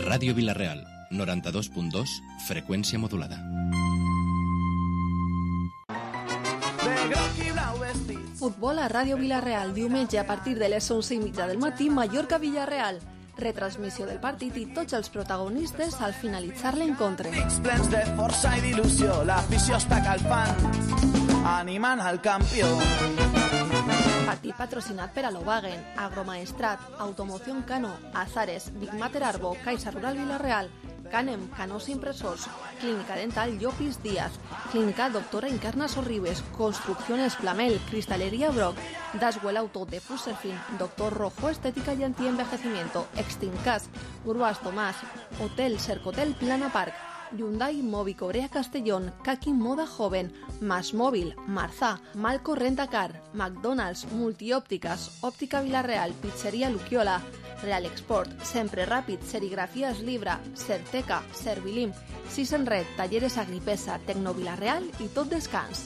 Ràdio Vila-real, 92.2, freqüència modulada. Futbol a Ràdio Vila-real, diumenge a partir de les 11:30 del matí, Mallorca-Villarreal. Retransmissió del partit i tots els protagonistes al finalitzar l'encontre. Plens de força i d'il·lusió, l'afició està calfant, animant al campió. Partit patrocinat per Alovagen, Agromaestrat, Automoción Cano, Azares, Big Mater Arbo, Caixa Rural Vila-real, Canem, Canós Impresors, Clínica Dental Llopis Díaz, Clínica Doctora Encarna Sorribes, Construcción Esplamel, Cristalería Brock, Daswell Auto de Fuserfin, Doctor Rojo Estética y Antienvejecimiento, Extincas, Gruas Tomás, Hotel Cercotel Plana Park, Hyundai Mobi Cobrea Castellón, Kaki Moda Joven, Más Móvil, Marzá, Malco Rentacar, McDonald's, Multiópticas, Óptica Vila-real, Pizzería Luquiola, Real Export, Sempre Ràpid, Serigrafías Libra, Certeca, Servilim, Sisen Red, Talleres Agripesa, Tecno Vila-real i Tot Descans.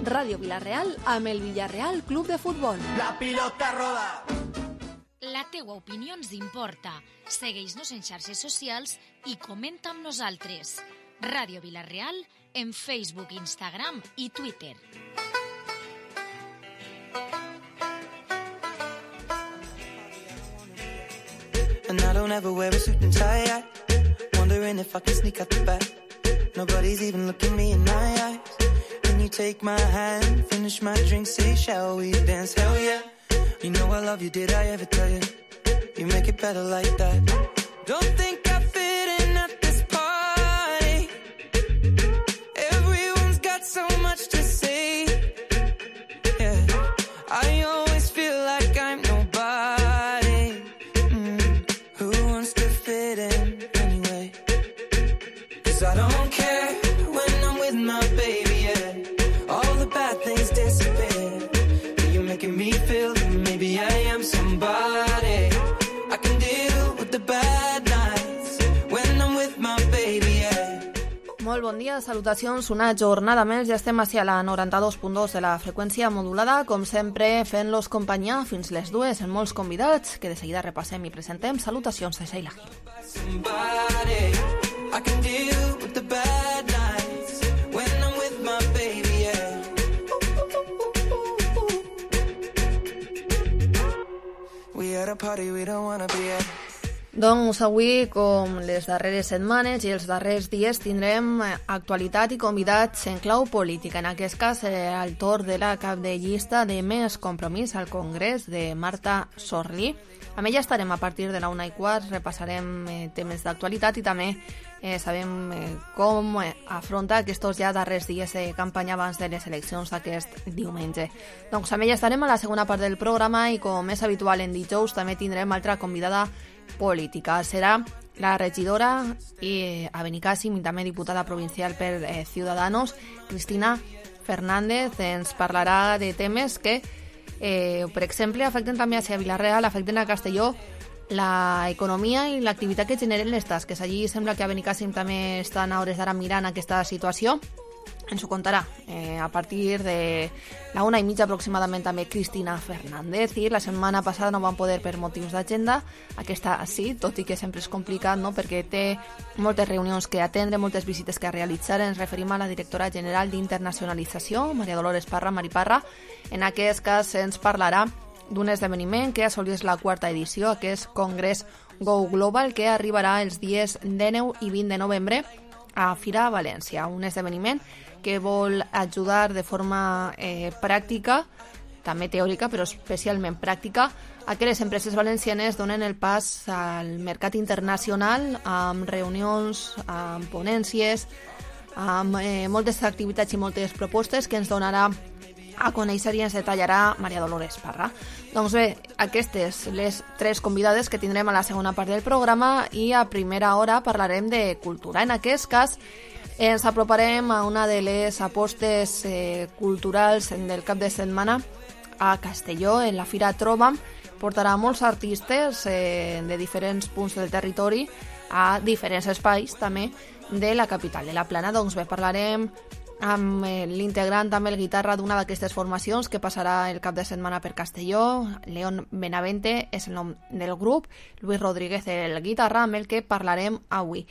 Ràdio Vila-real amb el Villarreal Club de Futbol. La pilota roda. La teua opinió ens importa. Segueix-nos en xarxes socials i comenta amb nosaltres. Ràdio Vila-real en Facebook, Instagram i Twitter. And I don't ever wear a suit and tie, wondering if I can sneak out the back. Nobody's even looking me in my eyes. When you take my hand, finish my drink, say, shall we dance? Hell yeah. You know I love you, did I ever tell you? You make it better like that. Don't think I fit in at this party. Everyone's got so much to say. Yeah, I always feel like I'm nobody. Who wants to fit in anyway? 'Cause I don't care when I'm with my baby, yeah. All the bad things disappear. You're making me feel that maybe I am somebody. I can deal with the bad nights when I'm with my baby, yeah. Molt bon dia, salutacions, una jornada més, ja estem a la 92.2 de la freqüència modulada, com sempre fent-los companyia fins les 2 en molts convidats, que de seguida repassem i presentem. Salutacions de Sheila Gil. Somebody, I can deal with the bad nights when I'm with my baby, yeah. We at a party we don't wanna be at. Doncs avui, com les darreres setmanes i els darrers dies, tindrem actualitat i convidats en clau política. En aquest cas, el torn de la cap de llista de Més Compromís al Congrés, de Marta Sorlí. Amb ella estarem a partir de la 1:15, repassarem temes d'actualitat i també sabem com afronta aquests ja darrers dies de campanya abans de les eleccions d'aquest diumenge. Doncs amb ella estarem a la segona part del programa i, com és habitual en dijous, també tindrem altra convidada política. Serà la regidora a Benicàssim i també diputada provincial per Ciudadanos, Cristina Fernández. Ens parlarà de temes que, per exemple, afecten també a Vila-real, afecten a Castelló, la economia i l'activitat que generen les tasques. Allí sembla que a Benicàssim també estan a hores d'ara mirant aquesta situació. Ens ho contarà a partir de la 1:30 aproximadament també Cristina Fernández. I la setmana passada no van poder per motius d'agenda, aquesta sí, tot i que sempre és complicat, no?, perquè té moltes reunions que atendre, moltes visites que realitzar. Ens referim a la directora general d'Internacionalització, Maria Dolores Parra, Mari Parra. En aquest cas ens parlarà d'un esdeveniment que assolís la 4ª edició, aquest Congrés Go Global, que arribarà els dies 19 i 20 de novembre a Fira València. Un esdeveniment que vol ajudar de forma pràctica, també teòrica, però especialment pràctica, a que les empreses valencianes donen el pas al mercat internacional amb reunions, amb ponències, amb moltes activitats i moltes propostes que ens donarà a conèixer i ens detallarà Maria Dolores Parra. Doncs bé, aquestes les 3 convidades que tindrem a la segona part del programa, i a primera hora parlarem de cultura. En aquest cas ens aproparem a una de les apostes culturals del cap de setmana a Castelló, en la Fira Trobam. Portarà molts artistes de diferents punts del territori a diferents espais també de la capital, de la Plana. Doncs bé, parlarem amb l'integrant també el guitarra d'una d'aquestes formacions que passarà el cap de setmana per Castelló. León Benavente és el nom del grup, Luis Rodríguez el guitarra, amb el que parlarem avui.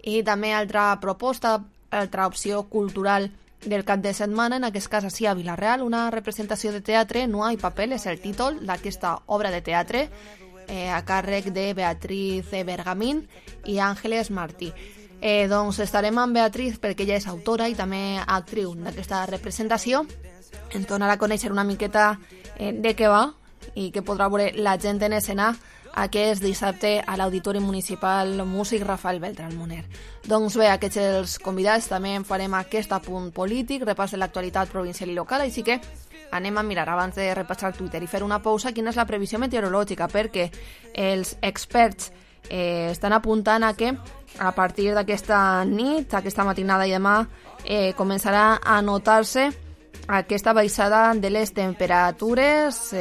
I també altra proposta, altra opció cultural del cap de setmana, en aquest cas així a Vila-real, una representació de teatre, No hay papel, és el títol d'aquesta obra de teatre, a càrrec de Beatriz Bergamín i Àngeles Martí. Doncs estarem amb Beatriz perquè ella és autora i també actriu d'aquesta representació. Ens donarà a conèixer una miqueta de què va i què podrà veure la gent en escena aquest dissabte a l'Auditori Municipal Músic Rafael Beltrán Moner. Doncs bé, aquests els convidats, també en farem aquest apunt polític, repàs de l'actualitat provincial i local, així que anem a mirar, abans de repassar Twitter i fer una pausa, quina és la previsió meteorològica, perquè els experts estan apuntant a que a partir d'aquesta nit, aquesta matinada i demà, començarà a notar-se aquesta baixada de les temperatures,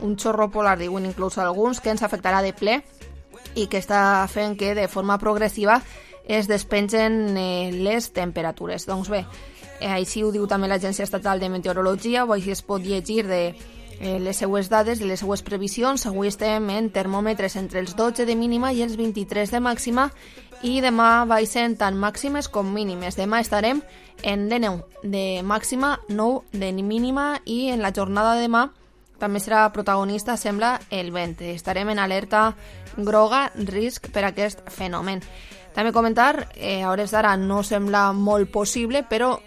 un xorro polar, diuen inclús alguns, que ens afectarà de ple i que està fent que de forma progressiva es despengen les temperatures. Doncs bé, així ho diu també l'Agència Estatal de Meteorologia, o així es pot llegir de les seues dades, de les seues previsions. Avui estem en termòmetres entre els 12 de mínima i els 23 de màxima, i demà baixen tant màximes com mínimes. Demà estarem en 19 de màxima, 9 de mínima, i en la jornada de demà també serà protagonista, sembla, el vent. Estarem en alerta groga, risc per aquest fenomen. També comentar, a hores d'ara no sembla molt possible, però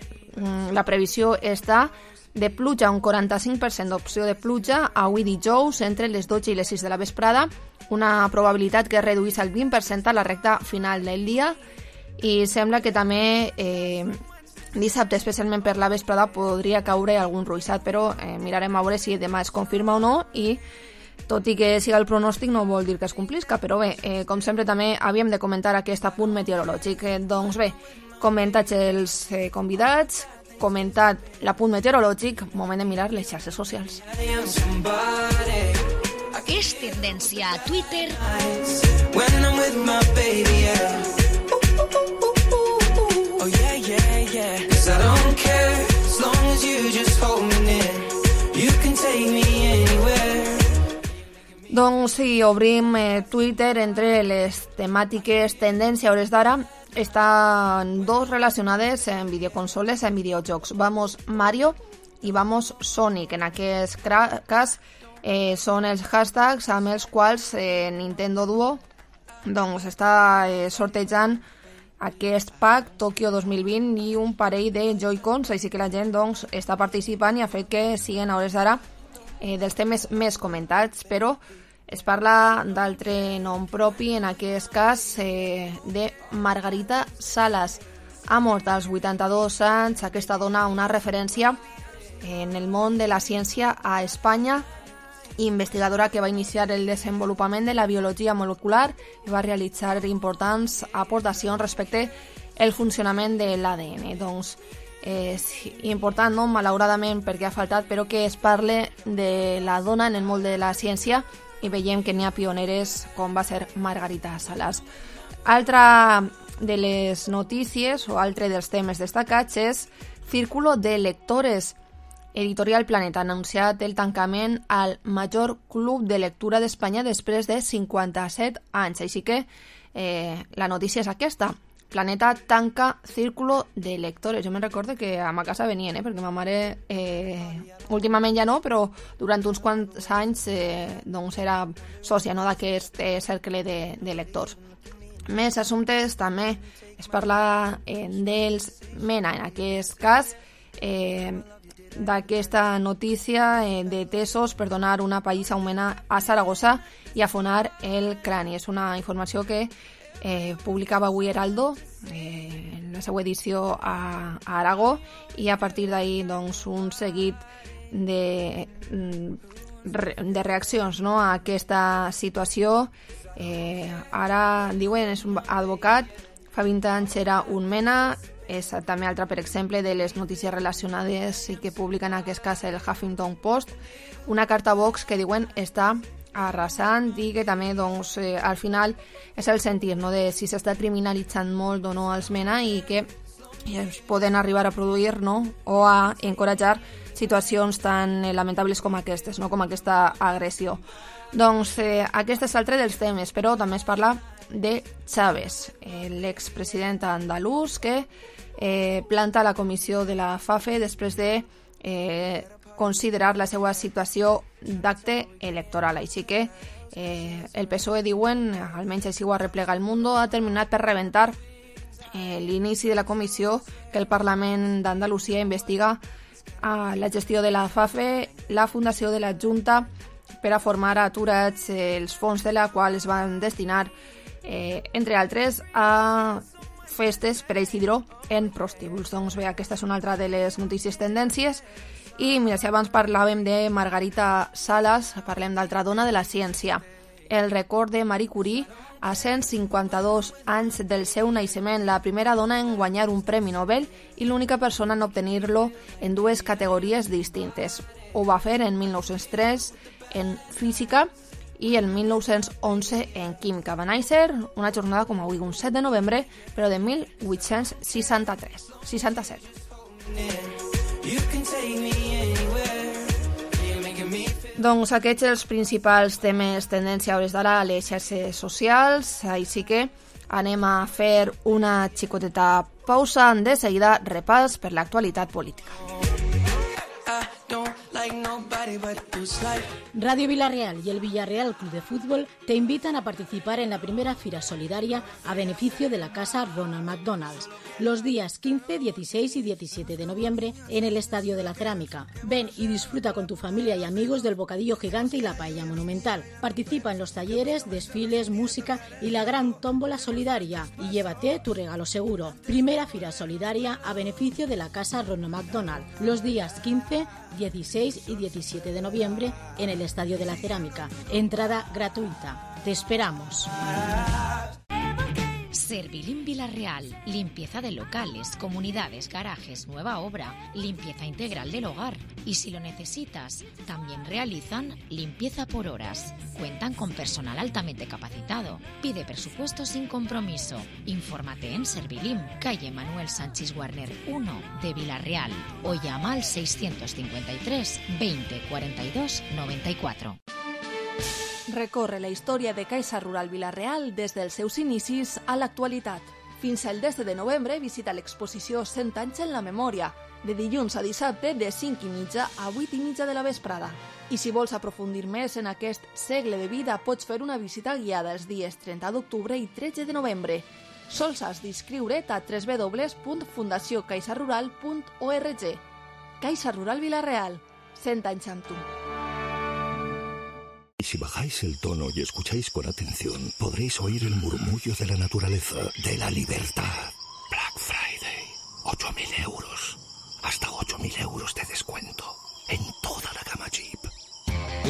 la previsió està de pluja, un 45% d'opció de pluja avui dijous entre les 12 i les 6 de la vesprada, una probabilitat que es reduís al 20% a la recta final del dia, i sembla que també dissabte, especialment per la vesprada, podria caure algun ruixat, però mirarem a veure si demà es confirma o no, i tot i que siga el pronòstic no vol dir que es complisca, però bé, com sempre també havíem de comentar aquest apunt meteorològic. Doncs bé, comentats els convidats, comentat l'apunt meteorològic, moment de mirar les xarxes socials. És tendència a Twitter. Doncs sí, obrim Twitter. Entre les temàtiques tendència a hores d'ara estan dos relacionades en videoconsoles, en videojocs. Vamos Mario i Vamos Sonic. En aquest cas són els hashtags amb els quals Nintendo Duo doncs està sortejant aquest pack Tokyo 2020 i un parell de Joy-Cons, així que la gent doncs està participant i ha fet que siguin a hores d'ara dels temes més comentats, però es parla d'altre nom propi, en aquest cas de Margarita Salas. Ha mort als 82 anys. Aquesta dona una referència en el món de la ciència a Espanya, investigadora que va iniciar el desenvolupament de la biologia molecular i va realitzar importants aportacions respecte al funcionament de l'ADN. Doncs és important, no? Malauradament, perquè ha faltat, però que es parle de la dona en el món de la ciència, i veiem que n'hi ha pioneres com va ser Margarita Salas. Altra de les notícies o altre dels temes destacats és Círculo de Lectores. Editorial Planeta ha anunciat el tancament al major club de lectura d'Espanya després de 57 anys. Així que la notícia és aquesta. Planeta tanca Círculo de Lectores. Jo me'n recordo que a ma casa venien, perquè ma mare últimament ja no, però durant uns quants anys doncs era sòcia, no, d'aquest cercle de lectors. Més assumptes, també es parla dels MENA, en aquest cas d'aquesta notícia de tesos per donar una pallissa a un MENA a Saragossa i afonar el crani. És una informació que publicava avui Heraldo en la seva edició a Aragó, i a partir d'ahir doncs, un seguit de reaccions, no, a aquesta situació. Ara diuen, és un advocat, fa 20 anys era un MENA. És també altra, per exemple, de les notícies relacionades i que publica en aquest cas el Huffington Post, una carta a Vox que diuen està arrasant, i que també doncs, al final és el sentir, no, de si s'està criminalitzant molt o no els MENA, i que i es poden arribar a produir, no?, o a encoratjar situacions tan lamentables com aquestes, no?, com aquesta agressió. Doncs aquest és l'altre dels temes, però també es parla de Chávez, l'expresident andalús que planta la comissió de la FAFE després de considerar la seva situació d'acte electoral. Així que el PSOE, diuen, almenys així ho arreplega el Mundo, ha terminat per rebentar l'inici de la comissió que el Parlament d'Andalusia investiga la gestió de la FAFE, la fundació de la Junta per a formar aturats els fons de la qual es van destinar, entre altres, a festes per a Isidro en prostíbuls. Doncs bé, aquesta és una altra de les notícies tendències. I mira, si abans parlàvem de Margarita Salas, parlem d'altra dona de la ciència. El record de Marie Curie a 152 anys del seu naixement, la primera dona en guanyar un Premi Nobel i l'única persona en obtenir-lo en dues categories distintes. Ho va fer en 1903 en física i en 1911 en química. Va néixer una jornada com avui, un 7 de novembre, però de 1867. Doncs aquests els principals temes tendència a hores d'ara a les xarxes socials, així que anem a fer una xicoteta pausa. De seguida, repàs per l'actualitat política. Radio Villarreal y el Villarreal Club de Fútbol te invitan a participar en la primera Fira Solidaria a beneficio de la Casa Ronald McDonald's, los días 15, 16 y 17 de noviembre en el Estadio de la Cerámica. Ven y disfruta con tu familia y amigos del bocadillo gigante y la paella monumental. Participa en los talleres, desfiles, música y la gran tómbola solidaria y llévate tu regalo seguro. Primera Fira Solidaria a beneficio de la Casa Ronald McDonald, los días 15, 16 y 17 de noviembre en el Estadio de la Cerámica. Entrada gratuita. Te esperamos. Servilim Villarreal, limpieza de locales, comunidades, garajes, nueva obra, limpieza integral del hogar. Y si lo necesitas, también realizan limpieza por horas. Cuentan con personal altamente capacitado. Pide presupuesto sin compromiso. Infórmate en Servilim, calle Manuel Sánchez Warner 1 de Villarreal, o llama al 653 20 42 94. Recorre la història de Caixa Rural Vila-real des dels seus inicis a l'actualitat. Fins al 10 de novembre visita l'exposició 100 anys en la memòria, de dilluns a dissabte de 5:30 a 8:30 de la vesprada. I si vols aprofundir més en aquest segle de vida, pots fer una visita guiada els dies 30 d'octubre i 13 de novembre. Sols has d'inscriure't a www.fundaciocaixarural.org. Caixa Rural Vila-real, 100 anys amb tu. Y si bajáis el tono y escucháis con atención, podréis oír el murmullo de la naturaleza, de la libertad. Black Friday, 8.000 euros. Hasta 8.000 euros de descuento. En toda la gama Jeep.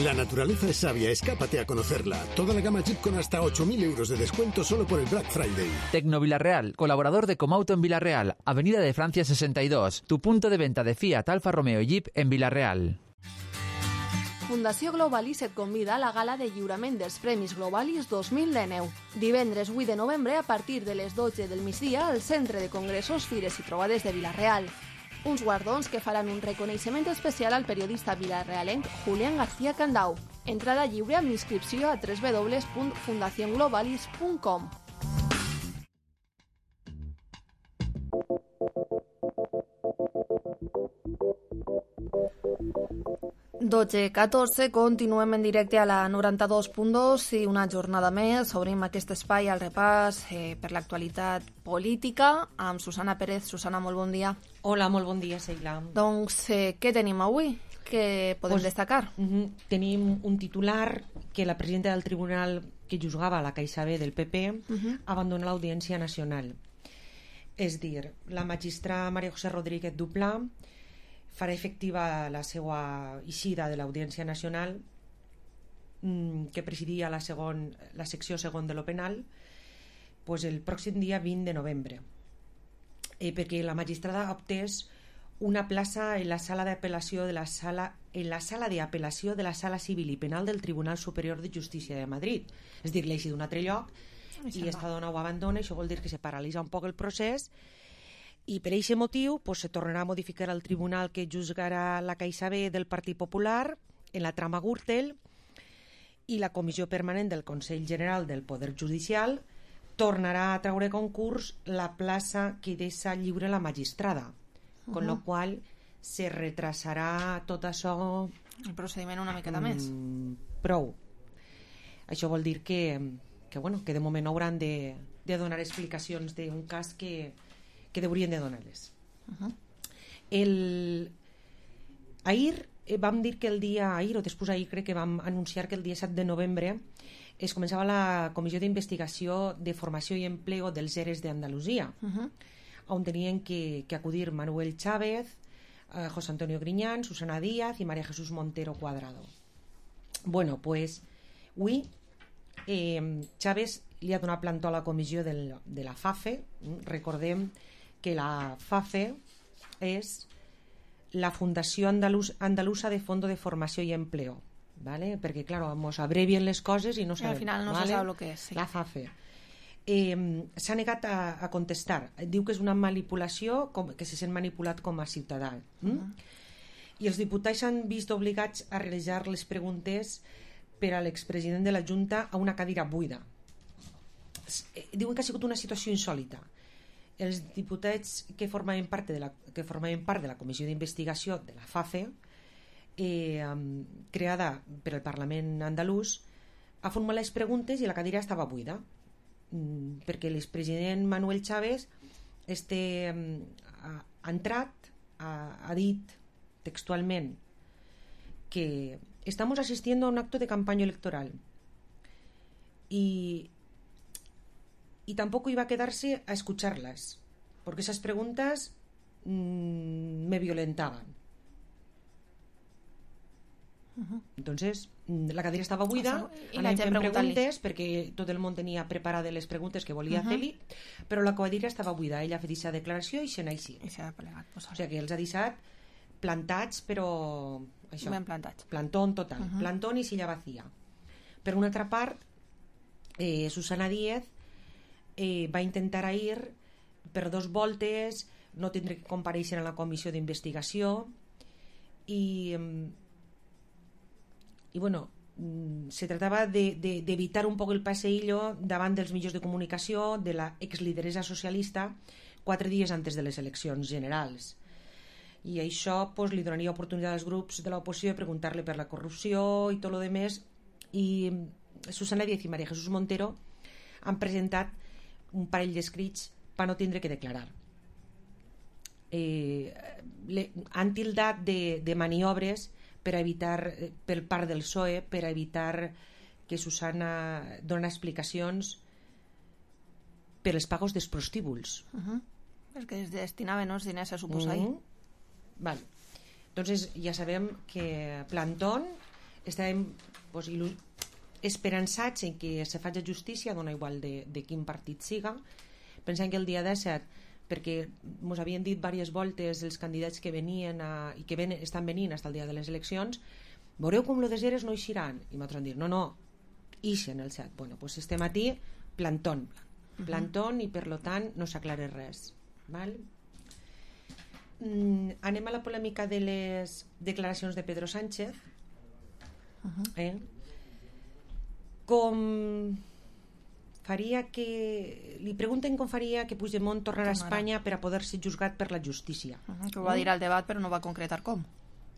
La naturaleza es sabia, escápate a conocerla. Toda la gama Jeep con hasta 8.000 euros de descuento solo por el Black Friday. Tecno Villarreal, colaborador de Comauto en Villarreal, Avenida de Francia 62, tu punto de venta de Fiat, Alfa Romeo y Jeep en Villarreal. Fundació Globalis et convida a la gala de lliurament dels Premis Globalis 2019. Divendres 8 de novembre a partir de les 12 del migdia al Centre de Congressos, Fires i Trobades de Vila-real. Uns guardons que faran un reconeixement especial al periodista vilarealenc Julián García Candau. Entrada lliure amb inscripció a www.fundacionglobalis.com. .14, continuem en directe a la 92.2 i una jornada més. Obrim aquest espai al repàs per l'actualitat política amb Susana Pérez. Susana, molt bon dia. Hola, molt bon dia, Sheila. Doncs, què tenim avui? Què podem destacar? Tenim un titular que la presidenta del tribunal que juzgava la Caixa B del PP abandona l'Audiència Nacional. És dir, la magistrada María José Rodríguez Duplà farà efectiva la seva eixida de l'Audiència Nacional que presidia la secció segon de lo penal el pròxim dia 20 de novembre perquè la magistrada optés una plaça en la sala d'apel·lació de la sala civil i penal del Tribunal Superior de Justícia de Madrid, és dir, l'eixi d'un altre lloc i esta dona ho abandona. Això vol dir que se paralitza un poc el procés I per aquest motiu se tornarà a modificar el tribunal que juzgarà la CaixaBank del Partit Popular en la trama Gürtel, i la Comissió Permanent del Consell General del Poder Judicial tornarà a treure concurs la plaça que deixa lliure la magistrada, con lo qual se retrasarà tot això... El procediment una miqueta més. Prou. Això vol dir que de moment hauran de donar explicacions d'un cas que deurien de donar-les. Ahir vam dir que el dia... Ahir o després ahir crec que vam anunciar que el dia 7 de novembre es començava la Comissió d'Investigació de Formació i Empleo dels ERES d'Andalusia, on tenien que acudir Manuel Chávez, José Antonio Griñán, Susana Díaz i María Jesús Montero Cuadrado. Bueno, pues avui Chávez li ha donat plantó a la comissió de la FAFE. Recordem que la FAFE és la Fundació Andalusa de Fondo de Formació i Empleo, ¿vale? Perquè, claro, nos abrevien les coses i no sabem. Al final no se sap el que és. Sí. La FAFE. S'ha negat a contestar. Diu que és una manipulació, que se sent manipulat com a ciutadà. I els diputats s'han vist obligats a realitzar les preguntes per a l'expresident de la Junta a una cadira buida. Diuen que ha sigut una situació insòlita. Els diputats que formaven part de la Comissió d'Investigació de la FAFE, creada per el Parlament andalús, ha formulat les preguntes i la cadira estava buida, perquè l'expresident Manuel Chávez ha entrat, ha dit textualment que estamos asistiendo a un acto de campaña electoral y tampoco iba a quedarse a escucharlas porque esas preguntas me violentaban. Entonces la cadira estava buida, anàvem fent preguntes perquè tot el món tenia preparades les preguntes que volia fer-li, però la cadira estava buida. Ella ha fet aquesta declaració i se n'ha eixit. O sigui que els ha deixat plantats, però això, ben plantats. Plantón total, plantón i silla vacía. Per una altra part, Susana Díaz va intentar ir per 2 voltes, no tindre que comparèixer a la comissió d'investigació i bueno, se tratava d'evitar un poc el passeillo davant dels mitjans de comunicació de la exlideresa socialista 4 dies antes de les eleccions generals, i això pues, li donaria oportunitat als grups de l'oposició de preguntar-li per la corrupció i tot el demés. I Susana Díaz i María Jesús Montero han presentat un parell d'escrits per no tindre que declarar. Han tildat de maniobres per evitar, per part del PSOE, per evitar que Susana dona explicacions per els pagos dels prostíbuls. Perquè es destinaven els diners a suposar ahir. Vale. Entonces ja sabem que Plantón estàvem esperançats en que se faci justícia, dona igual de quin partit siga. Pensem que el dia 17, perquè ens havien dit diverses voltes els candidats que venien i que estan venint fins al dia de les eleccions, veureu com lo de Eres no eixiran, i nosaltres han dit no, ixen el 7. Bueno, pues estem aquí, Plantón i per lo tant no s'aclara res, val? Anem a la polèmica de les declaracions de Pedro Sánchez. Com faria que... Li pregunten com faria que Puigdemont tornarà a Espanya per a poder ser juzgat per la justícia. Que ho va dir al debat però no va concretar com.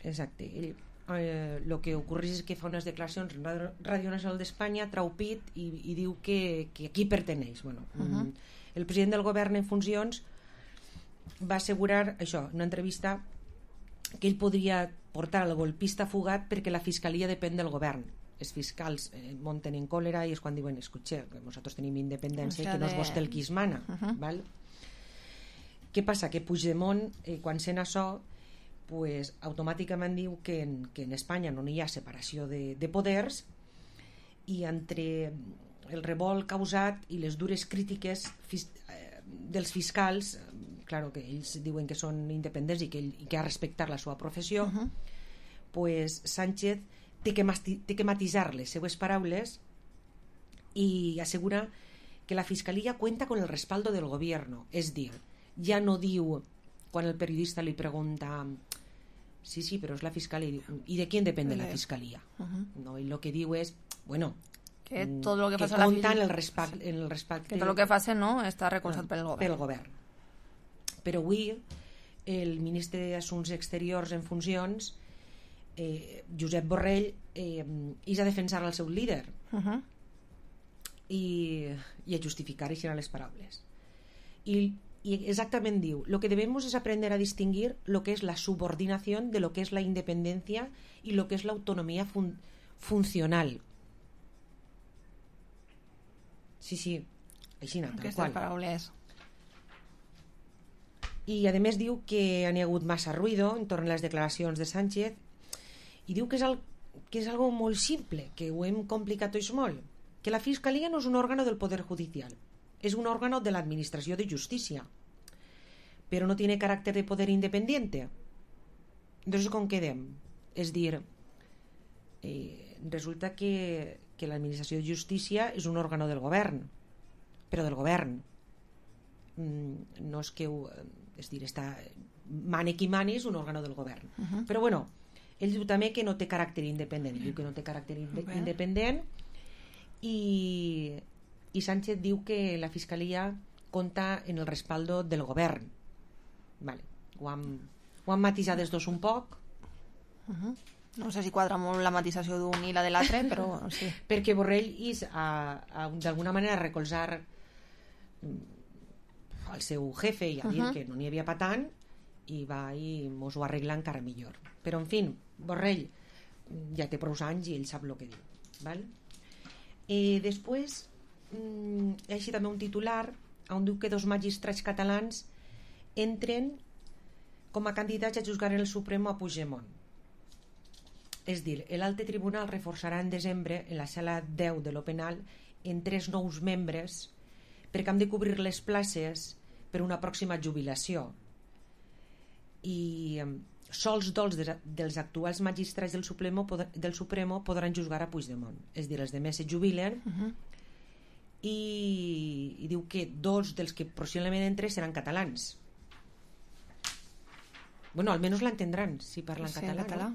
Exacte. El que ocorreix és que fa unes declaracions en Ràdio Nacional d'Espanya, trau pit i diu que aquí perteneix. Bueno, el president del govern en funcions va assegurar això, en una entrevista, que ell podria portar el golpista fugat perquè la fiscalia depèn del govern. Els fiscals monten en còlera i és quan diuen, escutxe, que nosaltres tenim independència i que no és vostè el qui es mana. Val? Què passa? Que Puigdemont, quan sent això, pues, automàticament diu que en Espanya no hi ha separació de poders, i entre el revolt causat i les dures crítiques dels fiscals, claro que ells diuen que són independents i que ha de respectar la seva professió, pues Sánchez té que matisar les seues paraules i assegura que la fiscalía cuenta con el respaldo del gobierno, és dir, ja no diu, quan el periodista li pregunta sí, però és la fiscalia, i de qui depèn la fiscalia? No, i el que diu és, bueno, que tot el que faci compta en el respecte que tot el que faci no està recolzat pel govern. Però avui el ministre d'Assumptes Exteriors en funcions, Josep Borrell, és a defensar el seu líder i a justificar així les paraules. I exactament diu, lo que debemos es aprender a distinguir lo que es la subordinación de lo que es la independencia y lo que es la autonomía funcional. Sí, així tal qual. Paraules. I a més diu que n'hi ha hagut massa ruïdo entorn a les declaracions de Sánchez i diu que és algo molt simple, que ho hem complicat tots molt, que la Fiscalia no és un òrgano del Poder Judicial, es un órgano de la Administración de Justicia, pero no tiene carácter de poder independiente. Entonces, ¿con qué quedem? Es dir, resulta que la Administració de Justícia és un òrgano del govern, però del govern. No és que és dir, mane qui mane és un òrgano del govern. Però bueno, ell diu també que no té caràcter independent, diu que no té caràcter independent i Sánchez diu que la Fiscalia compta en el respaldo del govern. Vale. Ho han matisat els dos un poc. No sé si quadra molt la matisació d'un i la de l'altre, però sí. Perquè Borrell és d'alguna manera recolzar el seu jefe i a dir que no n'hi havia pa tant i va i mos ho arregla encara millor. Però en fi, Borrell ja té prou anys i ell sap el que diu. Val? Després hi ha així també un titular on diu que 2 magistrats catalans entren com a candidats a juzgar en el Supremo a Puigdemont. És dir, l'Alte Tribunal reforçarà en desembre en la sala 10 de lo penal en 3 nous membres perquè han de cobrir les places per una pròxima jubilació i sols 2 dels actuals magistrats del Supremo podran juzgar a Puigdemont, és dir, els demés se jubilen i diu que 2 dels que possiblement entren seran catalans. Bueno, almenys l'entendran si parlen català.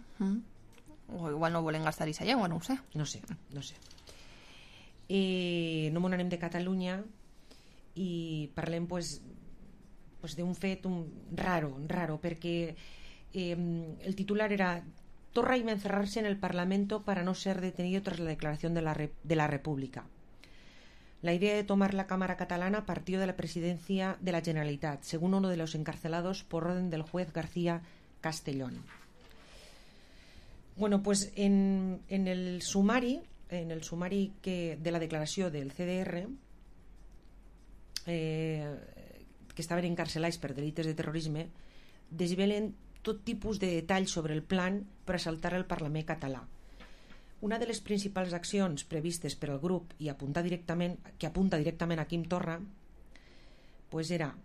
O igual no volen gastar aquesta llengua, no ho sé. No sé. No m'on anem de Catalunya i parlem d'un fet raro, perquè el titular era Torra iba a encerrarse en el Parlamento para no ser detenido tras la declaración de la República. La idea de tomar la Cámara catalana partió de la presidencia de la Generalitat, según uno de los encarcelados por orden del juez García Castellón. Bueno, pues en el sumari de la declaració del CDR, que estaven encarcelats per delites de terrorisme, desvelen tot tipus de detalls sobre el plan per assaltar el Parlament català. Una de les principals accions previstes per al grup i apunta directament a Quim Torra era,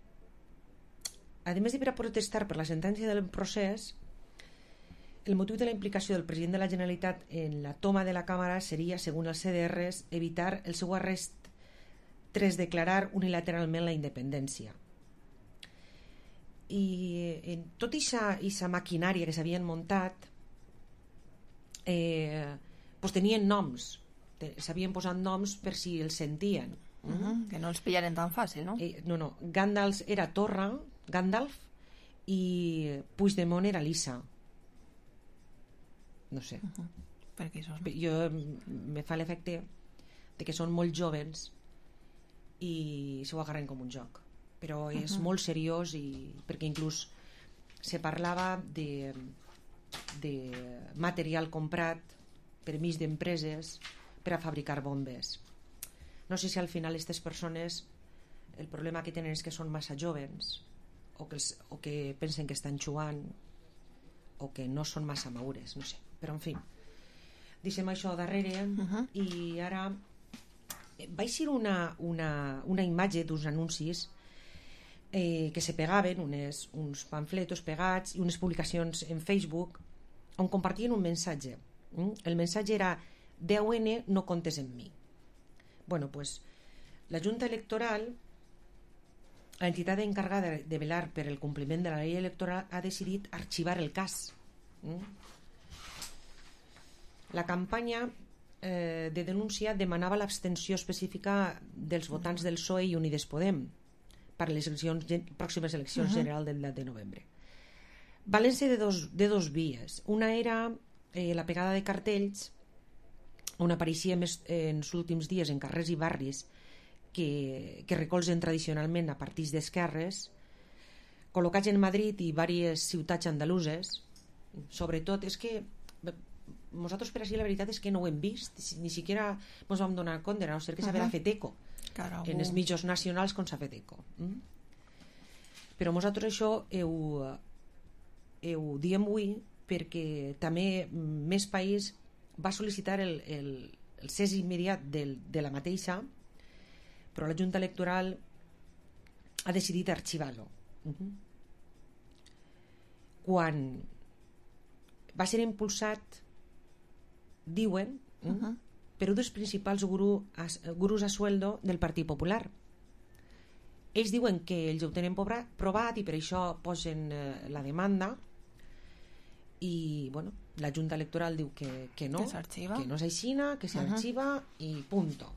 a més de per a protestar per la sentència del procés, el motiu de la implicació del president de la Generalitat en la toma de la Càmera seria, segons els CDRs, evitar el seu arrest tras declarar unilateralment la independència. I en tota aquesta maquinària que s'havien muntat tenien noms, s'havien posat noms per si els sentien. Que no els pillaren tan fàcil, no? No, Gandalf era Torra, Gandalf, i Puigdemont era Lisa. No sé. Per què això? Jo me fa l'efecte de que són molt joves i s'ho agarren com un joc, però és molt seriós perquè inclús se parlava de material comprat per mig d'empreses per a fabricar bombes. No sé si al final aquestes persones el problema que tenen és que són massa joves o que pensen que estan jugant o que no són massa madures, no sé, però en fi, deixem això darrere i ara va eixir una imatge d'uns anuncis que se pegaven, uns pamfletos pegats i unes publicacions en Facebook on compartien un missatge. El missatge era 10N, no comptes en mi. Bueno, pues la Junta Electoral l'entitat encargada de velar per el compliment de la llei electoral ha decidit arxivar el cas. La campanya de denúncia demanava l'abstenció específica dels votants del PSOE i Unides Podem per les pròximes eleccions generals del 10 de novembre. Valen ser de dos vies. Una era la pegada de cartells on apareixia en els últims dies en carrers i barris que recolzen tradicionalment a partits d'esquerres, col·locats en Madrid i diverses ciutats andaluses. Sobretot és que nosaltres per així la veritat és que no ho hem vist, ni siquiera ens vam donar compte, a no ser que s'haverà fet eco en els mitjans nacionals com s'ha fet eco. Però nosaltres això ho diem avui perquè també Més País va sol·licitar el cés immediat de la mateixa, però la Junta Electoral ha decidit arxivar-lo. Quan va ser impulsat, diuen, per un dels principals gurus a sueldo del Partit Popular. Ells diuen que ells ho tenen provat i per això posen la demanda i la Junta Electoral diu que no, que no s'aixina, que s'arxiva i punto.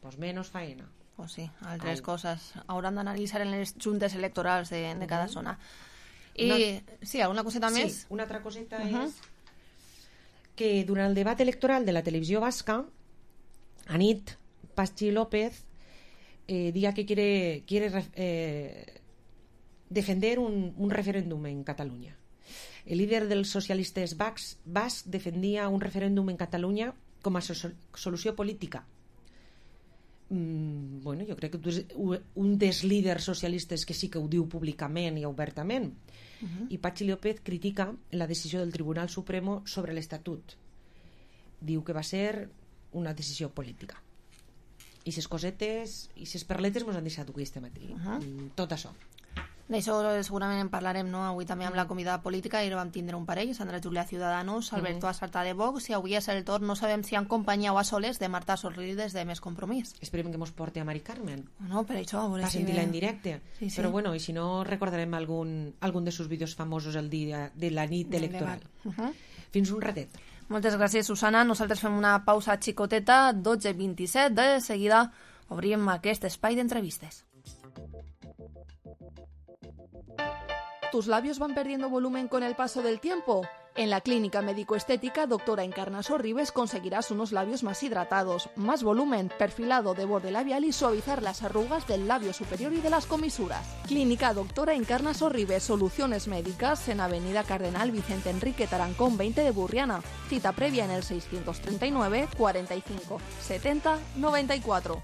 Pues menos faena. Pues sí, altres coses hauran d'analitzar en les juntes electorals de cada zona. I sí, alguna coseta més? Sí, una altra coseta és que durant el debat electoral de la televisió basca, anit Patxi López diga que quiere defender un referéndum en Cataluña. El líder dels socialistes bascs defendia un referèndum en Catalunya com a solució política. Jo crec que tu és un dels líders socialistes que sí que ho diu públicament i obertament. I Patxi López critica la decisió del Tribunal Supremo sobre l'Estatut. Diu que va ser una decisió política. I ses cosetes i ses perletes ens han deixat avui este matí. Tot això. D'això segurament en parlarem avui també amb la convidada política. Ahir vam tindre un parell, Sandra Júlia Ciudadanos, Alberto Assalta de Vox, i avui és el torn, no sabem si en companyia o a soles, de Marta Sorrides de Més Compromís. Esperem que mos porti a Mari Carmen. No, per això. Per sentir-la en directe. Però bueno, i si no, recordarem algun de sus vídeos famosos el dia de la nit electoral. Fins un ratet. Moltes gràcies, Susana. Nosaltres fem una pausa xicoteta, 12:27. De seguida obrim aquest espai d'entrevistes. ¿Tus labios van perdiendo volumen con el paso del tiempo? En la clínica médico-estética Doctora Encarna Sorribes conseguirás unos labios más hidratados, más volumen, perfilado de borde labial y suavizar las arrugas del labio superior y de las comisuras. Clínica Doctora Encarna Sorribes, soluciones médicas en Avenida Cardenal Vicente Enrique Tarancón 20 de Burriana. Cita previa en el 639 45 70 94.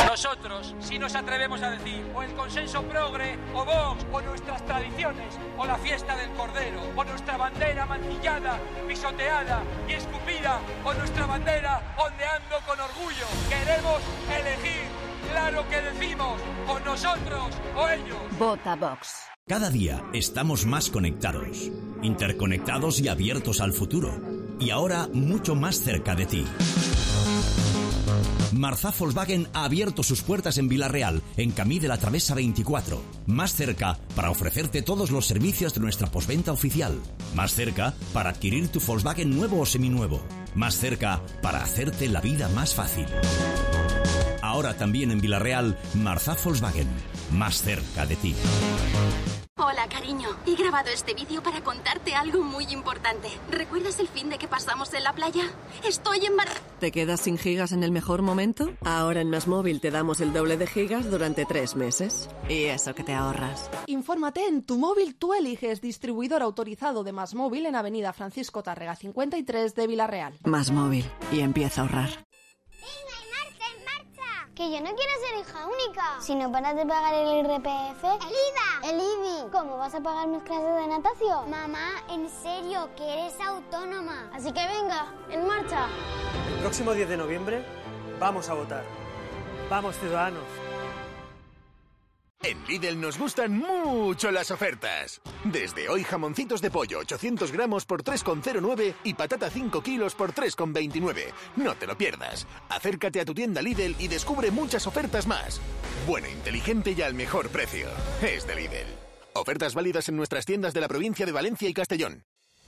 Nosotros, si nos atrevemos a decir o el consenso progre, o Vox, o nuestras tradiciones, o la fiesta del Cordero, o nuestra bandera mancillada, pisoteada y escupida, o nuestra bandera ondeando con orgullo. Queremos elegir, claro que decimos, o nosotros o ellos. Vota Vox. Cada día estamos más conectados, interconectados y abiertos al futuro. Y ahora mucho más cerca de ti. Marzá Volkswagen ha abierto sus puertas en Vila-real, en Camí de la Travesa 24. Más cerca para ofrecerte todos los servicios de nuestra postventa oficial. Más cerca para adquirir tu Volkswagen nuevo o seminuevo. Más cerca para hacerte la vida más fácil. Ahora también en Vila-real, Marzá Volkswagen. Más cerca de ti. Hola, cariño. He grabado este vídeo para contarte algo muy importante. ¿Recuerdas el fin de que pasamos en la playa? Estoy embarazada. ¿Te quedas sin gigas en el mejor momento? Ahora en MásMóvil te damos el doble de gigas durante 3 meses. Y eso que te ahorras. Infórmate en Tu Móvil Tú Eliges, distribuidor autorizado de MásMóvil en Avenida Francisco Tárrega 53 de Vila-real. MásMóvil. Y empieza a ahorrar. Que yo no quiero ser hija única. Si no paras de pagar el IRPF... ¡El IVA! ¡El IBI! ¿Cómo vas a pagar mis clases de natación? Mamá, en serio, que eres autónoma. Así que venga, en marcha. El próximo 10 de noviembre vamos a votar. Vamos, ciudadanos. En Lidl nos gustan mucho las ofertas. Desde hoy jamoncitos de pollo 800 gramos por 3,09 y patata 5 kilos por 3,29. No te lo pierdas. Acércate a tu tienda Lidl y descubre muchas ofertas más. Bueno, inteligente y al mejor precio. Es de Lidl. Ofertas válidas en nuestras tiendas de la provincia de Valencia y Castellón.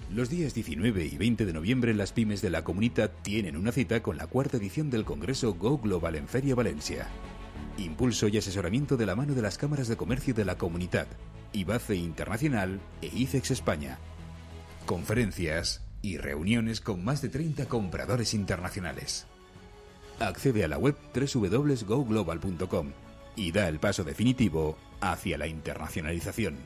Los días 19 y 20 de noviembre las pymes de la Comunitat tienen una cita con la cuarta edición del Congreso Go Global en Feria Valencia. Impulso y asesoramiento de la mano de las cámaras de comercio de la Comunitat, IBACE Internacional e ICEX España. Conferencias y reuniones con más de 30 compradores internacionales. Accede a la web www.goglobal.com y da el paso definitivo hacia la internacionalización.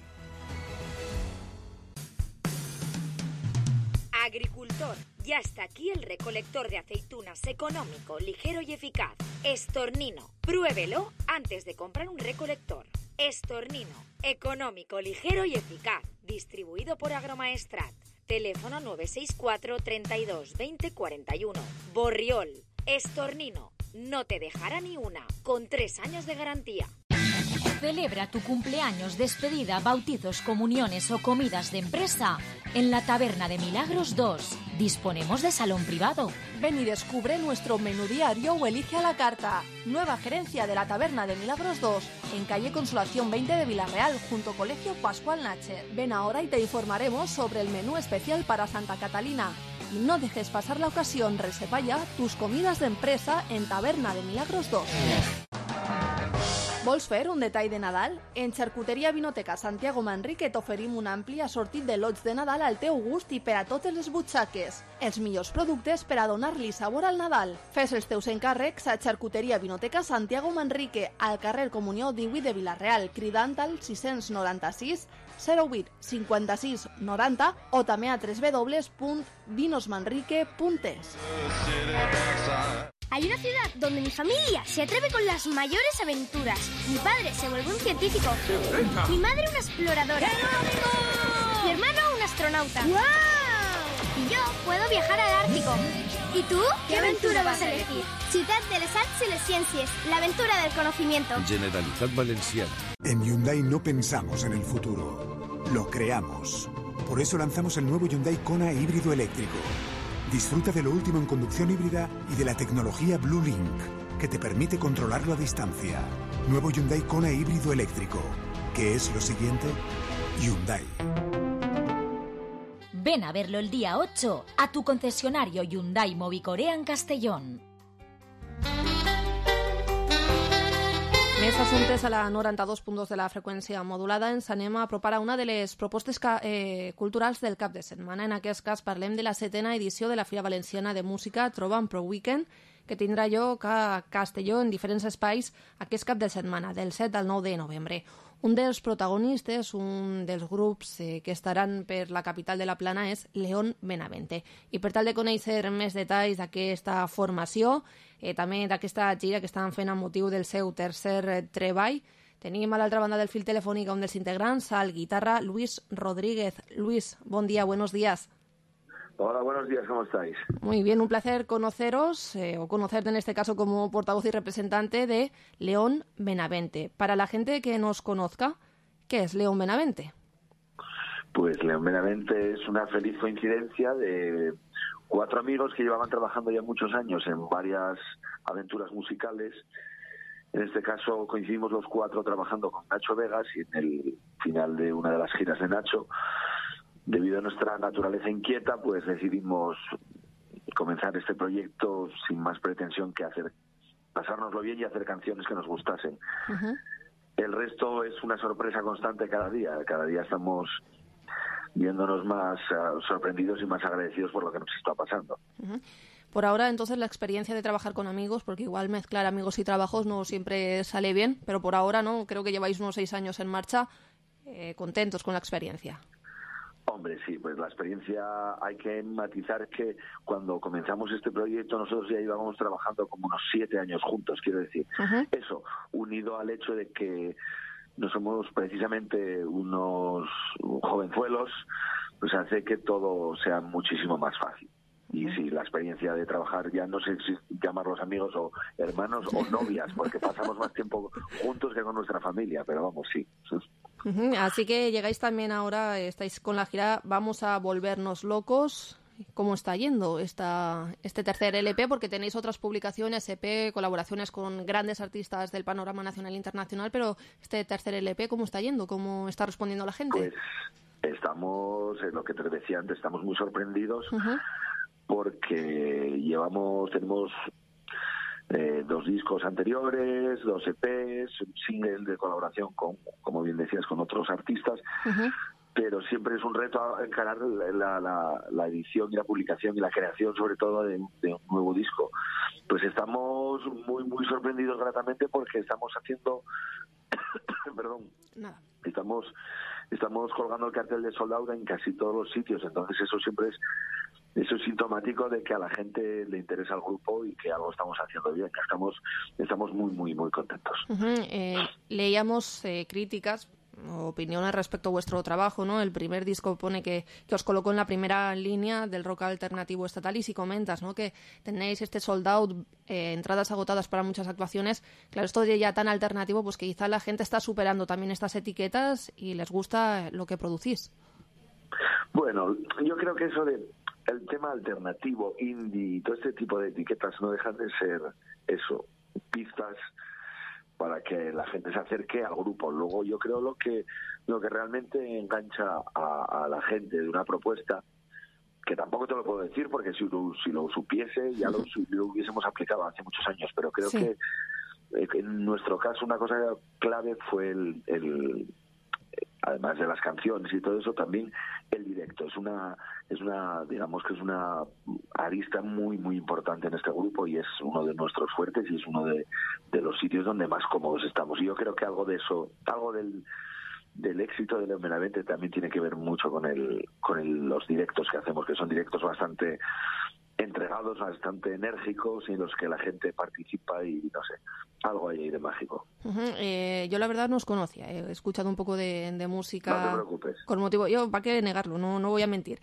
Agricultor, ya está aquí el recolector de aceitunas económico, ligero y eficaz. Estornino, pruébelo antes de comprar un recolector. Estornino, económico, ligero y eficaz. Distribuido por Agromaestrat. Teléfono 964 32 20 41. Borriol, Estornino, no te dejará ni una, con 3 años de garantía. Celebra tu cumpleaños, despedida, bautizos, comuniones o comidas de empresa en la Taberna de Milagros 2. Disponemos de salón privado. Ven y descubre nuestro menú diario o elige a la carta. Nueva gerencia de la Taberna de Milagros 2, en calle Consolación 20 de Villarreal, junto a Colegio Pascual Nacher. Ven ahora y te informaremos sobre el menú especial para Santa Catalina. Y no dejes pasar la ocasión, reserva ya tus comidas de empresa en Taberna de Milagros 2. Vols fer un detall de Nadal? En Xarcuteria Vinoteca Santiago Manrique t'oferim un ampli assortit de lots de Nadal al teu gust i per a totes les butxaques. Els millors productes per a donar-li sabor al Nadal. Fes els teus encàrrecs a Xarcuteria Vinoteca Santiago Manrique, al carrer Comunió 18 de Vilareal, cridant al 696 08 56 90 o també a www.vinosmanrique.es. Hay una ciudad donde mi familia se atreve con las mayores aventuras. Mi padre se vuelve un científico. Mi madre una exploradora. Mi hermano un astronauta. ¡Wow! Y yo puedo viajar al Ártico. ¿Y tú? ¿Qué aventura vas a elegir? Ciudad de les Arts y les Ciències, la aventura del conocimiento. Generalitat Valenciana. En Hyundai no pensamos en el futuro, lo creamos. Por eso lanzamos el nuevo Hyundai Kona híbrido eléctrico. Disfruta de lo último en conducción híbrida y de la tecnología Blue Link, que te permite controlarlo a distancia. Nuevo Hyundai Kona híbrido eléctrico. ¿Qué es lo siguiente? Hyundai. Ven a verlo el día 8 a tu concesionario Hyundai Movicorea en Castellón. Més assumptes a la 92.2 de la freqüència modulada. Ens anem a apropar a una de les propostes culturals del cap de setmana. En aquest cas parlem de la 7ª edició de la Fira Valenciana de Música Trobant Pro Weekend, que tindrà lloc a Castelló en diferents espais aquest cap de setmana, del 7 al 9 de novembre. Un dels protagonistes, un dels grups que estaran per la capital de la Plana és León Benavente. I per tal de conèixer més detalls d'aquesta formació, també d'aquesta gira que estan fent amb motiu del seu tercer treball, tenim a l'altra banda del fil telefònic un dels integrants, al guitarra Luis Rodríguez. Luis, bon dia, buenos días. Hola, buenos días, ¿cómo estáis? Muy bien, un placer conoceros, o conocerte en este caso como portavoz y representante de León Benavente. Para la gente que nos conozca, ¿qué es León Benavente? Pues León Benavente es una feliz coincidencia de 4 amigos que llevaban trabajando ya muchos años en varias aventuras musicales. En este caso coincidimos los 4 trabajando con Nacho Vegas y en el final de una de las giras de Nacho, debido a nuestra naturaleza inquieta, pues decidimos comenzar este proyecto sin más pretensión que pasárnoslo bien y hacer canciones que nos gustasen. Uh-huh. El resto es una sorpresa constante cada día. Cada día estamos viéndonos más sorprendidos y más agradecidos por lo que nos está pasando. Uh-huh. Por ahora, entonces, la experiencia de trabajar con amigos, porque igual mezclar amigos y trabajos no siempre sale bien, pero por ahora no, creo que lleváis unos 6 años en marcha, contentos con la experiencia. Hombre, sí, pues la experiencia hay que matizar que cuando comenzamos este proyecto nosotros ya íbamos trabajando como unos 7 años juntos, quiero decir. Uh-huh. Eso, unido al hecho de que no somos precisamente unos jovenzuelos, pues hace que todo sea muchísimo más fácil. Y sí, la experiencia de trabajar, ya no sé si llamarlos amigos o hermanos o novias, porque pasamos más tiempo juntos que con nuestra familia, pero vamos, sí. Así que llegáis también ahora, estáis con la gira Vamos a volvernos locos. ¿Cómo está yendo este tercer LP? Porque tenéis otras publicaciones, EP, colaboraciones con grandes artistas del panorama nacional e internacional, pero este tercer LP, ¿cómo está yendo? ¿Cómo está respondiendo la gente? Pues estamos, lo que te decía antes, estamos muy sorprendidos porque tenemos 2 discos anteriores, 2 EPs, un single de colaboración con, como bien decías, con otros artistas. Pero siempre es un reto encarar la edición y la publicación y la creación, sobre todo, de un nuevo disco. Pues estamos muy, muy sorprendidos gratamente porque estamos haciendo... perdón. Nada. Estamos colgando el cartel de Sold Out en casi todos los sitios. Entonces eso siempre es sintomático de que a la gente le interesa el grupo y que algo estamos haciendo bien. Estamos muy, muy, muy contentos. Leíamos críticas, opiniones respecto a vuestro trabajo, ¿no? El primer disco pone que os colocó en la primera línea del rock alternativo estatal, y si comentas, ¿no?, que tenéis este sold out, entradas agotadas para muchas actuaciones, claro, esto de ya tan alternativo, pues que quizá la gente está superando también estas etiquetas y les gusta lo que producís. Bueno, yo creo que el tema alternativo, indie, todo este tipo de etiquetas no dejan de ser eso, pistas para que la gente se acerque al grupo. Luego yo creo lo que realmente engancha a la gente de una propuesta, que tampoco te lo puedo decir porque si lo supiese ya lo hubiésemos aplicado hace muchos años, pero creo que en nuestro caso una cosa clave fue el además de las canciones y todo eso, también el directo. Es una digamos que es una arista muy, muy importante en este grupo y es uno de nuestros fuertes y es uno de los sitios donde más cómodos estamos. Y yo creo que algo de eso, algo del éxito de Leo Benavente también tiene que ver mucho con los directos que hacemos, que son directos bastante entregados, bastante enérgicos y en los que la gente participa y no sé, algo hay ahí de mágico. Yo la verdad no os conocía, he escuchado un poco de música. No te preocupes. Con motivo, yo para qué negarlo, no voy a mentir.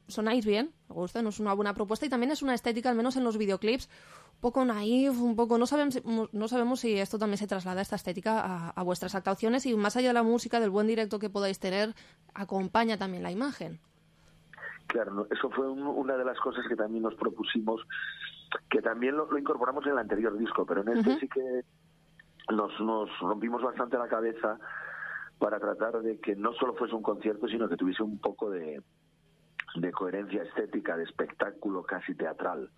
Sonáis bien, me gusta, no es una buena propuesta y también es una estética, al menos en los videoclips, un poco naif, un poco, no sabemos si esto también se traslada, esta estética, a vuestras actuaciones, y más allá de la música, del buen directo que podáis tener, acompaña también la imagen. Claro, eso fue una de las cosas que también nos propusimos, que también lo incorporamos en el anterior disco, pero en este sí que nos rompimos bastante la cabeza para tratar de que no solo fuese un concierto, sino que tuviese un poco de coherencia estética, de espectáculo casi teatral.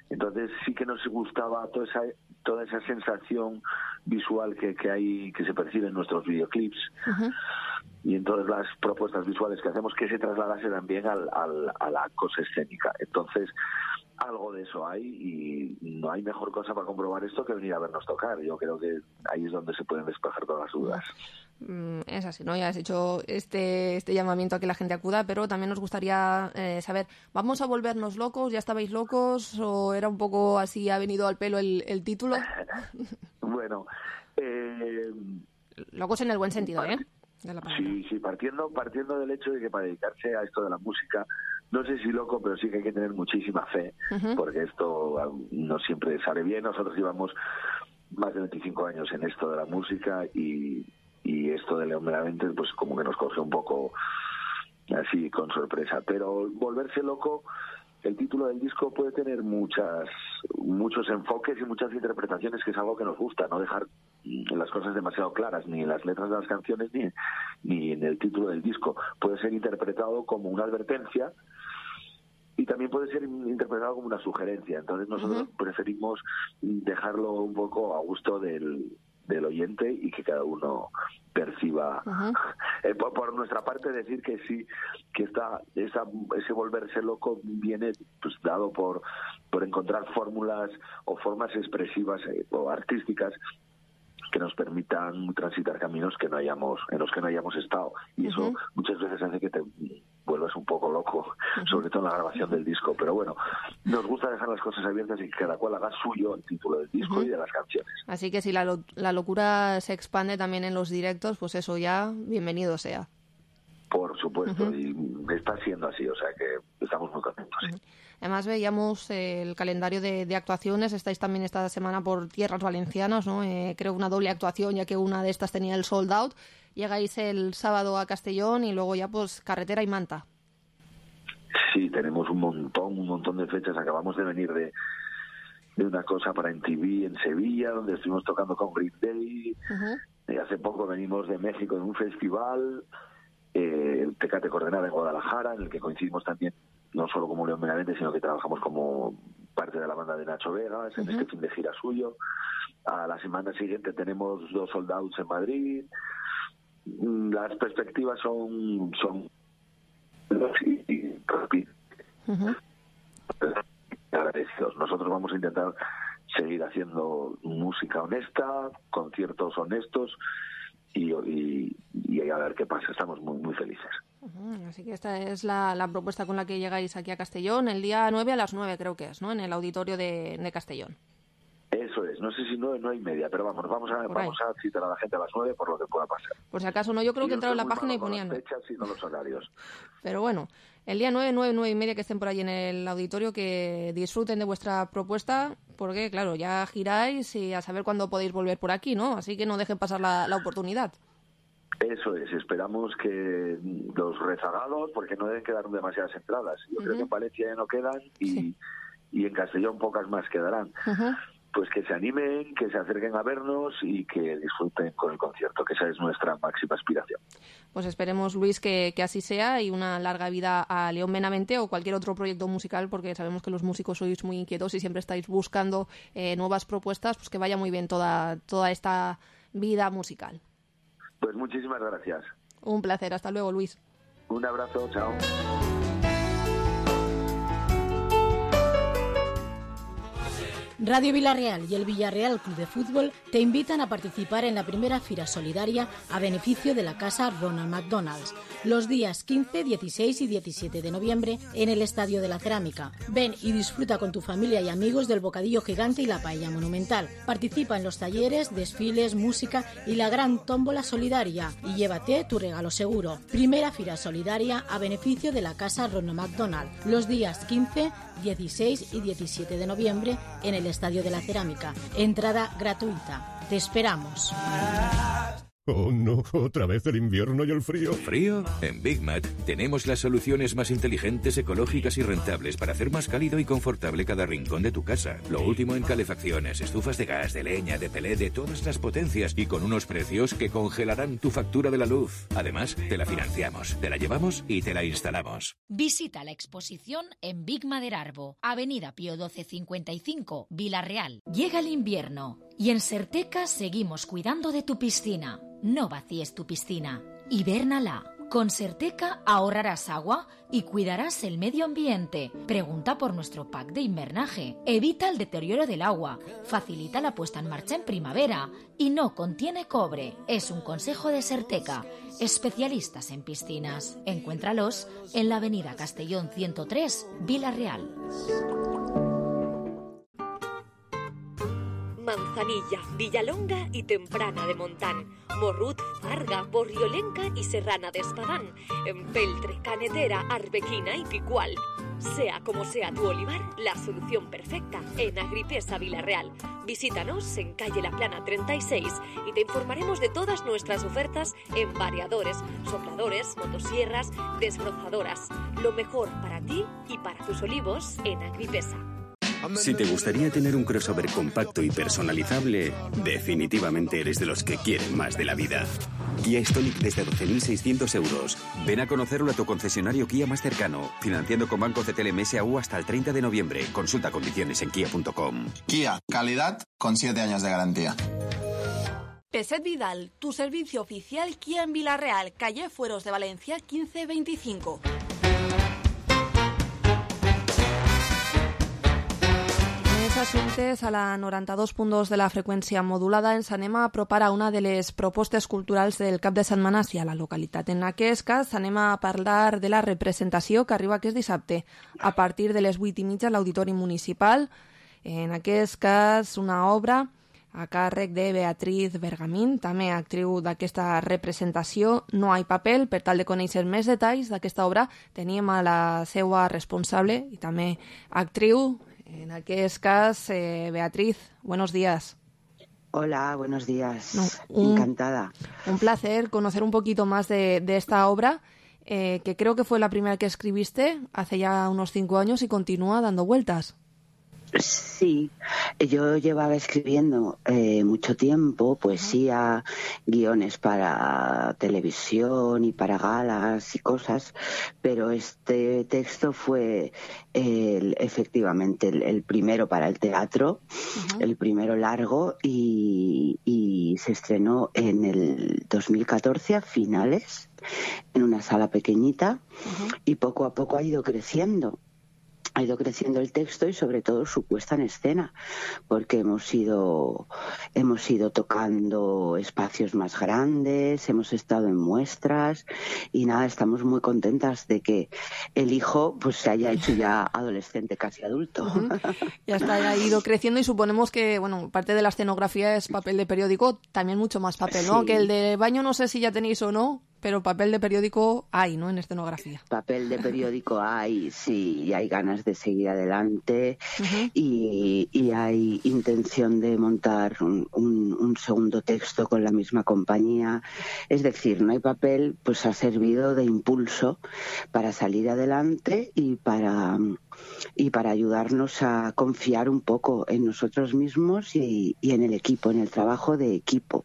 Entonces sí que nos gustaba toda esa sensación visual que se percibe en nuestros videoclips y en todas las propuestas visuales que hacemos, que se trasladase también a la cosa escénica. Entonces algo de eso hay y no hay mejor cosa para comprobar esto que venir a vernos tocar. Yo creo que ahí es donde se pueden despejar todas las dudas. Es así, ¿no? Ya has hecho este llamamiento a que la gente acuda, pero también nos gustaría saber, ¿vamos a volvernos locos? ¿Ya estabais locos? ¿O era un poco así, ha venido al pelo el título? Bueno, locos en el buen sentido, ¿eh? Sí, partiendo del hecho de que para dedicarse a esto de la música, no sé si loco, pero sí que hay que tener muchísima fe, porque esto no siempre sale bien. Nosotros llevamos más de 25 años en esto de la música y esto de Leo Benavente pues como que nos coge un poco así con sorpresa. Pero volverse loco, el título del disco puede tener muchos enfoques y muchas interpretaciones, que es algo que nos gusta, no dejar las cosas demasiado claras, ni en las letras de las canciones ni en el título del disco. Puede ser interpretado como una advertencia y también puede ser interpretado como una sugerencia. Entonces nosotros preferimos dejarlo un poco a gusto del oyente y que cada uno perciba. Por nuestra parte, decir que sí, que ese volverse loco viene pues dado por encontrar fórmulas o formas expresivas o artísticas que nos permitan transitar caminos en los que no hayamos estado, y eso muchas veces hace que te vuelvas un poco loco, sobre todo en la grabación del disco. Pero bueno, nos gusta dejar las cosas abiertas y que cada cual haga suyo el título del disco y de las canciones. Así que si la locura se expande también en los directos, pues eso ya, bienvenido sea. Por Por supuesto, y está siendo así, o sea que estamos muy contentos. Sí. Además veíamos el calendario de actuaciones, estáis también esta semana por tierras valencianas, ¿no? Creo una doble actuación, ya que una de estas tenía el sold out. Llegáis el sábado a Castellón y luego ya pues carretera y Manta. Sí, tenemos un montón de fechas. Acabamos de venir de una cosa para MTV en Sevilla, donde estuvimos tocando con Green Day. Hace poco venimos de México en un festival, el Tecate Coordenada en Guadalajara, en el que coincidimos también no solo como León Benavente, sino que trabajamos como parte de la banda de Nacho Vegas en este fin de gira suyo. A la semana siguiente tenemos 2 sold outs en Madrid. Las perspectivas son agradecidos. Nosotros vamos a intentar seguir haciendo música honesta, conciertos honestos y a ver qué pasa. Estamos muy felices. Así que esta es la propuesta con la que llegáis aquí a Castellón el día 9 a las 9 creo que es, ¿no? En el auditorio de Castellón. Eso es, no sé si 9:30, pero vamos a citar a la gente a las 9 por lo que pueda pasar. Por si acaso no, yo creo que entraron en la página y ponían las fechas y no los horarios. Pero bueno, el día 9:30 que estén por ahí en el auditorio, que disfruten de vuestra propuesta, porque claro, ya giráis y a saber cuándo podéis volver por aquí, ¿no? Así que no dejen pasar la oportunidad. Eso es, esperamos que los rezagados, porque no deben quedar demasiadas entradas. Yo creo que en Valencia ya no quedan y en Castellón pocas más quedarán. Pues que se animen, que se acerquen a vernos y que disfruten con el concierto, que esa es nuestra máxima aspiración. Pues esperemos, Luis, que así sea y una larga vida a León Benavente o cualquier otro proyecto musical, porque sabemos que los músicos sois muy inquietos y siempre estáis buscando nuevas propuestas, pues que vaya muy bien toda esta vida musical. Pues muchísimas gracias. Un placer, hasta luego, Luis. Un abrazo, chao. Radio Villarreal y el Villarreal Club de Fútbol te invitan a participar en la primera Fira Solidaria a beneficio de la Casa Ronald McDonald's, los días 15, 16 y 17 de noviembre en el Estadio de la Cerámica. Ven y disfruta con tu familia y amigos del bocadillo gigante y la paella monumental. Participa en los talleres, desfiles, música y la gran tómbola solidaria y llévate tu regalo seguro. Primera Fira Solidaria a beneficio de la Casa Ronald McDonald, los días 15, 16 y 17 de noviembre en el Estadio de la Cerámica. Entrada gratuita. Te esperamos. Oh no, otra vez el invierno y el frío. ¿Frío? En Big Mat tenemos las soluciones más inteligentes, ecológicas y rentables para hacer más cálido y confortable cada rincón de tu casa. Lo último en calefacciones, estufas de gas, de leña, de pelé, de todas las potencias y con unos precios que congelarán tu factura de la luz. Además, te la financiamos, te la llevamos y te la instalamos. Visita la exposición en Big Maderarbo, Avenida Pío XII 55, Villarreal. Llega el invierno y en Serteca seguimos cuidando de tu piscina. No vacíes tu piscina, hibérnala. Con Serteca ahorrarás agua y cuidarás el medio ambiente. Pregunta por nuestro pack de invernaje. Evita el deterioro del agua, facilita la puesta en marcha en primavera y no contiene cobre. Es un consejo de Serteca, especialistas en piscinas. Encuéntralos en la avenida Castellón 103, Villarreal. Manzanilla, Villalonga y Temprana de Montán, Morrut, Farga, Borriolenca y Serrana de Espadán, Empeltre, Canetera, Arbequina y Picual. Sea como sea tu olivar, la solución perfecta en Agripesa Villarreal. Visítanos en calle La Plana 36 y te informaremos de todas nuestras ofertas en variadores, sopladores, motosierras, desbrozadoras. Lo mejor para ti y para tus olivos en Agripesa. Si te gustaría tener un crossover compacto y personalizable, definitivamente eres de los que quieren más de la vida. Kia Stonic desde 12.600 euros. Ven a conocerlo a tu concesionario Kia más cercano, financiando con Banco CTLM S.A.U. hasta el 30 de noviembre. Consulta condiciones en kia.com. Kia, calidad con 7 años de garantía. Peset Vidal, tu servicio oficial Kia en Villarreal, calle Fueros de Valencia 1525. Assumptes a la 92.2 de la freqüència modulada ens anem a apropar a una de les propostes culturals del cap de setmana a la localitat. En aquest cas anem a parlar de la representació que arriba aquest dissabte a partir de les 8:30 a l'Auditori Municipal. En aquest cas una obra a càrrec de Beatriz Bergamín, també actriu d'aquesta representació No hay papel. Per tal de conèixer més detalls d'aquesta obra, teníem a la seva responsable i també actriu, en aquest cas, Beatriz. Buenos días. Hola, buenos días. Encantada. Un placer conocer un poquito más de esta obra, que creo que fue la primera que escribiste hace ya unos 5 años y continúa dando vueltas. Sí, yo llevaba escribiendo mucho tiempo poesía, guiones para televisión y para galas y cosas, pero este texto fue efectivamente el primero para el teatro, el primero largo, y se estrenó en el 2014 a finales en una sala pequeñita, y poco a poco ha ido creciendo el texto y sobre todo su puesta en escena, porque hemos ido tocando espacios más grandes, hemos estado en muestras y nada, estamos muy contentas de que el hijo pues se haya hecho ya adolescente, casi adulto. Ya está, ya ha ido creciendo y suponemos que, bueno, parte de la escenografía es papel de periódico, también mucho más papel, ¿no? Sí. Que el de baño no sé si ya tenéis o no, pero papel de periódico hay, ¿no?, en escenografía. Papel de periódico hay, sí, y hay ganas de seguir adelante, y hay intención de montar un segundo texto con la misma compañía. Es decir, No hay papel pues ha servido de impulso para salir adelante y para ayudarnos a confiar un poco en nosotros mismos y en el equipo, en el trabajo de equipo,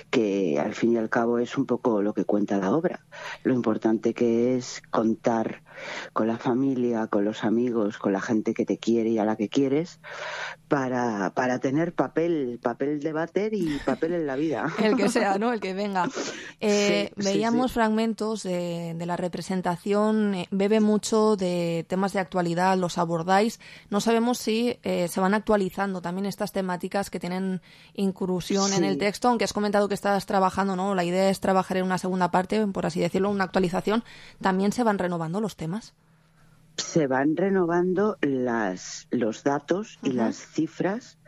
que al fin y al cabo es un poco lo que cuenta la obra. Lo importante que es contar con la familia, con los amigos, con la gente que te quiere y a la que quieres, para tener papel de váter y papel en la vida. El que sea, ¿no? El que venga. Veíamos fragmentos de la representación, bebe mucho de temas de actualidad, los abordáis. No sabemos si se van actualizando también estas temáticas que tienen incursión en el texto, aunque has comentado que estás trabajando, ¿no? La idea es trabajar en una segunda parte, por así decirlo, una actualización. ¿También se van renovando los temas? Se van renovando los datos y las cifras.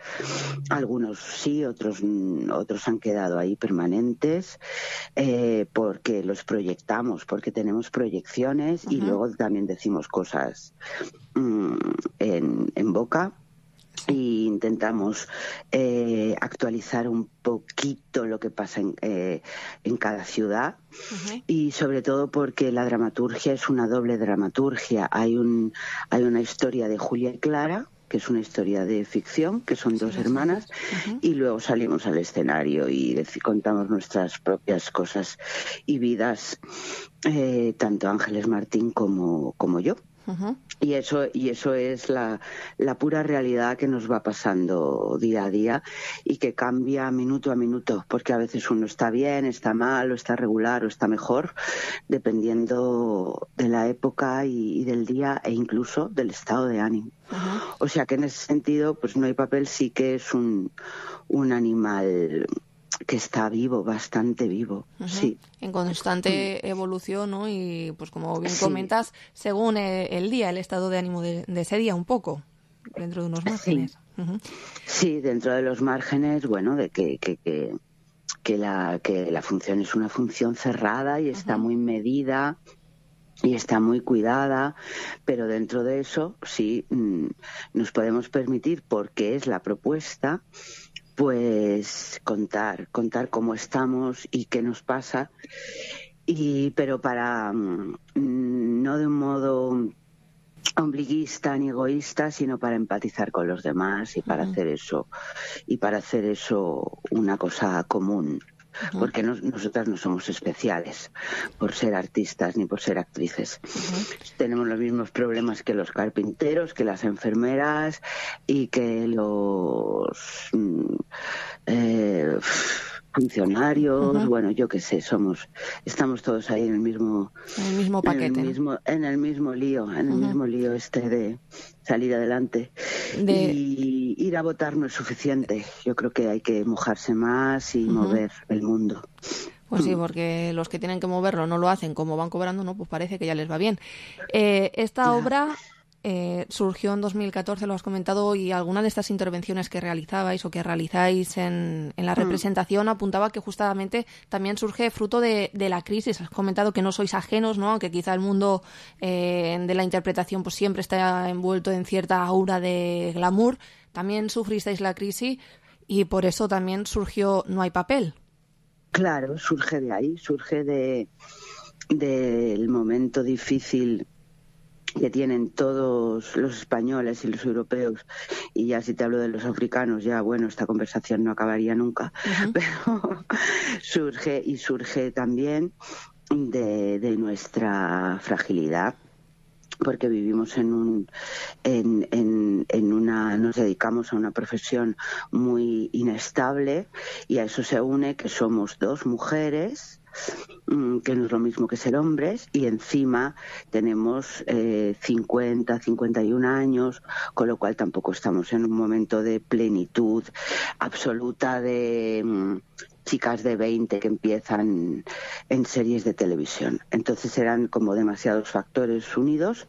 Algunos sí, otros han quedado ahí permanentes, porque los proyectamos, porque tenemos proyecciones, y luego también decimos cosas en boca. Y intentamos actualizar un poquito lo que pasa en cada ciudad, y sobre todo porque la dramaturgia es una doble dramaturgia. Hay una historia de Julia y Clara, que es una historia de ficción, que son dos hermanas, y luego salimos al escenario y contamos nuestras propias cosas y vidas, tanto Ángeles Martín como yo. Y eso es la pura realidad que nos va pasando día a día y que cambia minuto a minuto, porque a veces uno está bien, está mal, o está regular, o está mejor, dependiendo de la época y del día, e incluso del estado de ánimo. O sea que en ese sentido, pues No hay papel sí que es un animal que está vivo, bastante vivo, sí. En constante evolución, ¿no? Y pues como bien comentas, según el día, el estado de ánimo de ese día, un poco, dentro de unos márgenes. Sí, dentro de los márgenes, bueno, de que la función es una función cerrada y está muy medida y está muy cuidada, pero dentro de eso sí nos podemos permitir, porque es la propuesta, pues contar cómo estamos y qué nos pasa, pero para no de un modo ombliguista ni egoísta, sino para empatizar con los demás y para hacer eso una cosa común. Porque nosotras no somos especiales por ser artistas ni por ser actrices. Tenemos los mismos problemas que los carpinteros, que las enfermeras y que los funcionarios, bueno, yo qué sé, estamos todos ahí en el mismo paquete, en el mismo lío de salir adelante. Y ir a votar no es suficiente. Yo creo que hay que mojarse más y mover el mundo. Pues sí, porque los que tienen que moverlo no lo hacen, como van cobrando, no, pues parece que ya les va bien. Esta obra surgió en 2014, lo has comentado, y alguna de estas intervenciones que realizabais o que realizáis en la representación apuntaba que justamente también surge fruto de la crisis. Has comentado que no sois ajenos, ¿no? Aunque quizá el mundo de la interpretación pues siempre está envuelto en cierta aura de glamour. También sufristeis la crisis y por eso también surgió No hay papel. Claro, surge de ahí, surge del momento difícil que tienen todos los españoles y los europeos, y ya si te hablo de los africanos, ya bueno, esta conversación no acabaría nunca, pero surge también de nuestra fragilidad, porque vivimos nos dedicamos a una profesión muy inestable, y a eso se une que somos dos mujeres, que no es lo mismo que ser hombres, y encima tenemos 50, 51 años, con lo cual tampoco estamos en un momento de plenitud absoluta de chicas de 20 que empiezan en series de televisión. Entonces eran como demasiados factores unidos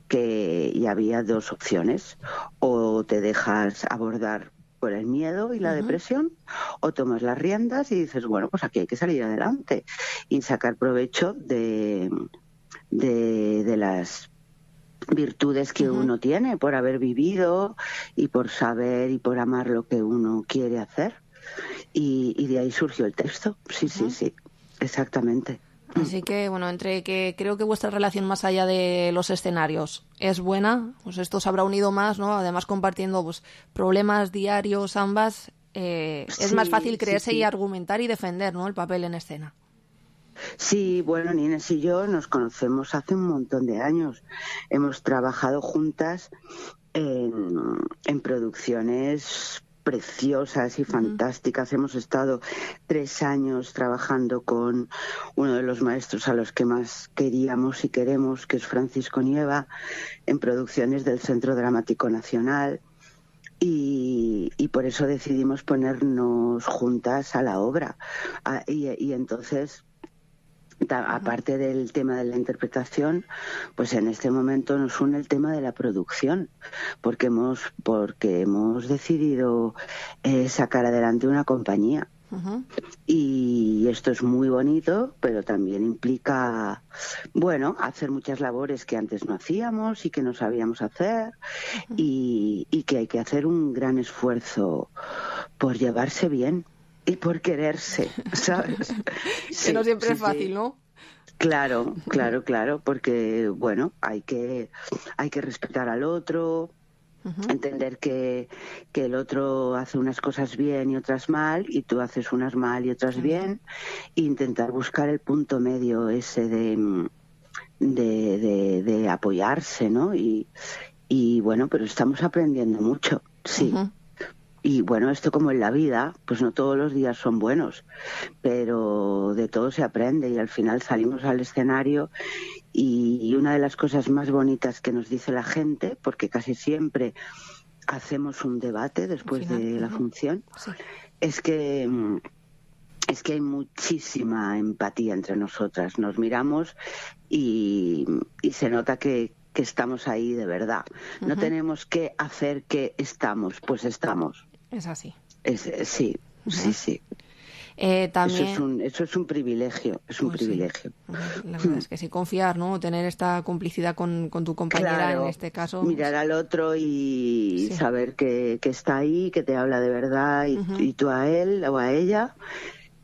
y había dos opciones: o te dejas abordar por el miedo y la depresión, o tomas las riendas y dices, bueno, pues aquí hay que salir adelante y sacar provecho de las virtudes que uno tiene por haber vivido y por saber y por amar lo que uno quiere hacer. Y de ahí surgió el texto. Sí, exactamente. Así que, bueno, entre que creo que vuestra relación más allá de los escenarios es buena, pues esto os habrá unido más, ¿no? Además, compartiendo pues problemas diarios ambas, es más fácil creerse y argumentar y defender, ¿no?, el papel en escena. Sí, bueno, Inés y yo nos conocemos hace un montón de años. Hemos trabajado juntas en producciones preciosas y fantásticas. Hemos estado 3 años trabajando con uno de los maestros a los que más queríamos y queremos, que es Francisco Nieva, en producciones del Centro Dramático Nacional, y por eso decidimos ponernos juntas a la obra. Y entonces, aparte del tema de la interpretación, pues en este momento nos une el tema de la producción, porque hemos decidido sacar adelante una compañía. Y esto es muy bonito, pero también implica, bueno, hacer muchas labores que antes no hacíamos y que no sabíamos hacer, y que hay que hacer un gran esfuerzo por llevarse bien y por quererse, ¿sabes? Que no siempre es fácil, ¿no? Claro, porque, bueno, hay que respetar al otro, entender que el otro hace unas cosas bien y otras mal, y tú haces unas mal y otras bien, e intentar buscar el punto medio ese de apoyarse, ¿no? Y bueno, pero estamos aprendiendo mucho, sí. Y bueno, esto como en la vida, pues no todos los días son buenos, pero de todo se aprende, y al final salimos al escenario, y una de las cosas más bonitas que nos dice la gente, porque casi siempre hacemos un debate después de la función, es que hay muchísima empatía entre nosotras. Nos miramos y se nota que estamos ahí de verdad. No tenemos que hacer que estamos, pues estamos. Es así. Sí. También... Eso es un privilegio, privilegio. La verdad es que sí, confiar, ¿no? Tener esta complicidad con tu compañera, en este caso. Mirar al otro y saber que está ahí, que te habla de verdad, y tú a él o a ella,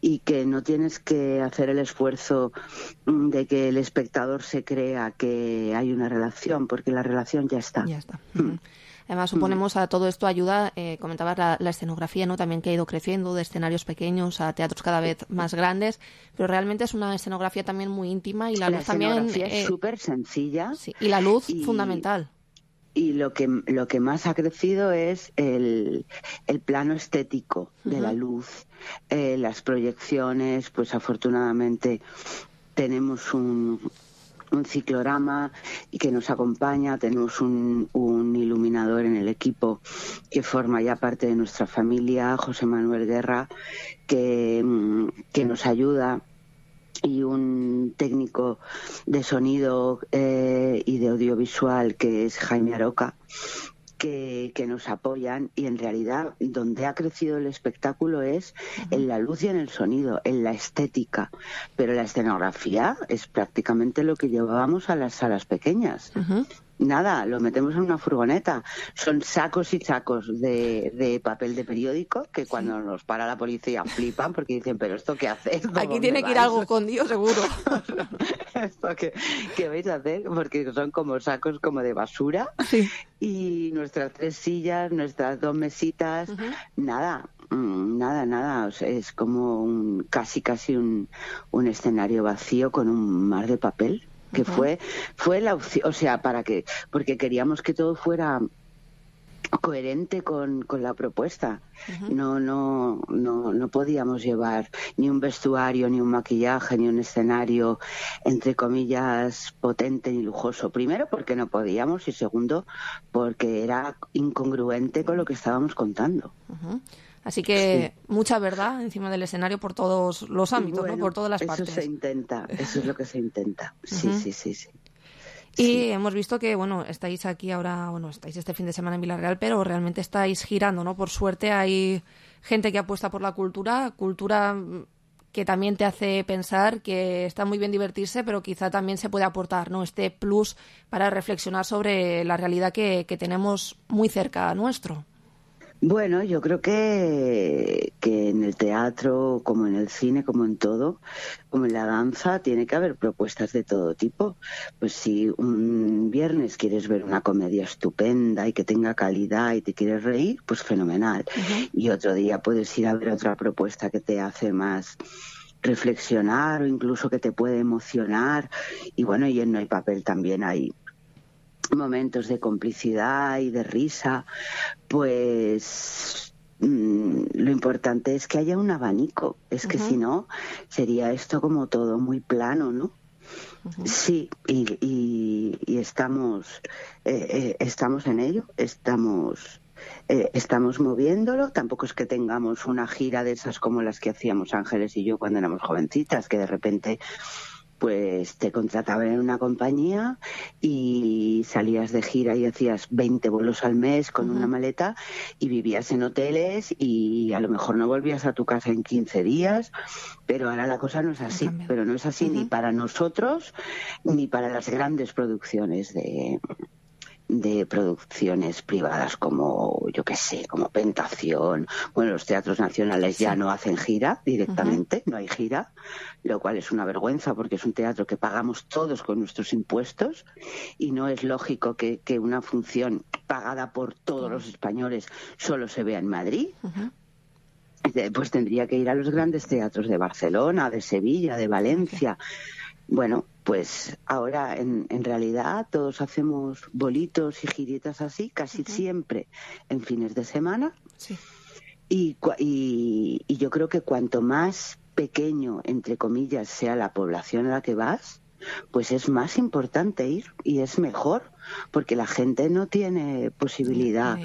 y que no tienes que hacer el esfuerzo de que el espectador se crea que hay una relación, porque la relación ya está. Ya está. Además, suponemos a todo esto ayuda, comentabas la escenografía, ¿no? También que ha ido creciendo, de escenarios pequeños a teatros cada vez más grandes, pero realmente es una escenografía también muy íntima, y la luz también es súper sencilla. Sí, y la luz fundamental. Y lo que más ha crecido es el plano estético de la luz, las proyecciones. Pues afortunadamente tenemos un ciclorama y que nos acompaña, tenemos un iluminador en el equipo que forma ya parte de nuestra familia, José Manuel Guerra, que nos ayuda y un técnico de sonido y de audiovisual que es Jaime Aroca, que nos apoyan, y en realidad donde ha crecido el espectáculo es en la luz y en el sonido, en la estética, pero la escenografía es prácticamente lo que llevábamos a las salas pequeñas. Nada, lo metemos en una furgoneta. Son sacos y sacos de papel de periódico que cuando nos para la policía flipan porque dicen, ¿pero esto qué hacéis? Aquí tiene que ir algo escondido, seguro. ¿Esto qué vais a hacer? Porque son como sacos como de basura. Sí. Y nuestras 3 sillas, nuestras 2 mesitas, nada. O sea, es como casi un escenario vacío con un mar de papel. Que fue la opción, o sea, porque queríamos que todo fuera coherente con la propuesta. No podíamos llevar ni un vestuario, ni un maquillaje, ni un escenario, entre comillas, potente ni lujoso. Primero, porque no podíamos, y segundo, porque era incongruente con lo que estábamos contando. Así que mucha verdad encima del escenario por todos los ámbitos, bueno, ¿no? Por todas las partes. Eso se intenta, eso es lo que se intenta. Sí. Y hemos visto que, estáis aquí ahora, estáis este fin de semana en Vila-real, pero realmente estáis girando, ¿no? Por suerte hay gente que apuesta por la cultura que también te hace pensar que está muy bien divertirse, pero quizá también se puede aportar, ¿no? Este plus para reflexionar sobre la realidad que tenemos muy cerca nuestro. Bueno, yo creo que en el teatro, como en el cine, como en todo, como en la danza, tiene que haber propuestas de todo tipo. Pues si un viernes quieres ver una comedia estupenda y que tenga calidad y te quieres reír, pues fenomenal. Y otro día puedes ir a ver otra propuesta que te hace más reflexionar o incluso que te puede emocionar. Y bueno, y en No hay papel también hay momentos de complicidad y de risa, pues lo importante es que haya un abanico. Es que si no, sería esto como todo muy plano, ¿no? Sí, y estamos en ello, estamos moviéndolo. Tampoco es que tengamos una gira de esas como las que hacíamos Ángeles y yo cuando éramos jovencitas, que de repente pues te contrataban en una compañía y salías de gira y hacías 20 vuelos al mes con una maleta y vivías en hoteles y a lo mejor no volvías a tu casa en 15 días, pero ahora la cosa no es así. Pero no es así ni para nosotros ni para las grandes producciones de producciones privadas como, yo qué sé, como Pentación. Bueno, los teatros nacionales ya no hacen gira directamente, no hay gira, lo cual es una vergüenza porque es un teatro que pagamos todos con nuestros impuestos y no es lógico que una función pagada por todos los españoles solo se vea en Madrid. Pues tendría que ir a los grandes teatros de Barcelona, de Sevilla, de Valencia. Bueno, pues ahora en realidad todos hacemos bolitos y giritas así, casi siempre en fines de semana. Sí. Y yo creo que cuanto más pequeño, entre comillas, sea la población a la que vas, pues es más importante ir y es mejor, porque la gente no tiene posibilidad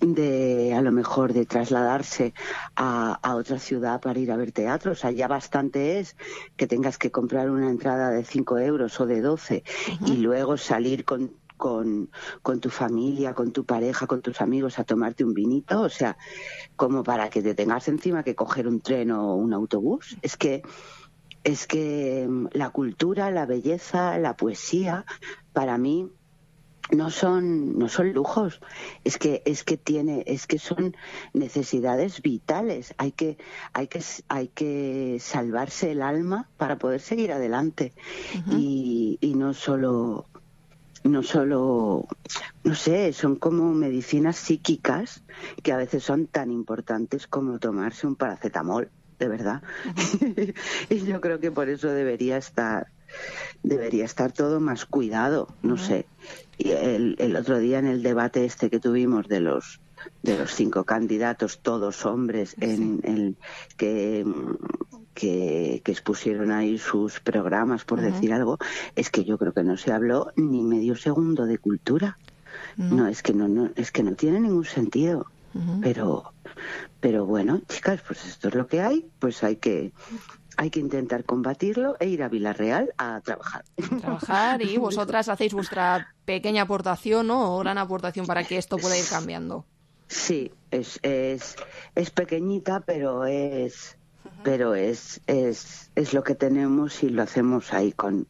de a lo mejor de trasladarse a otra ciudad para ir a ver teatro. O sea, ya bastante es que tengas que comprar una entrada de 5 euros o de 12 y luego salir con tu familia, con tu pareja, con tus amigos a tomarte un vinito. O sea, como para que te tengas encima que coger un tren o un autobús. Es que la cultura, la belleza, la poesía, para mí no son lujos, es que son necesidades vitales. Hay que salvarse el alma para poder seguir adelante. Y no solo, no sé, son como medicinas psíquicas que a veces son tan importantes como tomarse un paracetamol, de verdad. Y yo creo que por eso debería estar todo más cuidado, no sé. Y el otro día en el debate que tuvimos de los 5 candidatos, todos hombres, que expusieron ahí sus programas, por decir algo, es que yo creo que no se habló ni medio segundo de cultura. No, es que no tiene ningún sentido. Pero bueno, chicas, pues esto es lo que hay, pues hay que hay que intentar combatirlo e ir a Vila-real a trabajar. Y vosotras hacéis vuestra pequeña aportación, ¿no? O gran aportación para que esto pueda ir cambiando. Sí, es pequeñita, pero es lo que tenemos y lo hacemos ahí con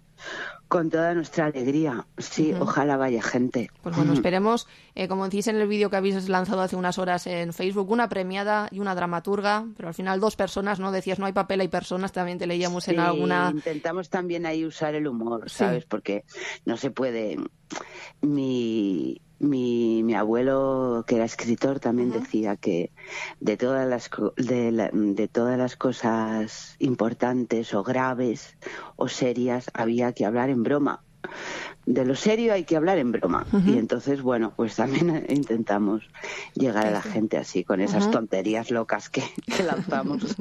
toda nuestra alegría. Sí, ojalá vaya gente. Pues bueno, esperemos, como decís en el vídeo que habéis lanzado hace unas horas en Facebook, una premiada y una dramaturga, pero al final 2 personas, ¿no? Decías, no hay papel, hay personas, también te leíamos en alguna... Intentamos también ahí usar el humor, ¿sabes? Porque no se puede... Mi abuelo, que era escritor, también decía que de todas las cosas importantes o graves o serias había que hablar en broma. De lo serio hay que hablar en broma. Y entonces, bueno, pues también intentamos llegar a la gente así, con esas tonterías locas que lanzamos.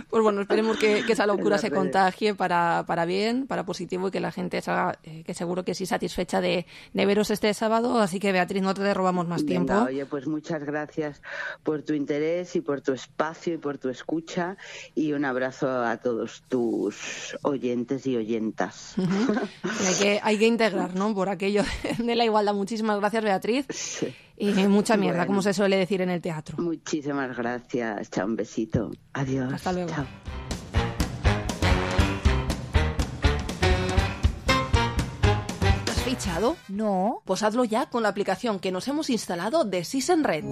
Pues bueno, esperemos que esa locura se contagie para bien, para positivo, y que la gente salga, que seguro que sí, satisfecha de veros este sábado. Así que, Beatriz, no te robamos más tiempo. Oye, pues muchas gracias por tu interés y por tu espacio y por tu escucha, y un abrazo a todos tus oyentes y oyentas. Hay que integrar, ¿no? Por aquello de la igualdad. Muchísimas gracias, Beatriz. Sí. Y mucha mierda, como se suele decir en el teatro. Muchísimas gracias. Chao, un besito. Adiós. Hasta luego. Chao. ¿Has fichado? No. Pues hazlo ya con la aplicación que nos hemos instalado de SysEnRed.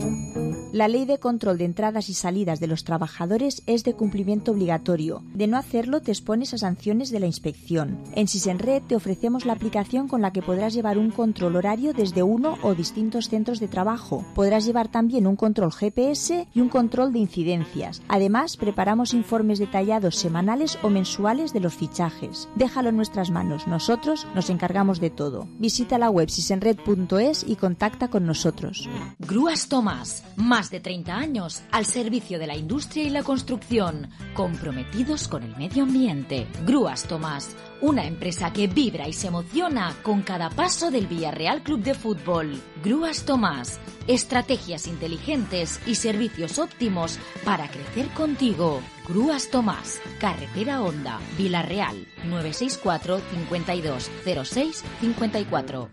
La Ley de Control de Entradas y Salidas de los Trabajadores es de cumplimiento obligatorio. De no hacerlo, te expones a sanciones de la inspección. En SysEnRed te ofrecemos la aplicación con la que podrás llevar un control horario desde uno o distintos centros de trabajo. Podrás llevar también un control GPS y un control de incidencias. Además, preparamos informes detallados semanales o mensuales de los fichajes. Déjalo en nuestras manos. Nosotros nos encargamos de todo. Visita la web sysenred.es y contacta con nosotros. Grúas Tomás. Más de 30 años al servicio de la industria y la construcción, comprometidos con el medio ambiente. Grúas Tomás, una empresa que vibra y se emociona con cada paso del Villarreal Club de Fútbol. Grúas Tomás, estrategias inteligentes y servicios óptimos para crecer contigo. Grúas Tomás, Carretera Honda, Vila-real, 964 52 06 54.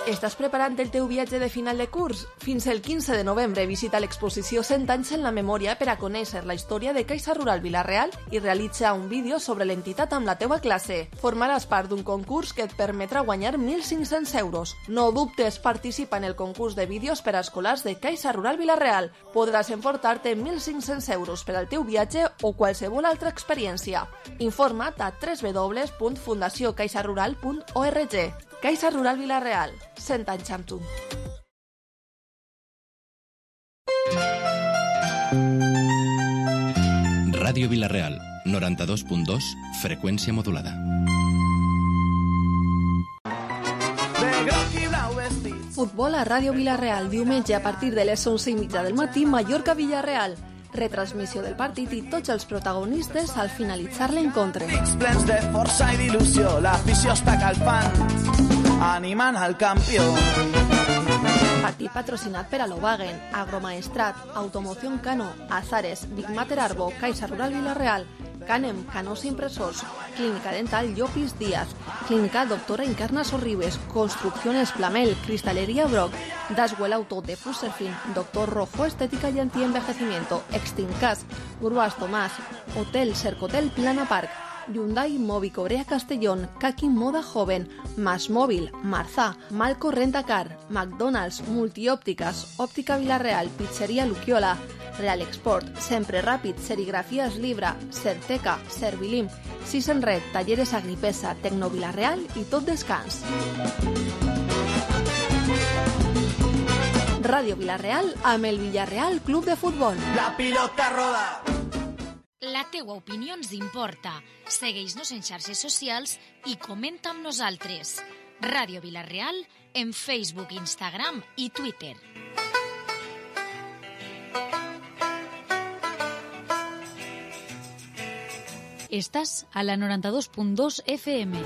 Estàs preparant el teu viatge de final de curs? Fins el 15 de novembre visita l'exposició 100 anys en la memòria per a conèixer la història de Caixa Rural Vila-real i realitza un vídeo sobre l'entitat amb la teua classe. Formaràs part d'un concurs que et permetrà guanyar 1.500 euros. No dubtes, participa en el concurs de vídeos per a escolars de Caixa Rural Vila-real. Podràs emportar-te 1.500 euros per al teu viatge o qualsevol altra experiència. Informa't a www.fundaciocaixarural.org. Caixa Rural Vila-real, 100 anys amb tu. Ràdio Vila-real, 92.2, freqüència modulada. Futbol a Ràdio Vila-real, diumenge a partir de les 11:30 del matí, Mallorca-Villarreal. Retransmissió del partit i tots els protagonistes al finalitzar l'encontre. Plens de força i d'il·lusió, l'afició està calfant, animant al campió. Partit patrocinat per Alowagen, Agromaestrat, Automoción Cano, Azares, Big Mater Arbo, Caixa Rural Vila-real, Canem, Canós Impressors, Clínica Dental Llopis Díaz, Clínica Doctora Encarna Sorribes, Construcciones Plamel, Cristalería Brock, Daswell Auto de Fuserfin, Doctor Rojo Estética y Antienvejecimiento, Extincas, Grúas Tomás, Hotel Cercotel Plana Park, Hyundai Mobi Cobrea Castellón, Kaki Moda Joven, Más Móvil, Marzá, Malco Rentacar, McDonald's, Multiópticas, Óptica Vila-real, Pizzería Luquiola, Real Export, Sempre Ràpid, Serigrafías Libra, Certeca, Servilim, SysEnRed, Talleres Agripesa, Tecno Vila-real i Tot Descans. Ràdio Vila-real amb el Villarreal Club de Futbol. La pilota roda! La teua opinió ens importa. Segueix-nos en xarxes socials i comenta amb nosaltres. Ràdio Vila-real en Facebook, Instagram i Twitter. Estàs a la 92.2 FM.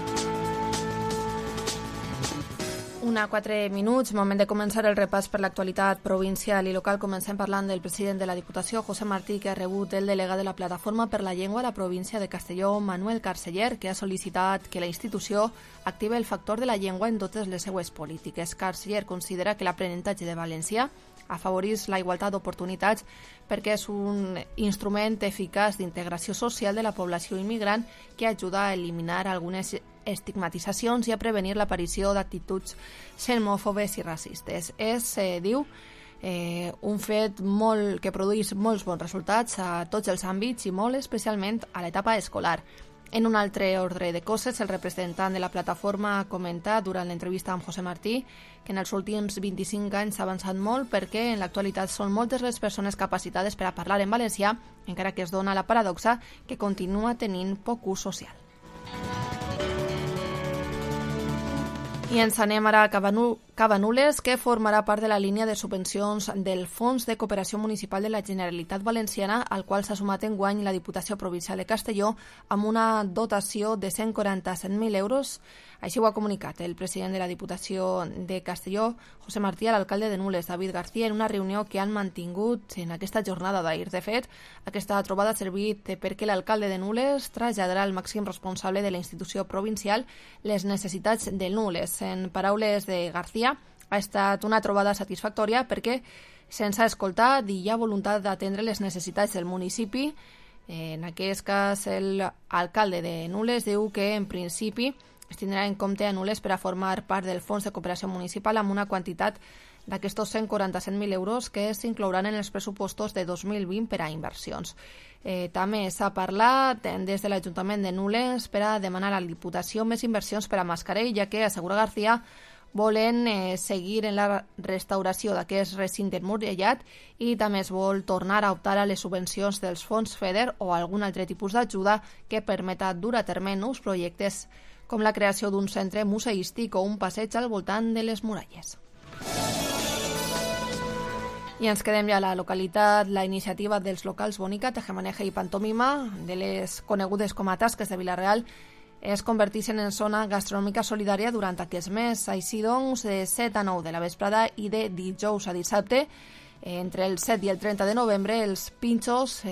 1:04, moment de començar el repàs per l'actualitat provincial i local. Comencem parlant del president de la Diputació, José Martí, que ha rebut el delegat de la Plataforma per la Llengua a la província de Castelló, Manuel Carceller, que ha sol·licitat que la institució active el factor de la llengua en totes les seues polítiques. Carceller considera que l'aprenentatge de valencià afavoreix la igualtat d'oportunitats perquè és un instrument eficaç d'integració social de la població immigrant que ajuda a eliminar algunes estigmatitzacions i a prevenir l'aparició d'actituds xenòfobes i racistes. És, diu, un fet que produeix molts bons resultats a tots els àmbits i molt especialment a l'etapa escolar. En un altre ordre de coses, el representant de la plataforma ha comentat durant l'entrevista amb José Martí que en els últims 25 anys s'ha avançat molt perquè en l'actualitat són moltes les persones capacitades per a parlar en valencià, encara que es dona la paradoxa que continua tenint poc ús social. I ens anem ara a Cabanules, que formarà part de la línia de subvencions del Fons de Cooperació Municipal de la Generalitat Valenciana, al qual s'ha sumat enguany la Diputació Provincial de Castelló amb una dotació de 147.000 euros. Així ho ha comunicat el president de la Diputació de Castelló, José Martí, a l'alcalde de Nules, David García, en una reunió que han mantingut en aquesta jornada d'ahir. De fet, aquesta trobada ha servit perquè l'alcalde de Nules traslladarà al màxim responsable de la institució provincial les necessitats de Nules. En paraules de García, ha estat una trobada satisfactòria perquè se'ns ha escoltat i hi ha voluntat d'atendre les necessitats del municipi. En aquest cas, l'alcalde de Nules diu que, en principi, es tindrà en compte a Nules per a formar part del Fons de Cooperació Municipal amb una quantitat d'aquests 147.000 euros que s'inclouran en els pressupostos de 2020 per a inversions. També s'ha parlat des de l'Ajuntament de Nules per a demanar a la Diputació més inversions per a Mascarell, ja que, assegura García, volen seguir en la restauració d'aquest recinte emmurallat i també es vol tornar a optar a les subvencions dels fons FEDER o algun altre tipus d'ajuda que permeta dur a terme nous projectes com la creació d'un centre museístic o un passeig al voltant de les muralles. I ens quedem ja a la localitat. La iniciativa dels locals Bonica, Tejemaneja i Pantomima, de les conegudes com a tasques de Vila-real, es converteixen en zona gastronòmica solidària durant aquest mes. Així doncs, de 7 a 9 de la vesprada i de dijous a dissabte, entre el 7 i el 30 de novembre, els pinxos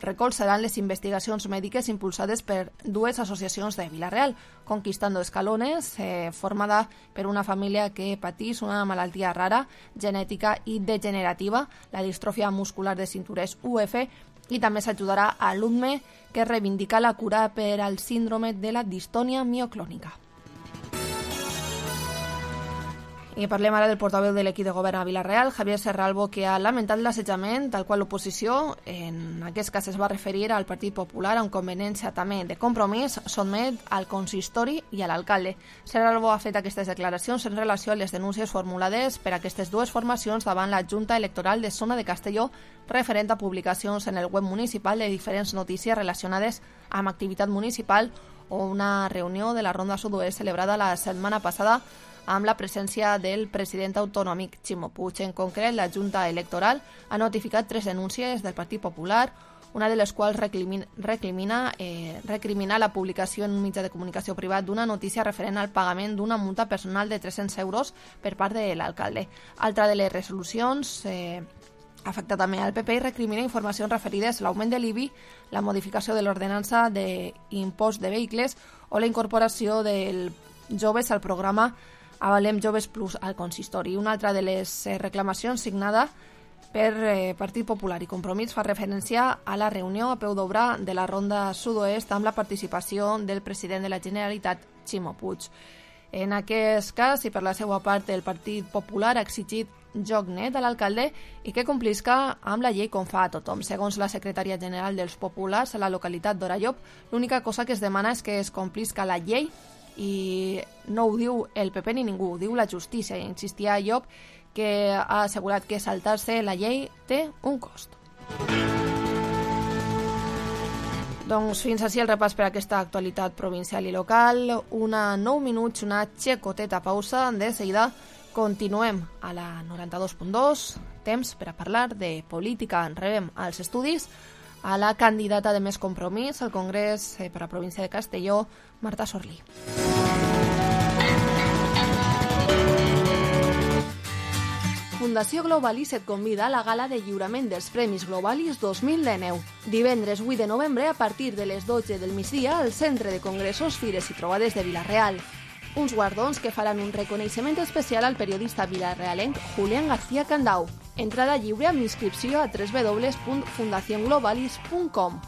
recolzaran les investigacions mèdiques impulsades per dues associacions de Vila-real, Conquistando Escalones, formada per una família que patís una malaltia rara, genètica i degenerativa, la distròfia muscular de cintures UF, i també s'ajudarà a l'UDME, que reivindica la cura per al síndrome de la distònia mioclònica. I parlem ara del portaveu de l'equip de govern a Vila-real, Javier Serralbo, que ha lamentat l'assetjament, tal qual l'oposició, en aquest cas es va referir al Partit Popular, amb conveniència també de Compromís, sotmet al consistori i a l'alcalde. Serralbo ha fet aquestes declaracions en relació a les denúncies formulades per aquestes dues formacions davant la Junta Electoral de Zona de Castelló, referent a publicacions en el web municipal de diferents notícies relacionades amb activitat municipal o una reunió de la Ronda Sud-oest celebrada la setmana passada amb la presència del president autonòmic Ximo Puig. En concret, la Junta Electoral ha notificat 3 denúncies del Partit Popular, una de les quals recrimina la publicació en un mitjà de comunicació privat d'una notícia referent al pagament d'una multa personal de 300 euros per part de l'alcalde. Altra de les resolucions afecta també al PP i recrimina informacions referides a l'augment de l'IBI, la modificació de l'ordenança d'impost de vehicles o la incorporació dels joves al programa Avalem Joves Plus al consistori. Una altra de les reclamacions signada per Partit Popular i Compromís fa referència a la reunió a peu d'obra de la Ronda Sud-oest amb la participació del president de la Generalitat, Ximo Puig. En aquest cas, i per la seva part, el Partit Popular ha exigit joc net a l'alcalde i que complisca amb la llei com fa a tothom. Segons la secretària general dels Populars a la localitat d'Orallop, l'única cosa que es demana és que es complisca la llei i no ho diu el PP ni ningú, ho diu la justícia. Insistia a Llop, que ha assegurat que saltar-se la llei té un cost. Doncs fins així el repàs per aquesta actualitat provincial i local. 9 minuts, una xicoteta pausa. De seguida continuem a la 92.2. Temps per a parlar de política. Rebem als estudis a la candidata de Més Compromís al Congrés per a província de Castelló, Marta Sorlí. Fundació Globalis et convida a la gala de lliurament dels Premis Globalis 2019. Divendres 8 de novembre, a partir de les 12 del migdia, al Centre de Congressos, Fires i Trobades de Vila-real. Uns guardons que faran un reconeixement especial al periodista vilarealenc Julián García Candau. Entrada lliure amb inscripció a www.fundacionglobalis.com.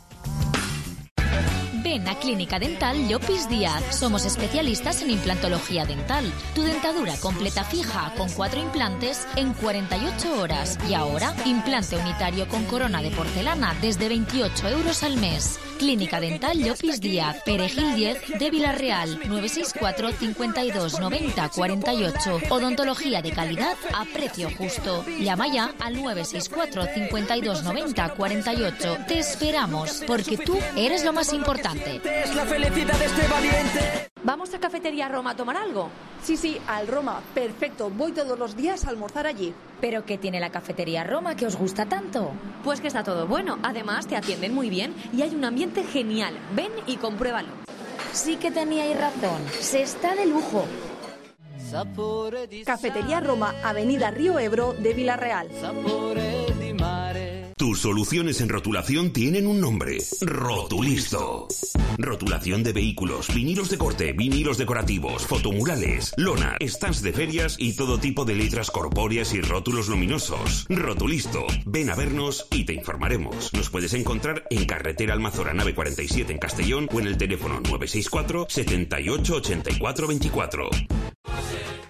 Ven a Clínica Dental Llopis Díaz. Somos especialistas en implantología dental. Tu dentadura completa fija con 4 implantes en 48 horas. Y ahora, implante unitario con corona de porcelana desde 28 euros al mes. Clínica Dental Llopis Díaz, Perejil 10 de Vila-real, 964 52 90 48. Odontología de calidad a precio justo. Llama ya al 964 52 90 48. Te esperamos, porque tú eres lo más importante. Es la felicidad de este valiente. ¿Vamos a Cafetería Roma a tomar algo? Sí, al Roma. Perfecto, voy todos los días a almorzar allí. ¿Pero qué tiene la Cafetería Roma que os gusta tanto? Pues que está todo bueno. Además, te atienden muy bien y hay un ambiente genial. Ven y compruébalo. Sí que teníais razón. Se está de lujo. Cafetería Roma, Avenida Río Ebro de Vila-real. Tus soluciones en rotulación tienen un nombre: Rotulisto. Rotulación de vehículos, vinilos de corte, vinilos decorativos, fotomurales, lona, stands de ferias y todo tipo de letras corpóreas y rótulos luminosos. Rotulisto. Ven a vernos y te informaremos. Nos puedes encontrar en Carretera Almazora Nave 47 en Castellón o en el teléfono 964 78 84 24.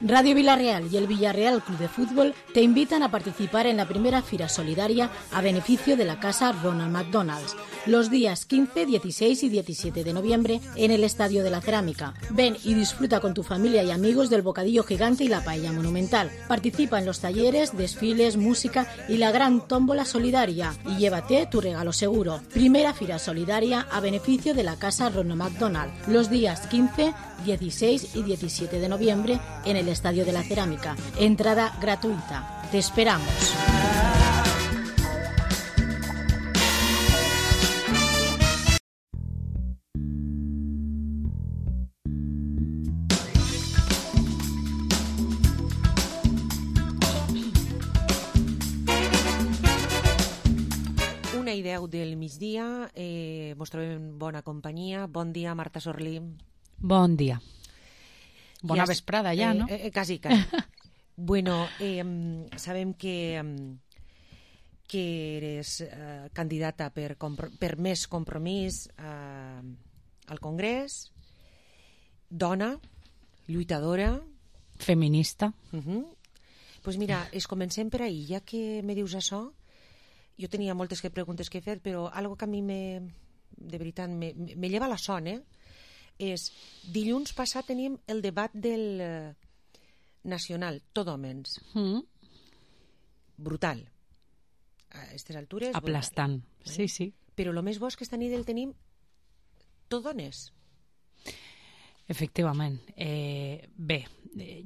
Radio Vila-real y el Villarreal Club de Fútbol te invitan a participar en la primera Fira Solidaria a beneficio de la Casa Ronald McDonald's, los días 15, 16 y 17 de noviembre en el Estadio de la Cerámica. Ven y disfruta con tu familia y amigos del bocadillo gigante y la paella monumental. Participa en los talleres, desfiles, música y la gran tómbola solidaria y llévate tu regalo seguro. Primera Fira Solidaria a beneficio de la Casa Ronald McDonald, los días 15, 16 y 17 de noviembre en el Estadio de la Cerámica. Entrada gratuita. Te esperamos. Una i 10 del migdia, mos trobem en bona companyia. Bon dia, Marta Sorlí. Bon dia. Bona vesprada ja, no? Quasi. Bueno, sabem que eres candidata per més compromís al Congrés, dona, lluitadora... Feminista. Pues mira, comencem per ahir, ja que me dius això. Jo tenia moltes preguntes que fer, però algo que a mi de veritat me lleva la son, és, dilluns passat teníem el debat del nacional, tot homes. Brutal. A aquestes altures... Aplastant, brutal. Sí. Però el més bo és que esta nit el tenim tot dones. Efectivament. Bé,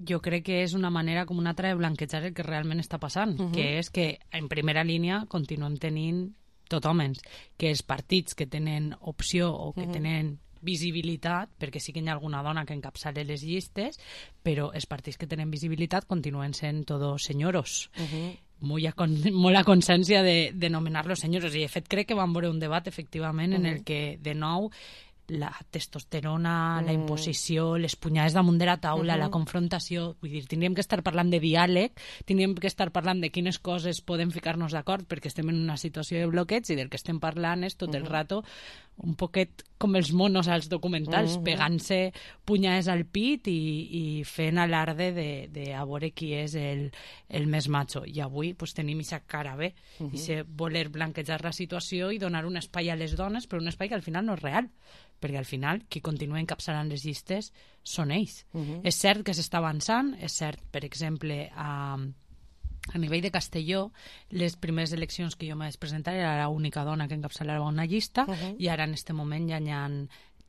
jo crec que és una manera com una altra de blanquejar el que realment està passant, que és que en primera línia continuem tenint tot homes, que els partits que tenen opció o que tenen visibilitat, perquè sí que hi ha alguna dona que encapçala les llistes, però els partits que tenen visibilitat continuen sent tots senyoros. Molt a consciència de nomenar-los senyoros, i de fet crec que vam veure un debat efectivament en el que de nou la testosterona, la imposició, les punyades damunt de la taula, la confrontació, vull dir, tindríem que estar parlant de diàleg, tindríem que estar parlant de quines coses podem ficar-nos d'acord perquè estem en una situació de bloqueig, i del que estem parlant és tot el rato un poquet com els monos als documentals, pegant-se punyades al pit i fent alarde de a veure qui és el més macho. I avui pues, tenim aquesta cara bé, i voler blanquejar la situació i donar un espai a les dones, però un espai que al final no és real, perquè al final qui continua encapçalant les llistes són ells. És cert que s'està avançant, és cert, per exemple, a nivell de Castelló, les primeres eleccions que jo m'he de presentar era l'única dona que encapçalava una llista, i ara en aquest moment ja hi ha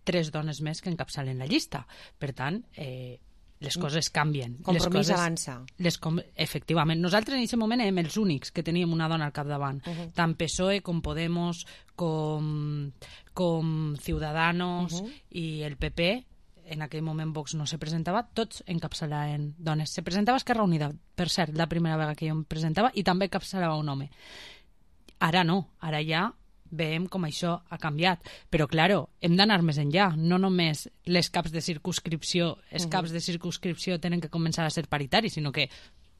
3 dones més que encapçalen la llista. Per tant, les coses canvien. Compromís avança. Efectivament. Nosaltres en aquest moment érem els únics que teníem una dona al capdavant. Tant PSOE com Podemos com Ciudadanos i el PP en aquell moment Vox no se presentava, tots encapçalaven dones. Se presentava Esquerra Unida, per cert, la primera vegada que jo em presentava, i també encapçalava un home. Ara no, ara ja veiem com això ha canviat. Però, claro, hem d'anar més enllà. No només les caps de circumscripció, els caps de circumscripció tenen que començar a ser paritaris, sinó que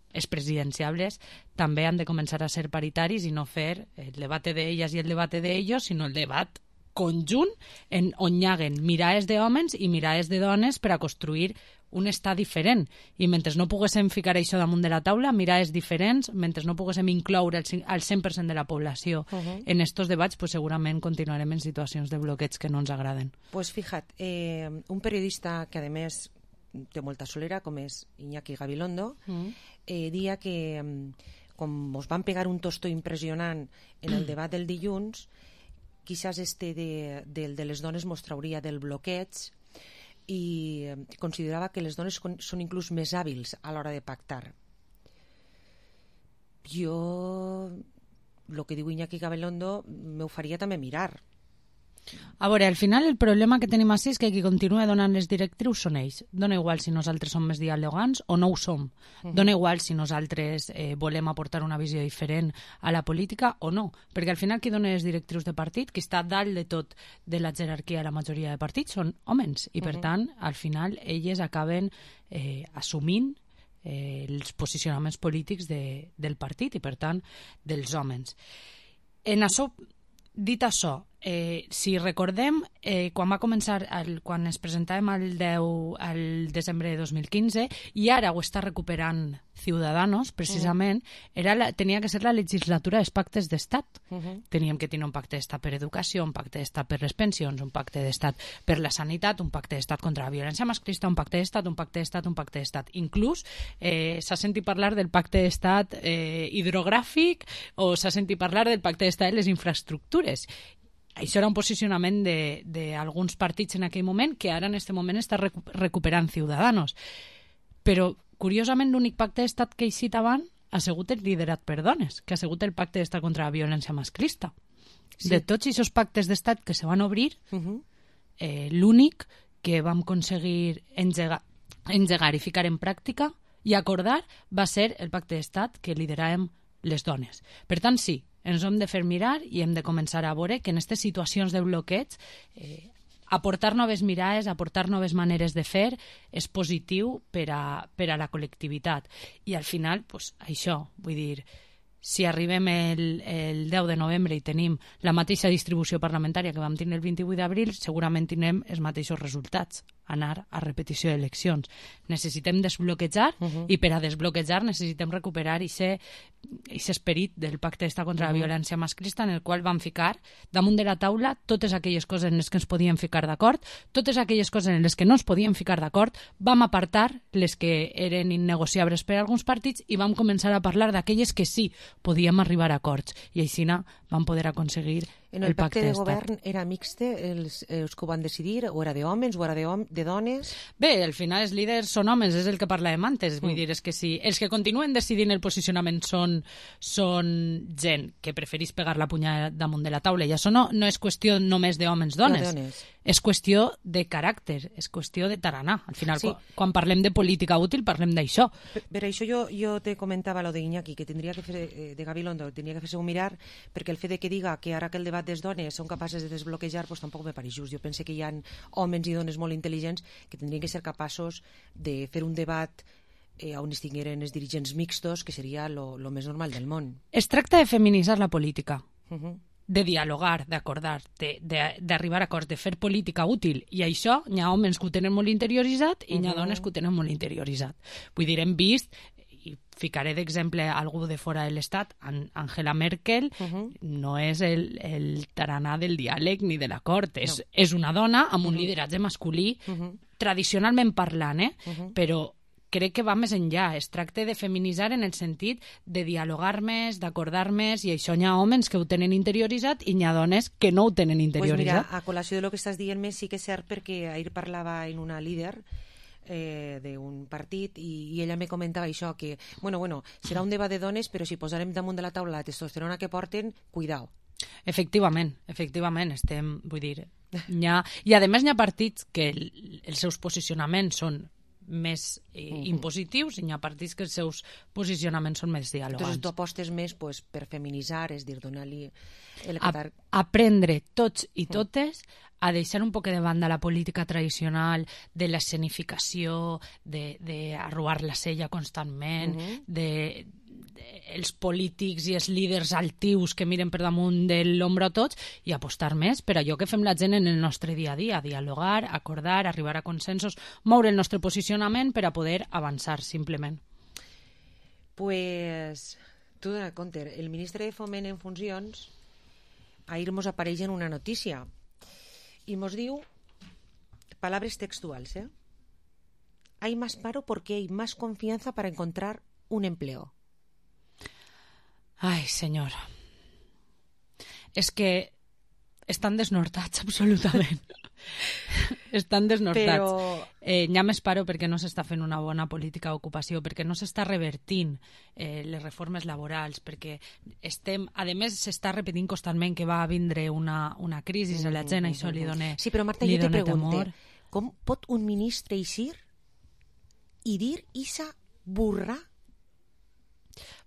els presidenciables també han de començar a ser paritaris i no fer el debat d'elles i el debat d'ells, sinó el debat conjunt on hi haguen mirades d'homes i mirades de dones per a construir un estat diferent. I mentre no poguéssim ficar això damunt de la taula, mirades diferents, mentre no poguéssim incloure al 100% de la població en estos debats, pues segurament continuarem en situacions de bloqueig que no ens agraden. Pues fíjate, un periodista que a més té molta solera, com és Iñaki Gabilondo, dia que com us van pegar un tostó impressionant en el debat del dilluns, quizás del de les dones mos trauria del bloqueig, i considerava que les dones són inclús més hàbils a l'hora de pactar. Jo, el que diu Iñaki Gabilondo, m'ho faria també mirar. A veure, al final el problema que tenim així és que qui continua donant les directrius són ells. Dona igual si nosaltres som més dialogants o no ho som. Dona igual si nosaltres volem aportar una visió diferent a la política o no. Perquè al final qui dona les directrius de partit, qui està dalt de tot de la jerarquia de la majoria de partits són homes. I per tant, al final, elles acaben assumint els posicionaments polítics del partit i per tant dels homes. En això, dit això, si recordem, quan va començar, quan es presentàvem al desembre de 2015, i ara ho està recuperant Ciudadanos, precisament, tenia que ser la legislatura dels pactes d'estat. Teníem que tenir un pacte d'estat per educació, un pacte d'estat per les pensions, un pacte d'estat per la sanitat, un pacte d'estat contra la violència masclista, un pacte d'estat, un pacte d'estat, un pacte d'estat. Inclús s'ha sentit parlar del pacte d'estat hidrogràfic o s'ha sentit parlar del pacte d'estat de les infraestructures. Això era un posicionament d'alguns partits en aquell moment que ara en aquest moment està recuperant Ciudadanos. Però, curiosament, l'únic pacte d'estat que he citat abans ha sigut el liderat per dones, que ha sigut el pacte d'estat contra la violència masclista. Sí. De tots aquests pactes d'estat que se van obrir, l'únic que vam aconseguir engegar i ficar en pràctica i acordar va ser el pacte d'estat que lideràvem les dones. Per tant, sí, ens hem de fer mirar i hem de començar a veure que en aquestes situacions de bloqueig aportar noves mirades, aportar noves maneres de fer és positiu per a la col·lectivitat. I al final, pues, això, vull dir, si arribem el 10 de novembre i tenim la mateixa distribució parlamentària que vam tenir el 28 d'abril, segurament tindrem els mateixos resultats, anar a repetició d'eleccions. Necessitem desbloquejar i per a desbloquejar necessitem recuperar aquest esperit del pacte d'estat contra la violència masclista en el qual vam ficar damunt de la taula totes aquelles coses en les que ens podíem ficar d'acord, totes aquelles coses en les que no ens podíem ficar d'acord, vam apartar les que eren innegociables per a alguns partits i vam començar a parlar d'aquelles que sí podíem arribar a acords i així vam poder aconseguir en el pacte de govern era mixte els que ho van decidir, o era d'homes o era de dones? Bé, al final els líders són homes, és el que parlàvem antes, vull dir, és que si els que continuen decidint el posicionament són gent que preferís pegar la punyada damunt de la taula, i això no és qüestió només d'homes-dones, és qüestió de caràcter, és qüestió de tarannà. Al final, quan parlem de política útil, parlem d'això. Per això jo te comentava lo d'Iñaki, que tindria que fer, de Gabilondo, tindria que fer-se un mirar, perquè el fet de que diga que ara que el debat des dones són capaces de desbloquejar, pues tampoc me pareix just. Jo penso que hi ha homes i dones molt intel·ligents que tindrien que ser capaços de fer un debat on es tingueren els dirigents mixtos, que seria lo més normal del món. Es tracta de feminitzar la política, de dialogar, d'acordar, d'arribar a acords, de fer política útil. I això, hi ha homes que ho tenen molt interioritzat i hi ha dones que ho tenen molt interioritzat. Vull dir, hem vist, i ficaré d'exemple algú de fora de l'Estat, Angela Merkel no és el tarannà del diàleg ni de l'acord, és una dona amb un lideratge masculí, tradicionalment parlant, però crec que va més enllà. Es tracta de feminitzar en el sentit de dialogar més, d'acordar més, i això hi ha homes que ho tenen interioritzat i hi ha dones que no ho tenen interioritzat. Pues mira, a col·lació de lo que estàs dient-me, sí que és cert, perquè ahir parlava en una líder d'un partit i ella me comentava això, que bueno, serà un debat de dones, però si posarem damunt de la taula la testosterona que porten, cuidao. Efectivament, estem, vull dir, I a més hi ha partits que els seus posicionaments són més impositius i hi ha partits que els seus posicionaments són més dialogants. Entonces tu apostes més per feminitzar, és dir, donar-li... Aprendre tots i totes a deixar un poc de banda la política tradicional de l'escenificació, d'arruar la sella constantment, els polítics i els líders altius que miren per damunt de l'ombra a tots i apostar més per allò que fem la gent en el nostre dia a dia, dialogar, acordar, arribar a consensos, moure el nostre posicionament per a poder avançar, simplement. Pues, tu dona compte, el ministre de Foment en funcions ahir mos apareix en una notícia i mos diu, palabras textuals, hay más paro porque hay más confianza para encontrar un empleo. Ai, senyor. És que estan desnortats, absolutament. Estan desnortats. Però... Hi ha més paro perquè no s'està fent una bona política d'ocupació, perquè no s'està revertint les reformes laborals, perquè a més s'està repetint constantment que va vindre una crisi a la gent, això li dona temor. Sí, però Marta, jo te pregunto, com pot un ministre eixir i dir esa burra?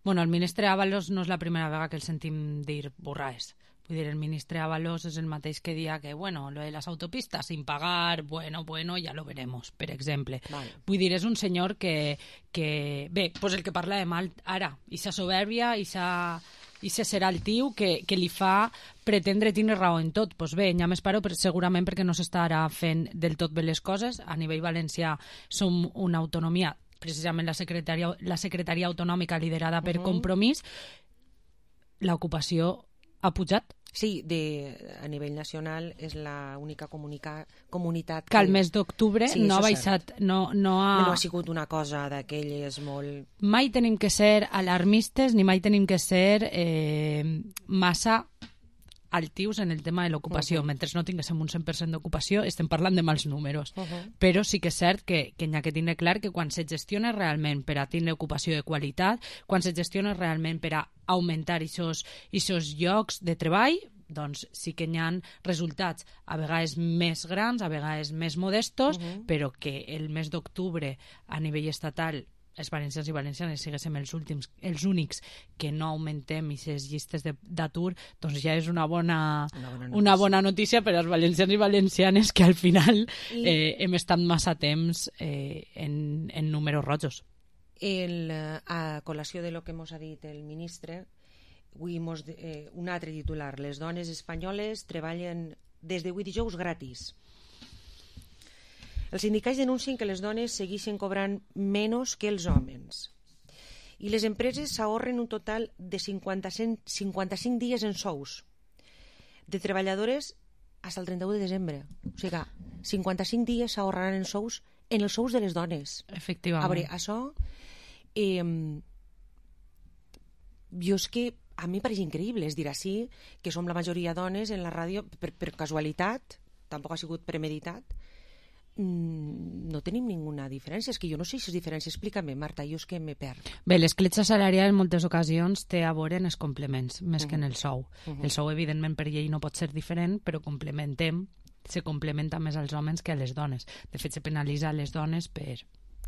Bueno, el ministre Ábalos no és la primera vegada que el sentim dir burraes. Vull dir, el ministre Ábalos és el mateix que dia que, bueno, lo de las autopistas sin pagar, bueno, ya lo veremos, per exemple. Vale. Vull dir, és un senyor que bé, pues el que parla de mal ara, ixa soberbia, ixa serà el tiu que li fa pretendre tenir raó en tot. Pues bé, ja més paro segurament perquè no s'estarà fent del tot bé les coses. A nivell valencià som una autonomia, precisament la secretaria autonòmica liderada per Compromís, l'ocupació ha pujat. Sí, a nivell nacional és l'única comunitat que al mes d'octubre no ha baixat, no ha sigut una cosa d'aquelles molt... Mai tenim que ser alarmistes ni mai tenim que ser massa altius en el tema de l'ocupació. Mentre no tinguéssim un 100% d'ocupació estem parlant de mals números. Però sí que és cert que hi ha que tenir clar que quan se gestiona realment per a tenir ocupació de qualitat, quan se gestiona realment per a augmentar aquests llocs de treball, doncs sí que hi ha resultats a vegades més grans, a vegades més modestos, però que el mes d'octubre a nivell estatal els valencians i valencianes siguéssim els únics que no augmentem aquestes llistes d'atur, doncs ja és una bona notícia per als valencians i valencianes que al final hem estat massa temps en números rojos. A col·lació de lo que mos ha dit el ministre, un altre titular: les dones espanyoles treballen des de 8 dijous gratis. Els sindicats denuncien que les dones segueixen cobrant menys que els homes i les empreses s'ahorren un total de 55 dies en sous de treballadores fins al 31 de desembre. O sigui, 55 dies s'ahorraran en els sous de les dones. Efectivament. A veure, això jo és que a mi pareix increïble, és dir, així que som la majoria dones en la ràdio per casualitat, tampoc ha sigut premeditat, no tenim ninguna diferència. És que jo no sé si és diferència. Explica-me, Marta, jo és que me perc. Bé, l'escletxa salarial en moltes ocasions té a veure en els complements, més que en el sou. El sou, evidentment, per llei no pot ser diferent, però se complementa més als homes que a les dones. De fet, se penalitza les dones per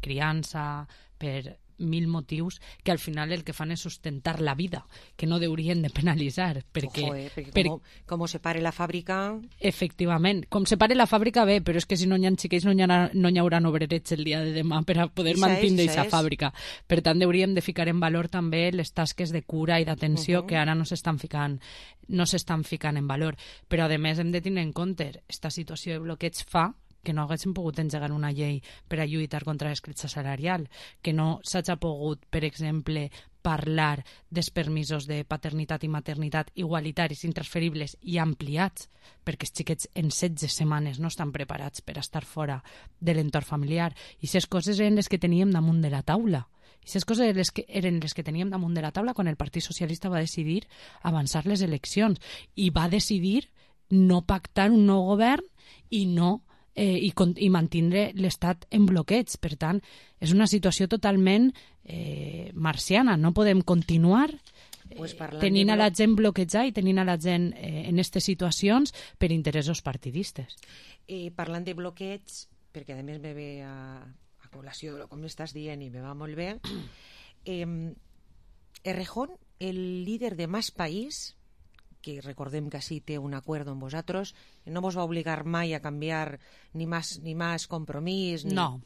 criança, per 1000 motius que al final el que fan és sustentar la vida, que no deurien de penalitzar, perquè com separe la fàbrica... Efectivament, com separe la fàbrica bé, però és que si no hi ha xiquets no hi haurà obrerets el dia de demà per a poder mantenir aquesta fàbrica. Per tant, hauríem de ficar en valor també les tasques de cura i d'atenció que ara no s'estan ficant en valor. Però a més hem de tenir en compte aquesta situació de bloqueig fa que no haguéssim pogut engegar una llei per a lluitar contra l'escletxa salarial, que no s'hagi pogut, per exemple, parlar dels permisos de paternitat i maternitat igualitaris, intransferibles i ampliats, perquè els xiquets en 16 setmanes no estan preparats per estar fora de l'entorn familiar. I aquestes coses eren les que teníem damunt de la taula. I aquestes coses eren les que teníem damunt de la taula quan el Partit Socialista va decidir avançar les eleccions i va decidir no pactar un nou govern i mantindre l'estat en bloqueig. Per tant, és una situació totalment marciana. No podem continuar tenint a la gent bloquejada i tenint a la gent en aquestes situacions per interessos partidistes. Parlant de bloqueig, perquè a més me ve a col·lació de com estàs dient i me va molt bé, Errejón, el líder de Más País, que recordem que sí té un acord amb vosaltres, no vos va obligar mai a canviar ni más compromís. No.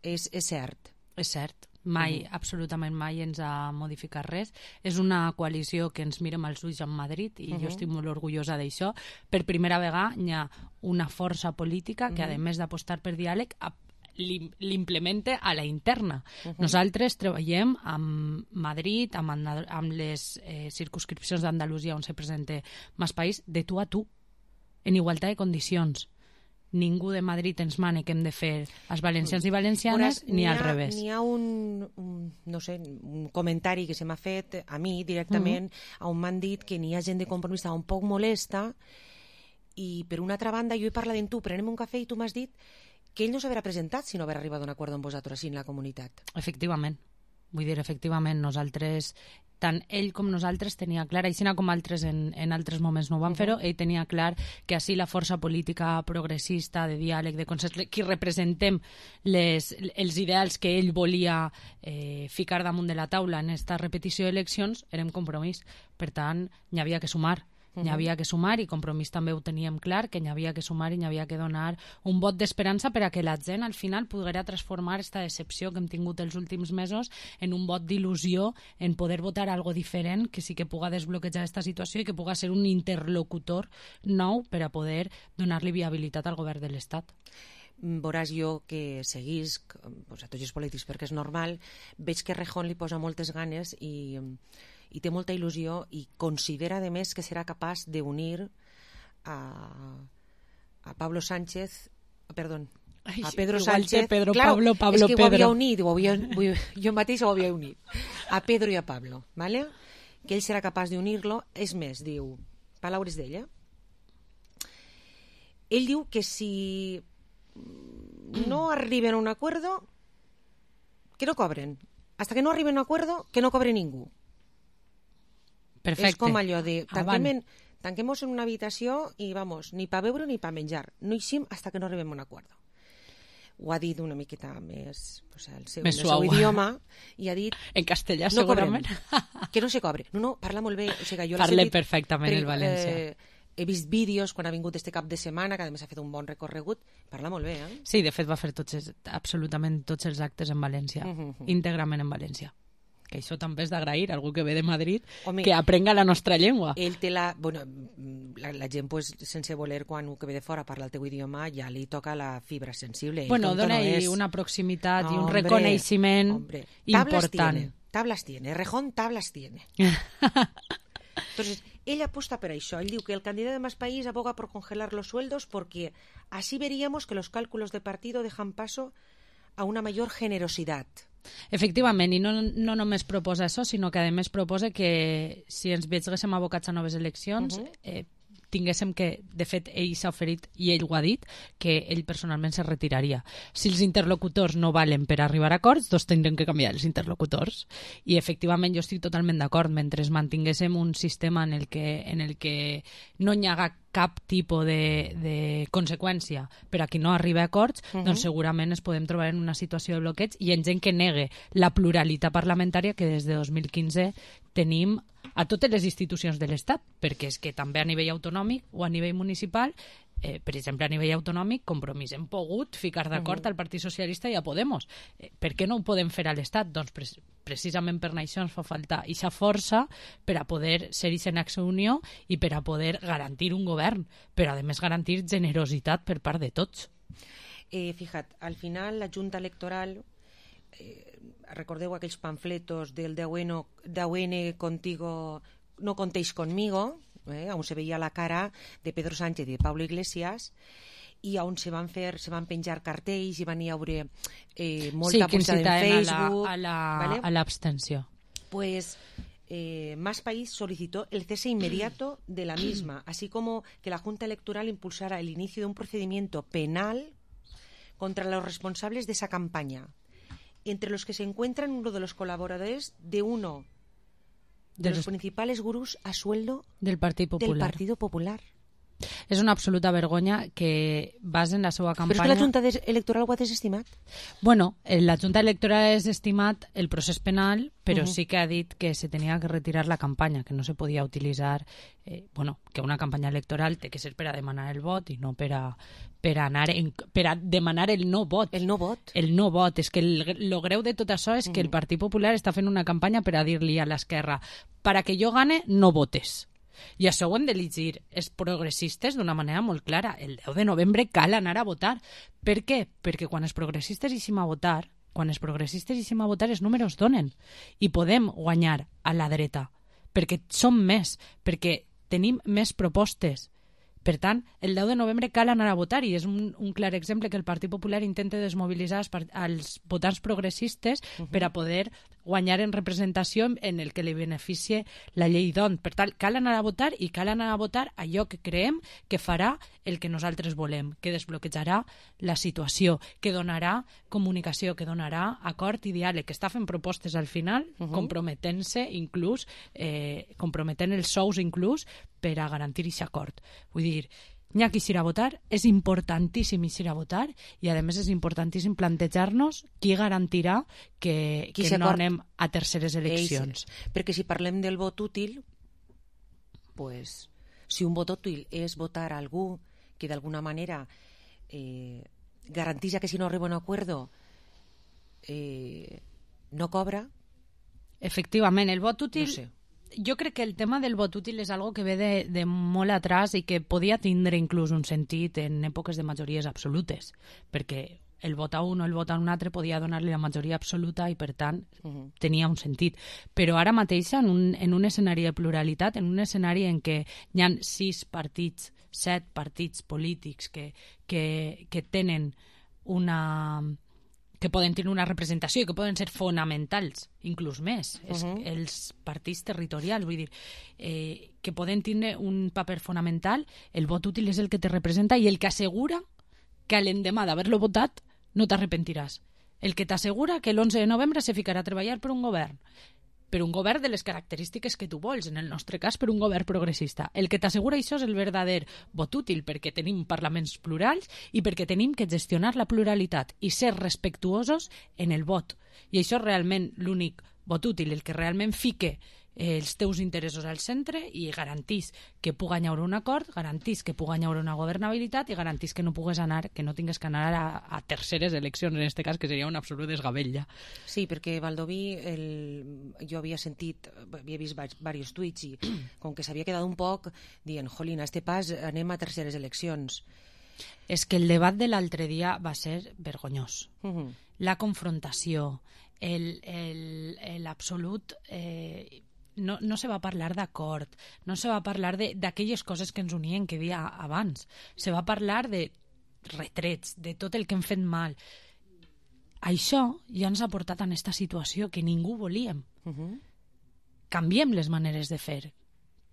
És cert. És cert. Mai, absolutament mai ens ha modificat res. És una coalició que ens mirem als ulls en Madrid i jo estic molt orgullosa d'això. Per primera vegada hi ha una força política que, a més d'apostar per diàleg, l'implemente a la interna. Nosaltres treballem amb Madrid, amb les circumscripcions d'Andalusia on se presenta Más País, de tu a tu, en igualtat de condicions. Ningú de Madrid ens mana que hem de fer els valencians i valencianes, ni al revés. N'hi ha un comentari que se m'ha fet a mi directament, on m'han dit que n'hi ha gent de Compromís un poc molesta, i per una altra banda jo he parlat amb tu, prenem un cafè i tu m'has dit que ell no s'haurà presentat si no haver arribat a un acord amb vosaltres així en la comunitat. Efectivament. Vull dir, efectivament, nosaltres, tant ell com nosaltres tenia clar, així com altres en altres moments no ho van fer-ho, ell tenia clar que així la força política progressista, de diàleg, de consens, qui representem els ideals que ell volia ficar damunt de la taula en aquesta repetició d'eleccions, érem Compromís. Per tant, n'hi havia que sumar. N'hi havia que sumar i Compromís també ho teníem clar, que n'hi havia que sumar i n'hi havia que donar un vot d'esperança per a que la gent al final poguera transformar aquesta decepció que hem tingut els últims mesos en un vot d'il·lusió, en poder votar algo diferent que sí que puga desbloquejar aquesta situació i que puga ser un interlocutor nou per a poder donar-li viabilitat al govern de l'Estat. Veuràs jo que seguís a tots els polítics perquè és normal, veig que Errejón li posa moltes ganes i té molta il·lusió i considera, a més, que serà capaç d'unir a Pablo Sánchez, perdó, a Pedro Sánchez. Pedro, claro, Pablo, és que Pedro. Ho havia unit, jo mateix ho havia unit. A Pedro i a Pablo, ¿vale? Que ell serà capaç d'unir-lo. És més, diu, paraules d'ella. Ell diu que si no arriben a un acuerdo, que no cobren. Hasta que no arriben a un acuerdo, que no cobre ningú. Perfecte. És com allò de tanquem-nos en una habitació i vamos, ni pa beure ni pa menjar. No eixim hasta que no arribem a un acuerdo. Ho ha dit una miqueta més el seu idioma i ha dit... En castellà, no segurament. Cobrem, que no se cobre. No, parla molt bé. O sigui, jo parla perfectament el València. He vist vídeos quan ha vingut este cap de setmana, que a més ha fet un bon recorregut. Parla molt bé, Sí, de fet va fer absolutament tots els actes en València, íntegrament en València. Que això també és d'agrair, algú que ve de Madrid, que aprenga la nostra llengua. Ell té la gent, sense voler, quan un que ve de fora parla el teu idioma, ja li toca la fibra sensible. Dona-hi una proximitat i un reconeixement important. Tablas tiene, Errejón tablas tiene. Entonces, ell aposta per això. Él diu que el candidato de Más País aboga por congelar los sueldos porque así veríamos que los cálculos de partido dejan paso a una mayor generosidad. Efectivament, i no només proposa això, sinó que a més proposa que si ens veiéssim abocats a noves eleccions, tinguéssim que, de fet, ell s'ha oferit, i ell ho ha dit, que ell personalment se retiraria. Si els interlocutors no valen per arribar a acords, doncs tindrem que canviar els interlocutors. I, efectivament, jo estic totalment d'acord. Mentre mantinguéssim un sistema en el que no hi haga cap tipus de conseqüència per a qui no arriba a acords, doncs segurament ens podem trobar en una situació de bloqueig i en gent que negue la pluralitat parlamentària que des de 2015 tenim a totes les institucions de l'Estat, perquè és que també a nivell autonòmic o a nivell municipal, per exemple, a nivell autonòmic, Compromís hem pogut ficar d'acord al Partit Socialista i a Podemos. Per què no ho podem fer a l'Estat? Doncs precisament per això ens fa falta aquesta força per a poder ser en acció unió i per a poder garantir un govern, però a més garantir generositat per part de tots. Fija't, al final la Junta Electoral, recordeu aquells pamfletos del de AUN contigo, no contéis conmigo, on se veia la cara de Pedro Sánchez i de Pablo Iglesias, i on se van penjar cartells i van hi haver molta publicitat en Facebook a l'abstenció. Pues Más País solicitó el cese inmediato de la misma, así como que la Junta Electoral impulsara el inicio de un procedimiento penal contra los responsables de esa campaña, entre los que se encuentran uno de los colaboradores de uno de los principales gurús a sueldo del Partido Popular. És una absoluta vergonya que basen la seva campanya... Però és que la Junta Electoral ho ha desestimat. Bueno, la Junta Electoral ha desestimat el procés penal, però sí que ha dit que se tenia que retirar la campanya, que no se podia utilitzar... que una campanya electoral té que ser per a demanar el vot i no per a demanar el no vot. El no vot. El no vot. És que el greu de tot això és que el Partit Popular està fent una campanya per a dir-li a l'esquerra para que jo gane, no votes. I això ho hem de llegir els progressistes d'una manera molt clara. El 10 de novembre cal anar a votar. Per què? Perquè quan els progressistes eixim a votar, els números donen. I podem guanyar a la dreta. Perquè som més, perquè tenim més propostes. Per tant, el 10 de novembre cal anar a votar i és un clar exemple que el Partit Popular intenta desmobilitzar els votants progressistes per a poder guanyar en representació en el que li beneficie la llei d'ON. Per tant, cal anar a votar i cal anar a votar allò que creiem que farà el que nosaltres volem, que desbloquejarà la situació, que donarà comunicació, que donarà acord i diàleg, que està fent propostes al final, comprometent-se inclús, comprometent els sous inclús per a garantir aquest acord. Vull dir, n'hi ha qui s'irà a votar, és importantíssim ir a votar i a més és importantíssim plantejar-nos qui garantirà que no anem a terceres eleccions. Perquè si parlem del vot útil, pues, si un vot útil és votar a algú que d'alguna manera garanteix que si no arriba a un acuerdo no cobra... Efectivament, el vot útil... No sé. Jo crec que el tema del vot útil és algo que ve de molt atrás i que podia tindre inclús un sentit en èpoques de majories absolutes, perquè el vot a un o el vot a un altre podia donar-li la majoria absoluta i, per tant, tenia un sentit. Però ara mateix, en un escenari de pluralitat, en un escenari en què hi ha 7 partits polítics que tenen que poden tenir una representació i que poden ser fonamentals, inclús més, els partits territorials, vull dir, que poden tenir un paper fonamental, el vot útil és el que te representa i el que assegura que l'endemà d'haver-lo votat no t'arrepentiràs. El que t'assegura que l'11 de novembre se ficarà a treballar per un govern de les característiques que tu vols, en el nostre cas per un govern progressista. El que t'assegura això és el verdader vot útil, perquè tenim parlaments plurals i perquè tenim que gestionar la pluralitat i ser respectuosos en el vot. I això és realment l'únic vot útil, el que realment fique els teus interessos al centre i garantís que pugui haver un acord, garantís que pugui haver una governabilitat i garantís que no tingues que anar a terceres eleccions, en aquest cas, que seria un absolut desgavell. Sí, perquè Baldoví, jo havia vist diversos tuits i com que s'havia quedat un poc dient, jolín, a este pas anem a terceres eleccions. És que el debat de l'altre dia va ser vergonyós. La confrontació, l'absolut... No se va parlar d'acord, no se va parlar d'aquelles coses que ens unien que dia abans, se va parlar de retrets, de tot el que hem fet mal. Això ja ens ha portat en aquesta situació que ningú volíem. Canviem les maneres de fer,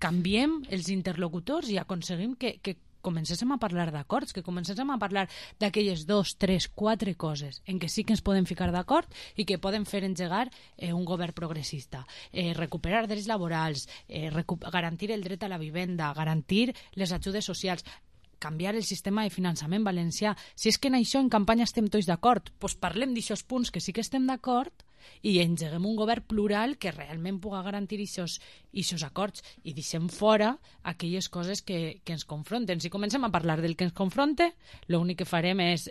canviem els interlocutors i aconseguim que comencéssim a parlar d'acords, que comencéssim a parlar d'aquelles 2, 3, 4 coses en què sí que ens podem ficar d'acord i que poden fer engegar un govern progressista. Recuperar drets laborals, garantir el dret a la vivenda, garantir les ajudes socials, canviar el sistema de finançament valencià. Si és que en això en campanya estem tots d'acord, doncs parlem d'aixòs punts que sí que estem d'acord i engeguem un govern plural que realment pugui garantir aquests acords i deixem fora aquelles coses que ens confronten. Si comencem a parlar del que ens confronta, l'únic que farem és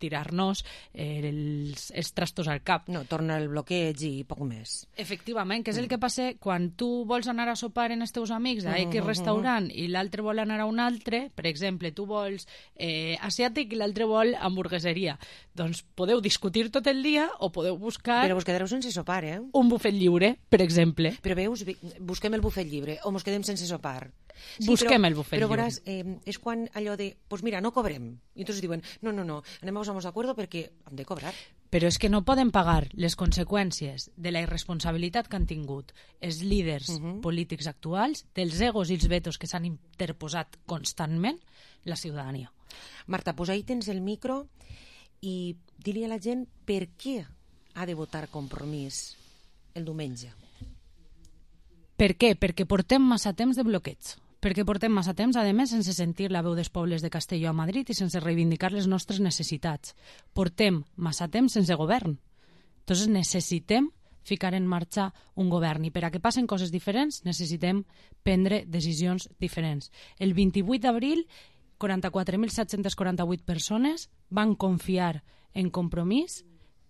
tirar-nos els trastos al cap. No, torna el bloqueig i poc més. Efectivament, que és el que passa quan tu vols anar a sopar en els teus amics a X restaurant i l'altre vol anar a un altre, per exemple, tu vols asiàtic i l'altre vol hamburgueseria. Doncs podeu discutir tot el dia o podeu buscar... Però vos quedareu sense sopar, un bufet lliure, per exemple. Però veus, busquem el bufet lliure o mos quedem sense sopar. Sí, busquem el bufet lliure. Però veuràs, és quan allò de, pues mira, no cobrem. I entonces diuen, no, anem a posar-nos d'acord perquè hem de cobrar. Però és que no poden pagar les conseqüències de la irresponsabilitat que han tingut els líders polítics actuals, dels egos i els vetos que s'han interposat constantment, la ciutadania. Marta, pues ahí tens el micro i dir-li a la gent per què ha de votar Compromís el diumenge. Per què? Perquè portem massa temps de bloqueig. Perquè portem massa temps, a més, sense sentir la veu dels pobles de Castelló a Madrid i sense reivindicar les nostres necessitats. Portem massa temps sense govern. Entonces necessitem ficar en marxa un govern i per a que passen coses diferents necessitem prendre decisions diferents. El 28 d'abril, 44.748 persones van confiar en Compromís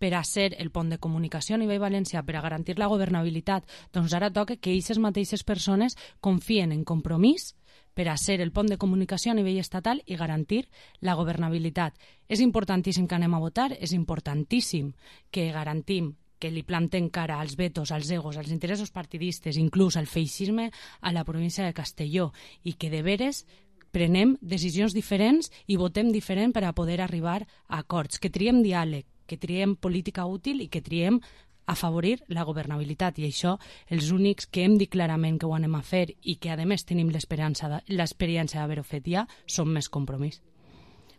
per a ser el pont de comunicació a nivell valencià, per a garantir la governabilitat. Doncs ara toca que aquestes mateixes persones confien en Compromís per a ser el pont de comunicació a nivell estatal i garantir la governabilitat. És importantíssim que anem a votar, és importantíssim que garantim que li plantem cara als vetos, als egos, als interessos partidistes, inclús al feixisme a la província de Castelló, i que de veres prenem decisions diferents i votem diferent per a poder arribar a acords, que triem diàleg, que triem política útil i que triem afavorir la governabilitat. I això, els únics que hem dit clarament que ho anem a fer i que, a més, tenim l'experiència d'haver-ho fet ja, som més Compromís.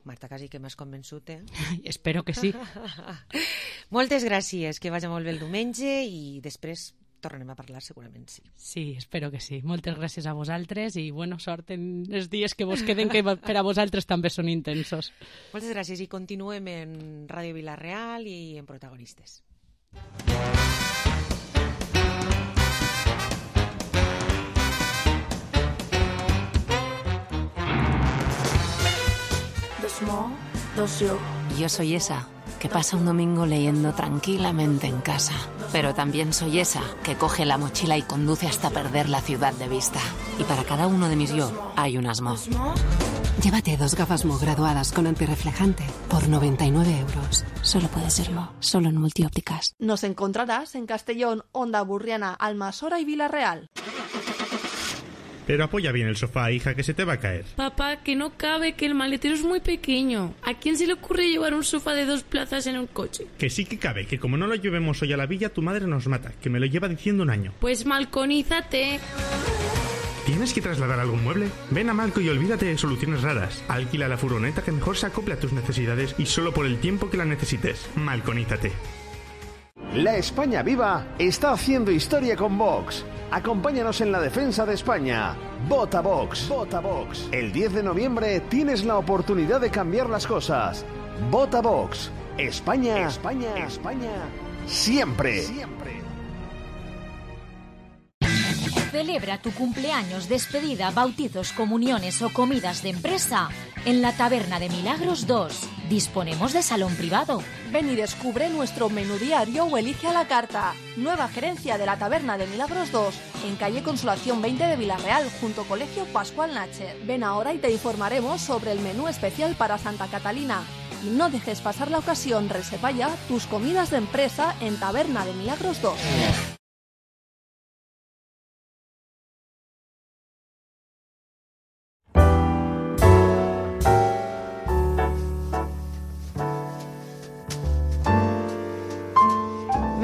Marta, quasi que m'has convençut, eh? Espero que sí. Moltes gràcies, que vagi molt bé el diumenge i després tornarem a parlar, segurament sí. Sí, espero que sí. Moltes gràcies a vosaltres i sort en els dies que vos queden, que per a vosaltres també són intensos. Moltes gràcies i continuem en Ràdio Vila-real i en Protagonistes. Yo soy esa que pasa un domingo leyendo tranquilamente en casa. Pero también soy esa que coge la mochila y conduce hasta perder la ciudad de vista. Y para cada uno de mis yo hay un Asmo. Llévate 2 gafas Mo graduadas con antirreflejante por 99 euros. Solo puede serlo, solo en Multiópticas. Nos encontrarás en Castellón, Onda Burriana, Almasora y Vila-real. Pero apoya bien el sofá, hija, que se te va a caer. Papá, que no cabe, que el maletero es muy pequeño. ¿A quién se le ocurre llevar un sofá de 2 plazas en un coche? Que sí que cabe, que como no lo llevemos hoy a la villa, tu madre nos mata, que me lo lleva diciendo un año. Pues malconízate. ¿Tienes que trasladar algún mueble? Ven a Malco y olvídate de soluciones raras. Alquila la furgoneta que mejor se acople a tus necesidades y solo por el tiempo que la necesites. Malconízate. La España Viva está haciendo historia con Vox. Acompáñanos en la defensa de España. Vota Vox. Vota Vox. El 10 de noviembre tienes la oportunidad de cambiar las cosas. Vota Vox. España, España, España, siempre. Siempre. Celebra tu cumpleaños, despedida, bautizos, comuniones o comidas de empresa en la Taberna de Milagros 2. Disponemos de salón privado. Ven y descubre nuestro menú diario o elige a la carta. Nueva gerencia de la Taberna de Milagros 2, en calle Consolación 20 de Vila-real, junto Colegio Pascual Nacher. Ven ahora y te informaremos sobre el menú especial para Santa Catalina. Y no dejes pasar la ocasión, reserva ya tus comidas de empresa en Taberna de Milagros 2.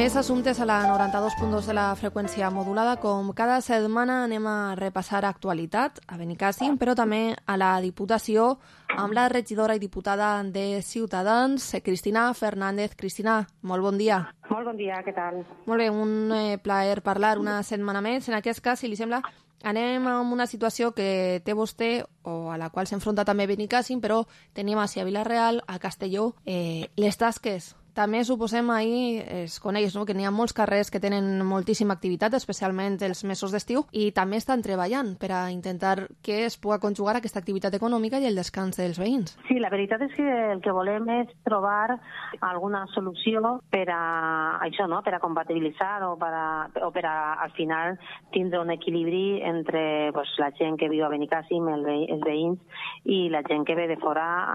Més assumptes a la 92.2 de la freqüència modulada. Com cada setmana anem a repassar actualitat a Benicàssim, però també a la Diputació amb la regidora i diputada de Ciutadans, Cristina Fernández. Cristina, molt bon dia. Molt bon dia, què tal? Molt bé, un plaer parlar una setmana més. En aquest cas, si li sembla, anem a una situació que té vostè o a la qual s'enfronta també Benicàssim, però tenim a Vila-real, a Castelló, les tasques. També suposem ahir es coneix, no?, que n'hi ha molts carrers que tenen moltíssima activitat, especialment els mesos d'estiu, i també estan treballant per a intentar que es pugui conjugar aquesta activitat econòmica i el descans dels veïns. Sí, la veritat és que el que volem és trobar alguna solució per a això, no?, per a compatibilitzar o per a al final tindre un equilibri entre la gent que viu a Benicàssim, els veïns, i la gent que ve de fora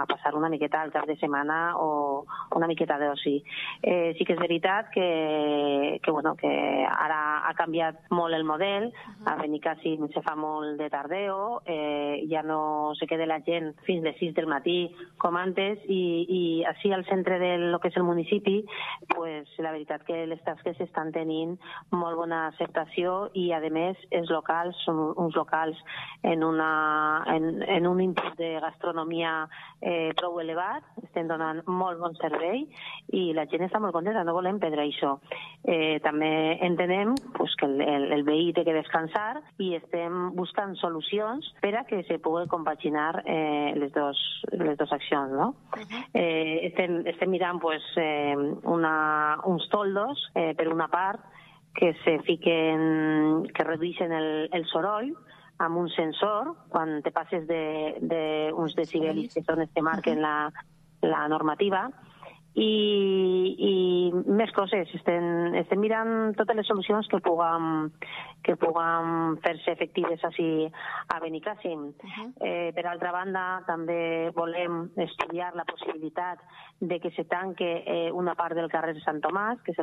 a passar una miqueta al cap de setmana o una miqueta d'oci. Sí que és veritat que ara ha canviat molt el model. A Benicàssim se fa molt de tardeo, ja no se queda la gent fins les 6 del matí com antes, i així al centre del que és el municipi, la veritat que les tasques estan tenint molt bona acceptació i, a més, els locals són uns locals en un input de gastronomia prou elevat, estem donant molt bon servei servei i la gent està molt contenta, no volem perdre això. També entenem pues, que el veí té que descansar i estem buscant solucions per a que se pugui compaginar les dos accions, no? Estem mirant pues, uns toldos, per una part, que que redueixen el soroll amb un sensor quan te passes d'uns decibelis que són els que marquen la normativa i més coses. Estem mirant totes les solucions que puguem fer-se efectives així a Benicàssim. Per altra banda, també volem estudiar la possibilitat de que se tanque una part del carrer Sant Tomàs, que és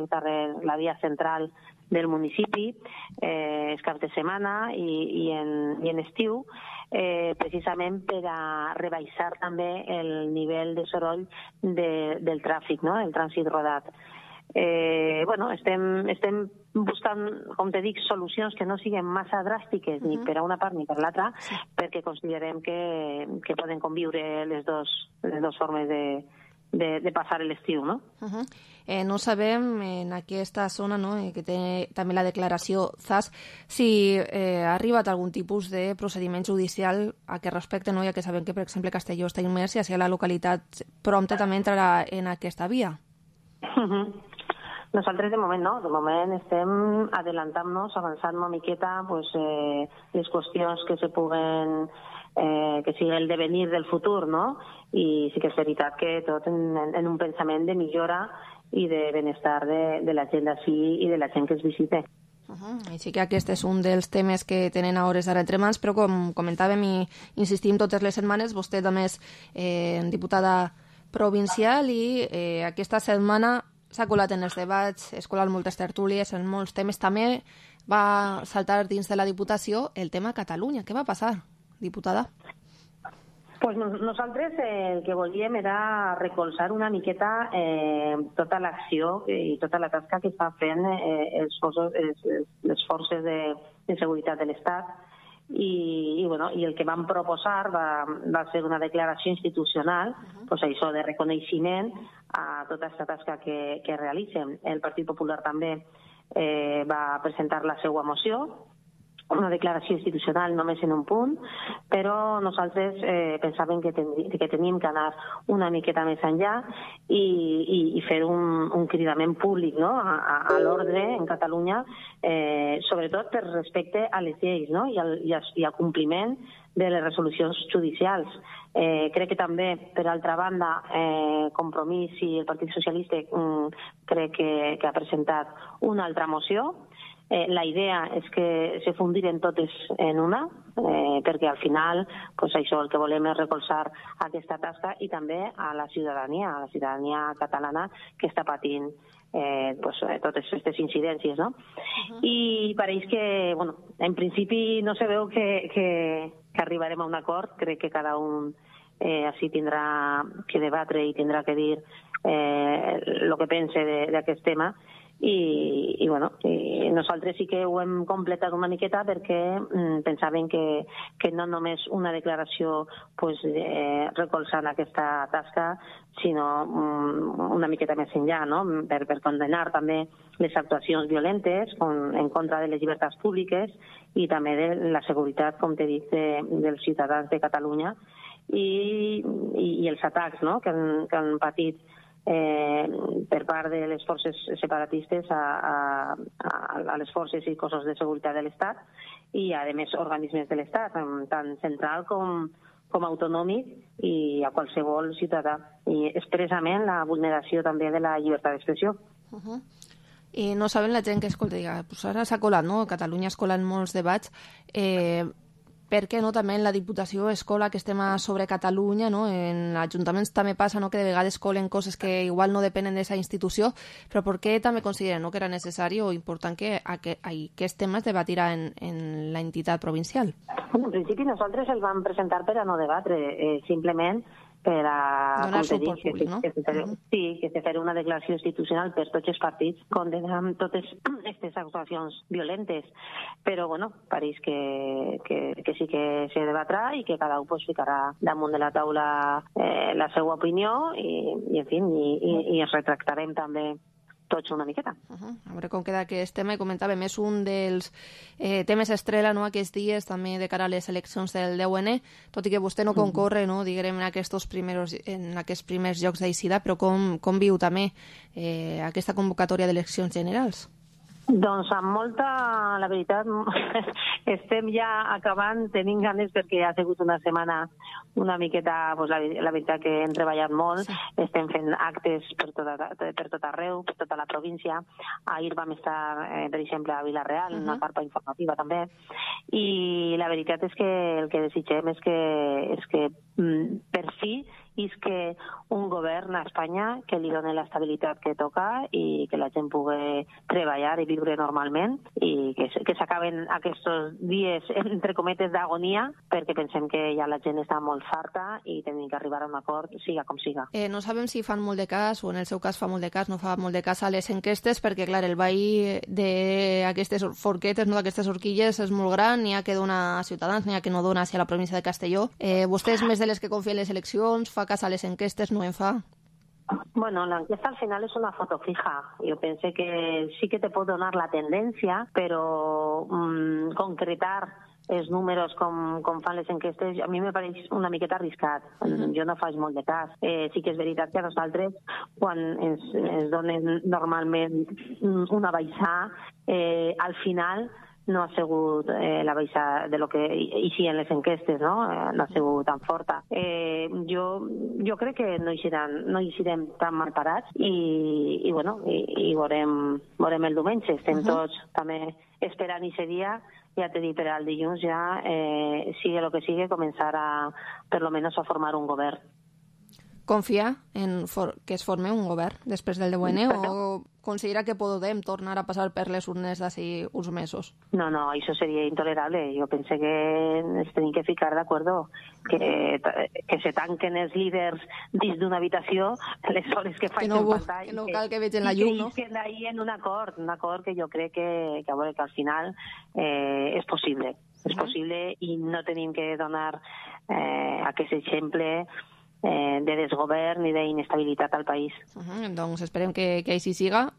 la via central del municipi, és cap de setmana i en estiu, precisament per a rebaixar també el nivell de soroll del tràfic, no? El trànsit rodat. Estem buscant, com te dic, solucions que no siguin massa dràstiques ni per a una part ni per l'altra, perquè considerem que poden conviure les dues formes de passar l'estiu, no? No sabem en aquesta zona, no, que té també la declaració ZAS, si ha arribat algun tipus de procediment judicial a què respecte, no? Ja que sabem que, per exemple, Castelló està immers i així la localitat prompte també entrarà en aquesta via. Nosaltres de moment no, de moment estem adelantant-nos, avançant una miqueta les qüestions que se puguen que sigui el devenir del futur, no? I sí que és veritat que tot en un pensament de millora i de benestar de la gent d'ací i de la gent que es visite. Així que aquest és un dels temes que tenen a hores d'ara entre mans, però com comentàvem i insistim totes les setmanes, vostè també és diputada provincial i aquesta setmana s'ha colat en els debats, es colat moltes tertúlies, en molts temes. També va saltar dins de la Diputació el tema Catalunya. Què va passar, diputada? Pues nosaltres el que volíem era recolzar una miqueta tota l'acció i tota la tasca que està fent les forces de seguretat de l'Estat i el que vam proposar va ser una declaració institucional, això de reconeixement a tota aquesta tasca que realitzen. El Partit Popular també va presentar la seva moció, una declaració institucional només en un punt, però nosaltres pensàvem que teníem que anar una miqueta més enllà i fer un cridament públic, no? a l'ordre en Catalunya, sobretot per respecte a les lleis, no? i al compliment de les resolucions judicials. Crec que també, per altra banda, Compromís i el Partit Socialista crec que ha presentat una altra moció. La idea és que se fundiren totes en una, perquè al final això el que volem és recolzar aquesta tasca i també a la ciutadania catalana que està patint totes aquestes incidències, no? I pareix que, en principi no se veu que arribarem a un acord. Crec que cada un així tindrà que debatre i tindrà que dir el que pense d'aquest tema. I nosaltres sí que ho hem completat una miqueta perquè pensàvem que no només una declaració recolzant aquesta tasca, sinó una miqueta més enllà, no? Per condenar també les actuacions violentes en contra de les llibertats públiques i també de la seguretat, com t'he dit, dels ciutadans de Catalunya i els atacs, no? que han patit per part de les forces separatistes a les forces i cossos de seguretat de l'Estat i a més organismes de l'Estat, tant central com autonòmic i a qualsevol ciutadà, i expressament la vulneració també de la llibertat d'expressió. I no saben la gent que escolta, ara s'ha colat, no? Catalunya es colen molts debats, per què no també en la Diputació es cola aquest tema sobre Catalunya, no? En ajuntaments també passa, no?, que de vegades colen coses que igual no depenen d'aquesta institució, però per què també consideren, no?, que era necessari o important que aquest tema es debatirà en la entitat provincial? En principi nosaltres el vam presentar per a no debatre, simplement per a... Donar suport públic, no? Sí, que se farà una declaració institucional per tots els partits condenant totes aquestes actuacions violentes. Però, bueno, pareix que sí que se debatrà i que cada un ficarà damunt de la taula la seva opinió i en fi, i ens retractarem també tots una miqueta. A veure com queda aquest tema. Comentàvem, és un dels temes estrella, no?, aquests dies, també de cara a les eleccions del 10N, tot i que vostè no concorre, no?, diguem, en aquests primers jocs d'Eixida, però com viu també aquesta convocatòria d'eleccions generals? Doncs amb molta, la veritat, estem ja acabant, tenim ganes perquè ha sigut una setmana una miqueta, pues, la veritat que hem treballat molt, estem fent actes per tot arreu, per tota la província. Ahir vam estar, per exemple, a Vila-real, en una carpa informativa també, i la veritat és que el que desitgem és que per fi és que un govern a Espanya que li doni l'estabilitat que toca i que la gent pugui treballar i viure normalment i que s'acaben aquests dies, entre cometes, d'agonia, perquè pensem que ja la gent està molt farta i tenim que arribar a un acord, siga com siga. No sabem si fan molt de cas, o en el seu cas fa molt de cas, no fa molt de cas a les enquestes, perquè, clar, el veí d'aquestes forquetes, no, d'aquestes horquilles, és molt gran, n'hi ha que dona a Ciutadans, n'hi ha que no dona hacia la província de Castelló. Vostè és més de les que confia en les eleccions, fa cas a les enquestes, no en fa? Bueno, l'enquesta al final és una foto fija. Jo penso que sí que te pot donar la tendència, però concretar els números com fan les enquestes a mi me pareix una miqueta arriscat. Jo no faig molt de cas. Sí que és veritat que a nosaltres, quan ens donen normalment una baixada, al final no ha sigut la baixada de lo que hi en les enquestes, no? No ha sigut tan forta. Jo crec que no hi serem tan mal parats i veurem el diumenge. Estem tots també esperant aquest dia, ja t'he dit, per al dilluns ja, sigui el que sigui, començar per lo menos a formar un govern. Confia en que es forme un govern després del 10N o considera que podem tornar a passar per les urnes d'ací uns mesos? No, això seria intolerable. Jo penso que ens tenim que ficar d'acord que se tanquen els líders dins d'una habitació les hores que facin pantalla. Que no cal que vegin la llum, no? I que d'ahir en un acord que jo crec que al final és possible. És possible i no tenim que donar aquest exemple de desgovern i d'inestabilitat al país. Doncs esperem que així siga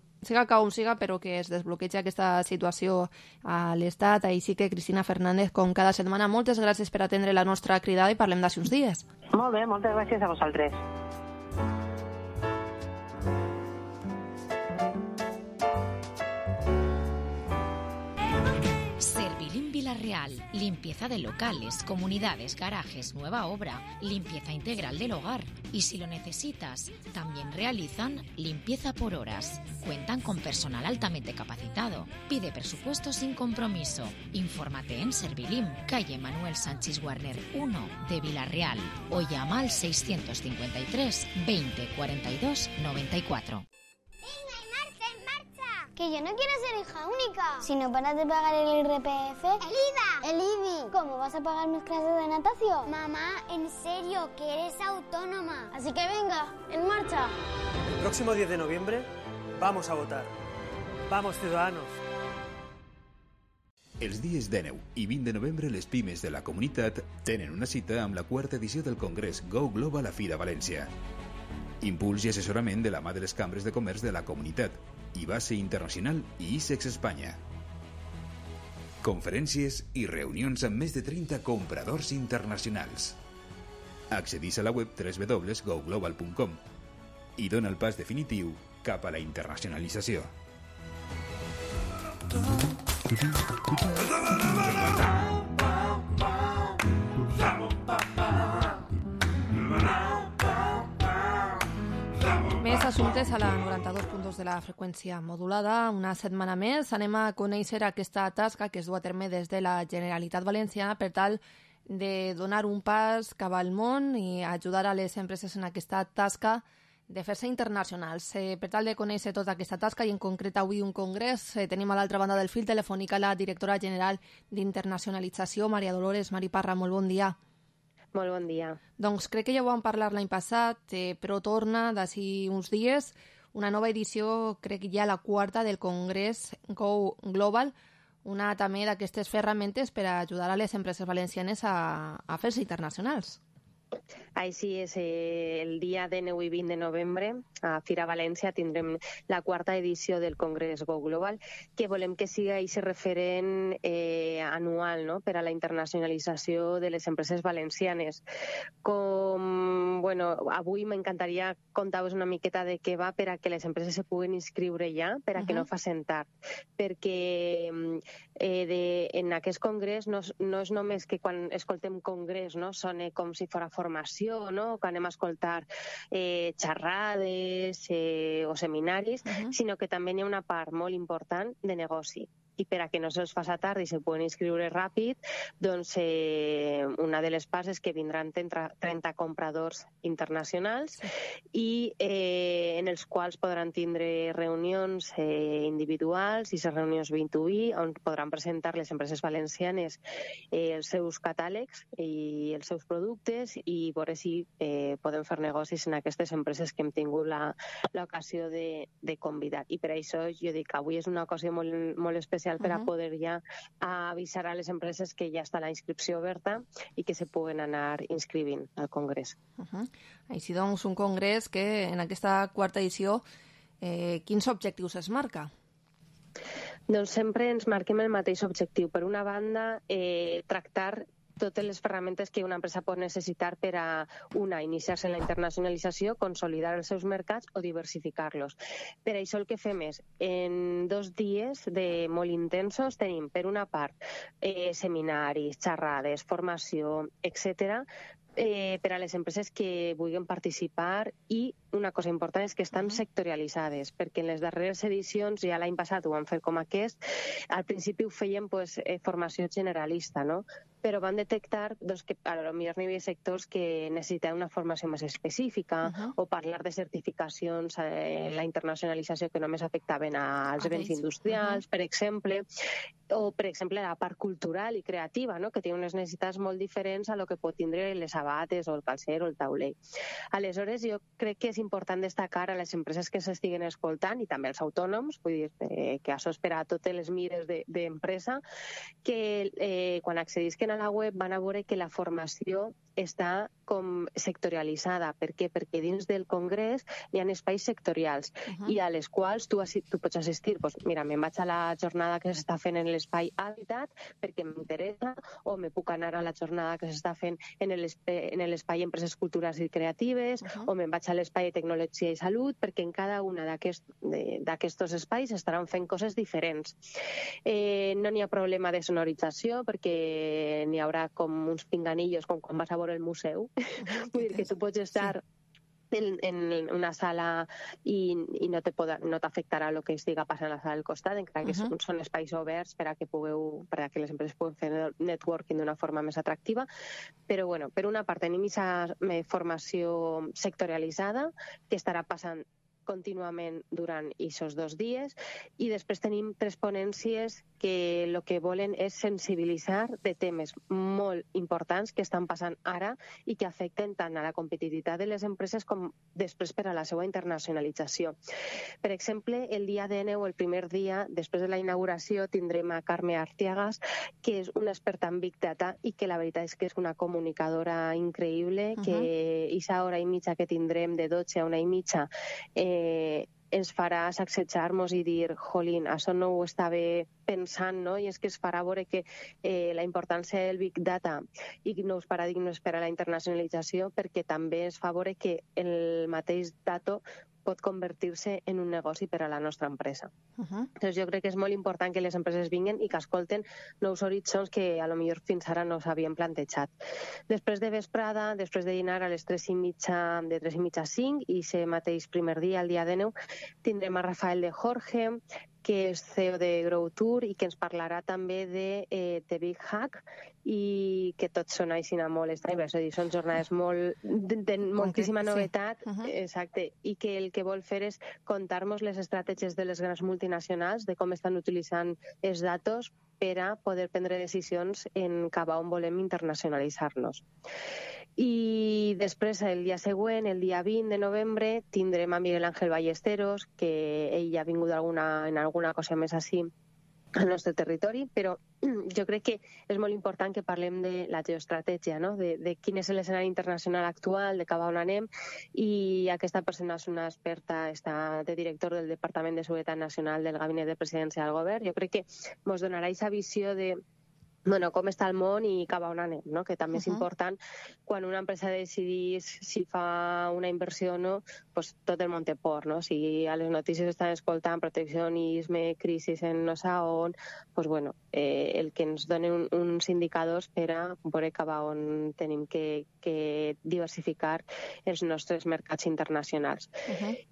com siga, però que es desbloqueja aquesta situació a l'Estat. Així que, Cristina Fernández, com cada setmana, moltes gràcies per atendre la nostra cridada i parlem d'ací uns dies. Molt bé, moltes gràcies a vosaltres. Vila-real, limpieza de locales, comunidades, garajes, nueva obra, limpieza integral del hogar. Y si lo necesitas, también realizan limpieza por horas. Cuentan con personal altamente capacitado. Pide presupuesto sin compromiso. Infórmate en Servilim, calle Manuel Sánchez Guarner 1 de Vila-real o llama al 653 20 42 94. Que yo no quiero ser hija única. Si no paras de pagar el IRPF... ¡El IVA! ¡El IBI! ¿Cómo vas a pagar mis clases de natación? Mamá, en serio, que eres autónoma. Así que venga, en marcha. El próximo 10 de noviembre vamos a votar. Vamos, ciudadanos. Els dies 19 i 20 de novembre les pimes de la comunitat tenen una cita amb la 4ª edició del Congrés Go Global a Fira València. Impuls i assessorament de la mà de les cambres de comerç de la comunitat, i base internacional i ISEX Espanya. Conferències i reunions amb més de 30 compradors internacionals. Accedís a la web www.goglobal.com i dona el pas definitiu cap a la internacionalització. Més assumptes a la 92.2 de la freqüència modulada. Una setmana més anem a conèixer aquesta tasca que es du a terme des de la Generalitat Valenciana per tal de donar un pas cap al món i ajudar a les empreses en aquesta tasca de fer-se internacionals. Per tal de conèixer tota aquesta tasca i en concret avui un congrés, tenim a l'altra banda del fil telefònica la directora general d'Internacionalització, Maria Dolores. Mari Parra, molt bon dia. Molt bon dia. Doncs crec que ja ho vam parlar l'any passat, però torna d'ací uns dies una nova edició, crec que ja la quarta, del Congrés Go Global, una també d'aquestes ferramentes per a ajudar a les empreses valencianes a fer-se internacionals. Així és, el dia 19 i 20 de novembre a Fira València tindrem la quarta edició del Congrés Go Global, que volem que sigui aquest referent anual, no?, per a la internacionalització de les empreses valencianes. Avui m'encantaria contar-vos una miqueta de què va per a que les empreses se puguen inscriure ja, per a que no facin tard. Perquè en aquest congrés no és només que quan escoltem congrés sona com si fos formació, no?, que anem a escoltar xerrades o seminaris, sinó que també hi ha una part molt important de negoci. I per a que no se'ls faci tard i se puguen inscriure ràpid, doncs una de les parts és que vindran 30 compradors internacionals i en els quals podran tindre reunions individuals i les reunions B2B on podran presentar les empreses valencianes els seus catàlegs i els seus productes i veure si podem fer negocis en aquestes empreses que hem tingut l'ocasió de convidar. I per això jo dic que avui és una ocasió molt especial per a poder ja avisar a les empreses que ja està la inscripció oberta i que se puguen anar inscrivint al Congrés. Així doncs, un congrés que en aquesta quarta edició quins objectius es marca? Doncs sempre ens marquem el mateix objectiu. Per una banda, tractar totes les ferramentes que una empresa pot necessitar per a iniciar-se en la internacionalització, consolidar els seus mercats o diversificar-los. Per això el que fem és, en 2 dies molt intensos, tenim per una part seminaris, xerrades, formació, etc., per a les empreses que vulguin participar i una cosa important és que estan sectorialitzades, perquè en les darreres edicions, ja l'any passat ho vam fer com aquest, al principi ho feien formació generalista, no? Però van detectar que potser hi havia sectors que necessitaven una formació més específica o parlar de certificacions, la internacionalització que només afectaven als béns industrials, per exemple, o, per exemple, la part cultural i creativa, que té unes necessitats molt diferents a lo que pot tindre les sabates o el calcer o el tauler. Aleshores, jo crec que és important destacar a les empreses que s'estiguen escoltant i també als autònoms, vull dir que això és per a totes les mires d'empresa, que quan accedisquen a la web van a veure que la formació està com sectorialitzada. Per què? Perquè dins del congrés hi ha espais sectorials i a les quals tu pots assistir. Mira, me'n vaig a la jornada que s'està fent en l'espai Hàbitat perquè m'interessa, o me puc anar a la jornada que s'està fent en l'espai Empreses Culturals i Creatives, o me'n vaig a l'espai de Tecnologia i Salut, perquè en cada una d'aquests espais estaran fent coses diferents. No n'hi ha problema de sonorització perquè n'hi haurà com uns pinganillos com quan vas a veure el museu. Vull dir que tu pots estar en una sala i no t'afectarà el que estiga passant a la sala del costat, encara que són espais oberts per a que les empreses puguen fer networking d'una forma més atractiva. Però, per una part, tenim aquesta formació sectorialitzada que estarà passant contínuament durant aquests 2 dies i després tenim 3 ponències que el que volen és sensibilitzar de temes molt importants que estan passant ara i que afecten tant a la competitivitat de les empreses com després per a la seva internacionalització. Per exemple, el dia 19, el primer dia, després de la inauguració, tindrem a Carme Artiagas, que és una experta en Big Data i que la veritat és que és una comunicadora increïble, que aquesta hora i mitja que tindrem de 12 a 1:30 ens farà sacsejar-nos i dir, jolín, això no ho estava pensant, no? I és que es farà veure que la importància del Big Data i nous paradigmes per a la internacionalització, perquè també es fa veure que el mateix dato pot convertir-se en un negoci per a la nostra empresa. Doncs jo crec que és molt important que les empreses vinguin i que escolten nous horitzons que a lo millor fins ara no s'havien plantejat. Després de vesprada, després de dinar a les 3:30, de 3:30 a 5, i ese mateix primer dia, el dia 19, tindrem a Rafael de Jorge, que és CEO de Grow Tour i que ens parlarà també de The Big Hack i que tots són així molt estranyes, és a dir, són jornades de moltíssima novetat, exacte, i que el que vol fer és contar-nos les estratègies de les grans multinacionals, de com estan utilitzant els datos per a poder prendre decisions en cap a on volem internacionalitzar-nos. I després, el dia següent, el dia 20 de novembre, tindrem a Miguel Ángel Ballesteros, que ell ja ha vingut en alguna cosa més així al nostre territori, però jo crec que és molt important que parlem de la geoestratègia, no? de quin és l'escenari internacional actual, de cap a on anem, i aquesta persona és una experta, està de director del Departament de Seguretat Nacional del Gabinet de Presidència del Govern. Jo crec que ens donarà aquesta visió de com està el món i cap a on anem, no? Que també és important quan una empresa decidís si fa una inversió o no, pues tot el món té por, no? Si a les notícies estan escoltant proteccionisme, crisi en no sé on, pues bueno, el que ens donen uns indicadors per a veure cap a on tenim que diversificar els nostres mercats internacionals.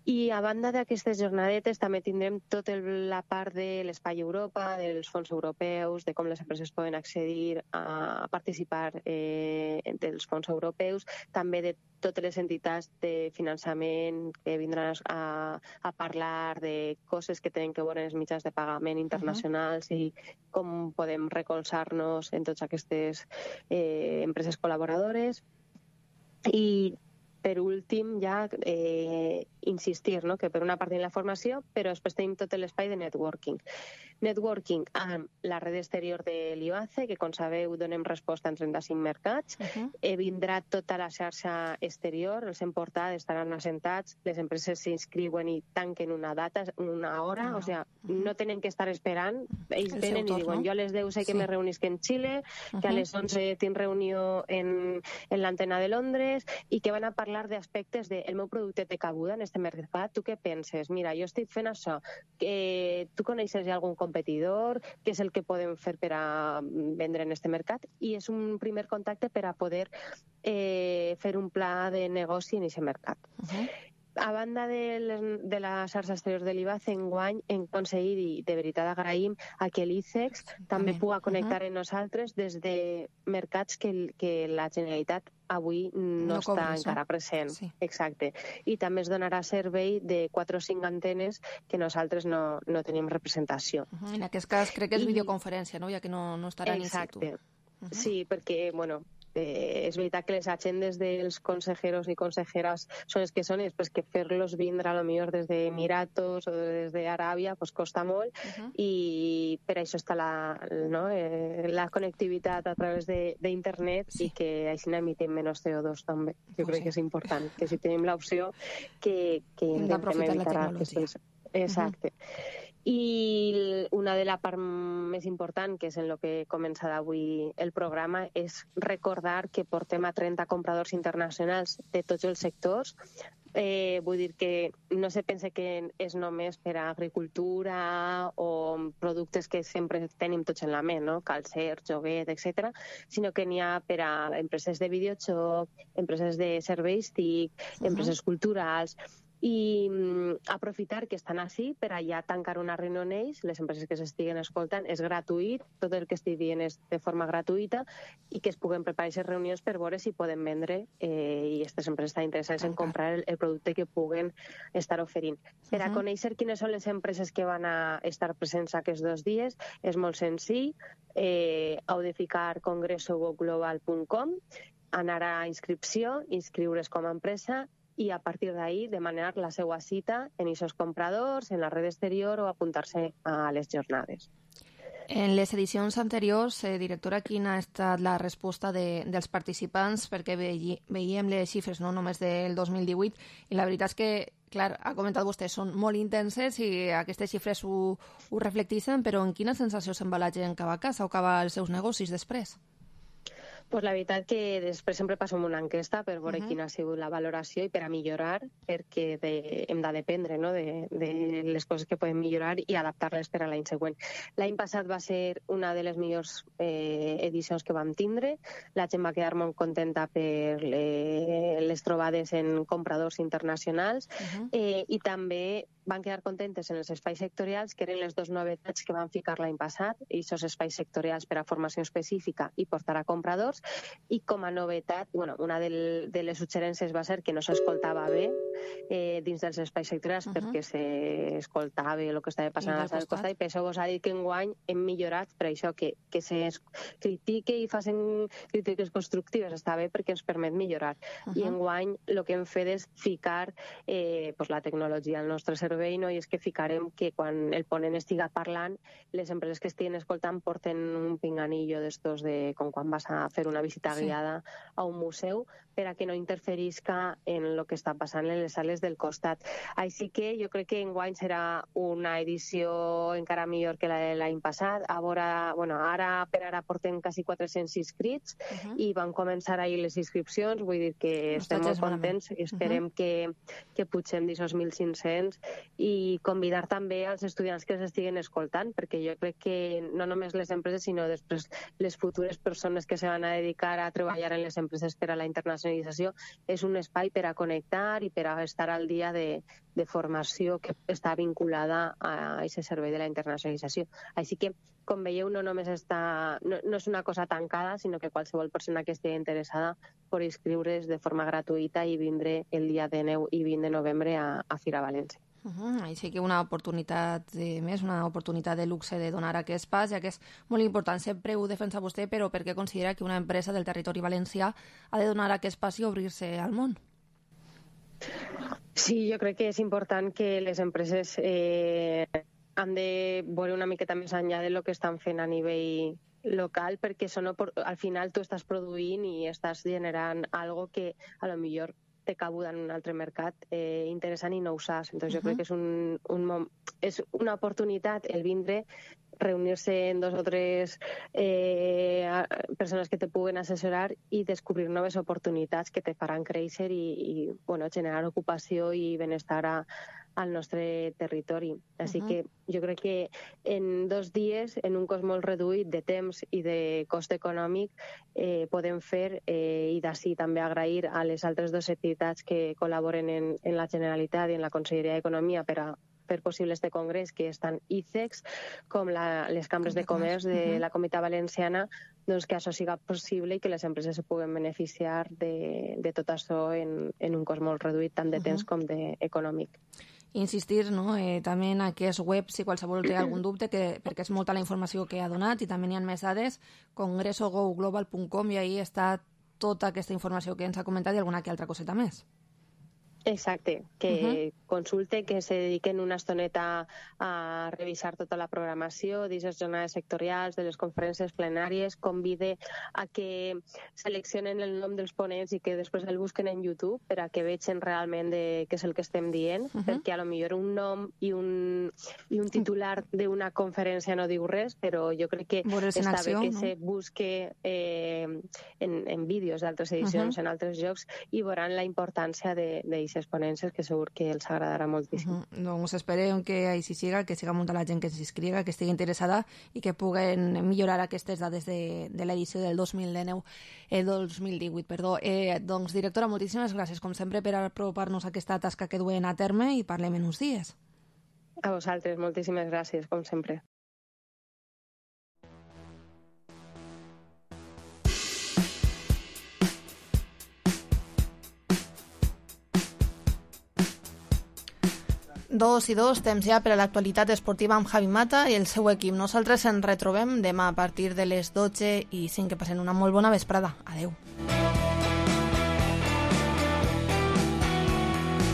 I a banda d'aquestes jornadetes també tindrem tota la part de l'Espai Europa, dels fons europeus, de com les empreses poden accedir a participar dels fons europeus, també de totes les entitats de finançament que vindran a parlar de coses que tenen que veure en els mitjans de pagament internacionals i com podem recolzar-nos en totes aquestes empreses col·laboradores. I per últim, ja insistir, no? Que per una part tenim la formació, però després tenim tot l'espai de networking. Networking amb la red exterior de l'IBACE, que com sabeu donem resposta en 35 mercats. Vindrà tota la xarxa exterior, els hem portat, estaran assentats, les empreses s'inscriuen i tanquen una data, una hora, o sigui, no tenen que estar esperant, ells venen i diuen, jo a les 10 sé que me reunisc en Xile, que a les 11 tinc reunió en l'antena de Londres, i que van a parlar d'aspectes de el meu producte té cabuda en este mercat, tu què penses? Mira, jo estic fent això, tu coneixes ja algun competidor, què és el que podem fer per a vendre en este mercat? I és un primer contacte per a poder fer un pla de negoci en aquest mercat. A banda de la xarxa exterior de l'IBACE, enguany hem aconseguit, i de veritat agraïm, a que l'ICEX també pugui connectar amb nosaltres des de mercats que la Generalitat avui no està encara present. Exacte. I també es donarà servei de 4 o 5 antenes que nosaltres no tenim representació. En aquest cas crec que és videoconferència, no? Ja que no estaran in situ. Exacte. Sí, perquè, bueno, és veritat que les agendes dels consejeros i consejeres són les que són, i després que fer-los vindre a lo millor des d'Emiratos o des d'Aràbia pues costa molt, i per això està la connectivitat a través d'internet i que així n'emitem menys CO2 també. Jo crec que és important, que si tenim l'opció que intentem evitar aquestes... Exacte. I una de la part més important, que és en el que he començat avui el programa, és recordar que portem a 30 compradors internacionals de tots els sectors. Vull dir que no se pense que és només per a agricultura o productes que sempre tenim tots en la ment, no? Calcer, joguet, etc., sinó que n'hi ha per a empreses de videojoc, empreses de serveis TIC, empreses culturals, i aprofitar que estan així per allà tancar una reunió amb ells, les empreses que s'estiguen escoltant, és gratuït, tot el que estic dient és de forma gratuïta, i que es puguen preparar aquestes reunions per veure si poden vendre i aquestes empreses estan interessades en comprar el producte que puguen estar oferint. Per a conèixer quines són les empreses que van a estar presents aquests 2 dies, és molt senzill, heu de ficar congresogoglobal.com, anar a inscripció, inscriure's com a empresa, i a partir d'ahí demanar la seva cita en aquests compradors, en la red exterior o apuntar-se a les jornades. En les edicions anteriors, directora, quina ha estat la resposta dels participants? Perquè veiem les xifres no només del 2018 i la veritat és que, clar, ha comentat vostè, són molt intenses i aquestes xifres ho reflecteixen, però en quina sensació se'n va la gent cap a casa o cap als seus negocis després? Pues la veritat que després sempre passem una enquesta per veure quina ha sigut la valoració i per a millorar, perquè hem de dependre de les coses que podem millorar i adaptar-les per a l'any següent. L'any passat va ser una de les millors edicions que vam tindre. La gent va quedar molt contenta per les trobades en compradors internacionals i també van quedar contentes en els espais sectorials, que eren les 2 novetats que van ficar l'any passat, i aquests espais sectorials per a formació específica i portar a compradors, i com a novetat, una de les suggerències va ser que no s'escoltava bé dins dels espais sectorials perquè s'escoltava el que estava passant a l'altre costat, i per això vos ha dit que enguany hem millorat per això, que se critique i facin crítiques constructives està bé perquè ens permet millorar. I enguany el que hem fet és ficar la tecnologia al nostre servei, i és que ficarem que quan el ponent estiga parlant, les empreses que estiguen escoltant porten un pinganillo d'estos de com quan vas a fer una visita guiada a un museu, per a que no interferisca en el que està passant en les sales del costat. Així que jo crec que enguany serà una edició encara millor que la de l'any passat. Ara per ara portem quasi 400 inscrits i van començar ahir les inscripcions, vull dir que estem molt contents i esperem que pugem d'aquests 1.500 i convidar també als estudiants que s'estiguen escoltant, perquè jo crec que no només les empreses, sinó després les futures persones que se van a dedicar a treballar en les empreses per a la internacionalització, és un espai per a connectar i per a estar al dia de formació que està vinculada a aquest servei de la internacionalització. Així que, com veieu, no és una cosa tancada, sinó que qualsevol persona que estigui interessada pot inscriure's de forma gratuïta i vindre el dia 19 i 20 de novembre a Fira València. Així que una oportunitat més, una oportunitat de luxe de donar aquest pas, ja que és molt important. Sempre ho defensa vostè, però per què considera que una empresa del territori valencià ha de donar aquest pas i obrir-se al món? Sí, jo crec que és important que les empreses han de veure una miqueta més enllà del que estan fent a nivell local, perquè al final tu estàs produint i estàs generant algo que a lo millor té cabuda en un altre mercat interessant i no ho saps. Entonces jo crec que és una oportunitat el vindre, reunir-se en 2 o 3 persones que te puguen assessorar i descobrir noves oportunitats que te faran créixer i generar ocupació i benestar al nostre territori. Així que jo crec que en 2 dies, en un cost molt reduït de temps i de cost econòmic, podem fer, i d'ací també agrair a les altres 2 entitats que col·laboren en la Generalitat i en la Conselleria d'Economia per a fer possible este congrés, que estan ICEX, com les cambres de comerç de la Comunitat Valenciana, doncs que això siga possible i que les empreses se puguen beneficiar de tot això en un cost molt reduït, tant de temps com d'econòmic. Insistir també en aquest web, si qualsevol té algun dubte, perquè és molta la informació que ha donat i també n'hi ha més dades, congresogoglobal.com, i ahí està tota aquesta informació que ens ha comentat i alguna que altra coseta més. Exacte, que consulte, que se dediquen una estoneta a revisar tota la programació d'aquestes jornades sectorials, de les conferències plenàries, convide a que seleccionen el nom dels ponents i que després el busquen en YouTube per a que vegin realment què és el que estem dient, perquè a lo millor un nom i un titular d'una conferència no diu res, però jo crec que està bé que se busque en vídeos d'altres edicions, en altres llocs, i veuran la importància d'aquestes ponències, que segur que els agradarà moltíssim. Doncs esperem que així siga, que siga molta la gent que s'inscriga, que estigui interessada i que puguen millorar aquestes dades de l'edició del 2018. Doncs, directora, moltíssimes gràcies, com sempre, per apropar-nos a aquesta tasca que duen a terme i parlem en uns dies. A vosaltres, moltíssimes gràcies, com sempre. Dos i dos, temps ja per a l'actualitat esportiva amb Javi Mata i el seu equip. Nosaltres ens retrobem demà a partir de les 12:05. Que passen una molt bona vesprada. Adeu.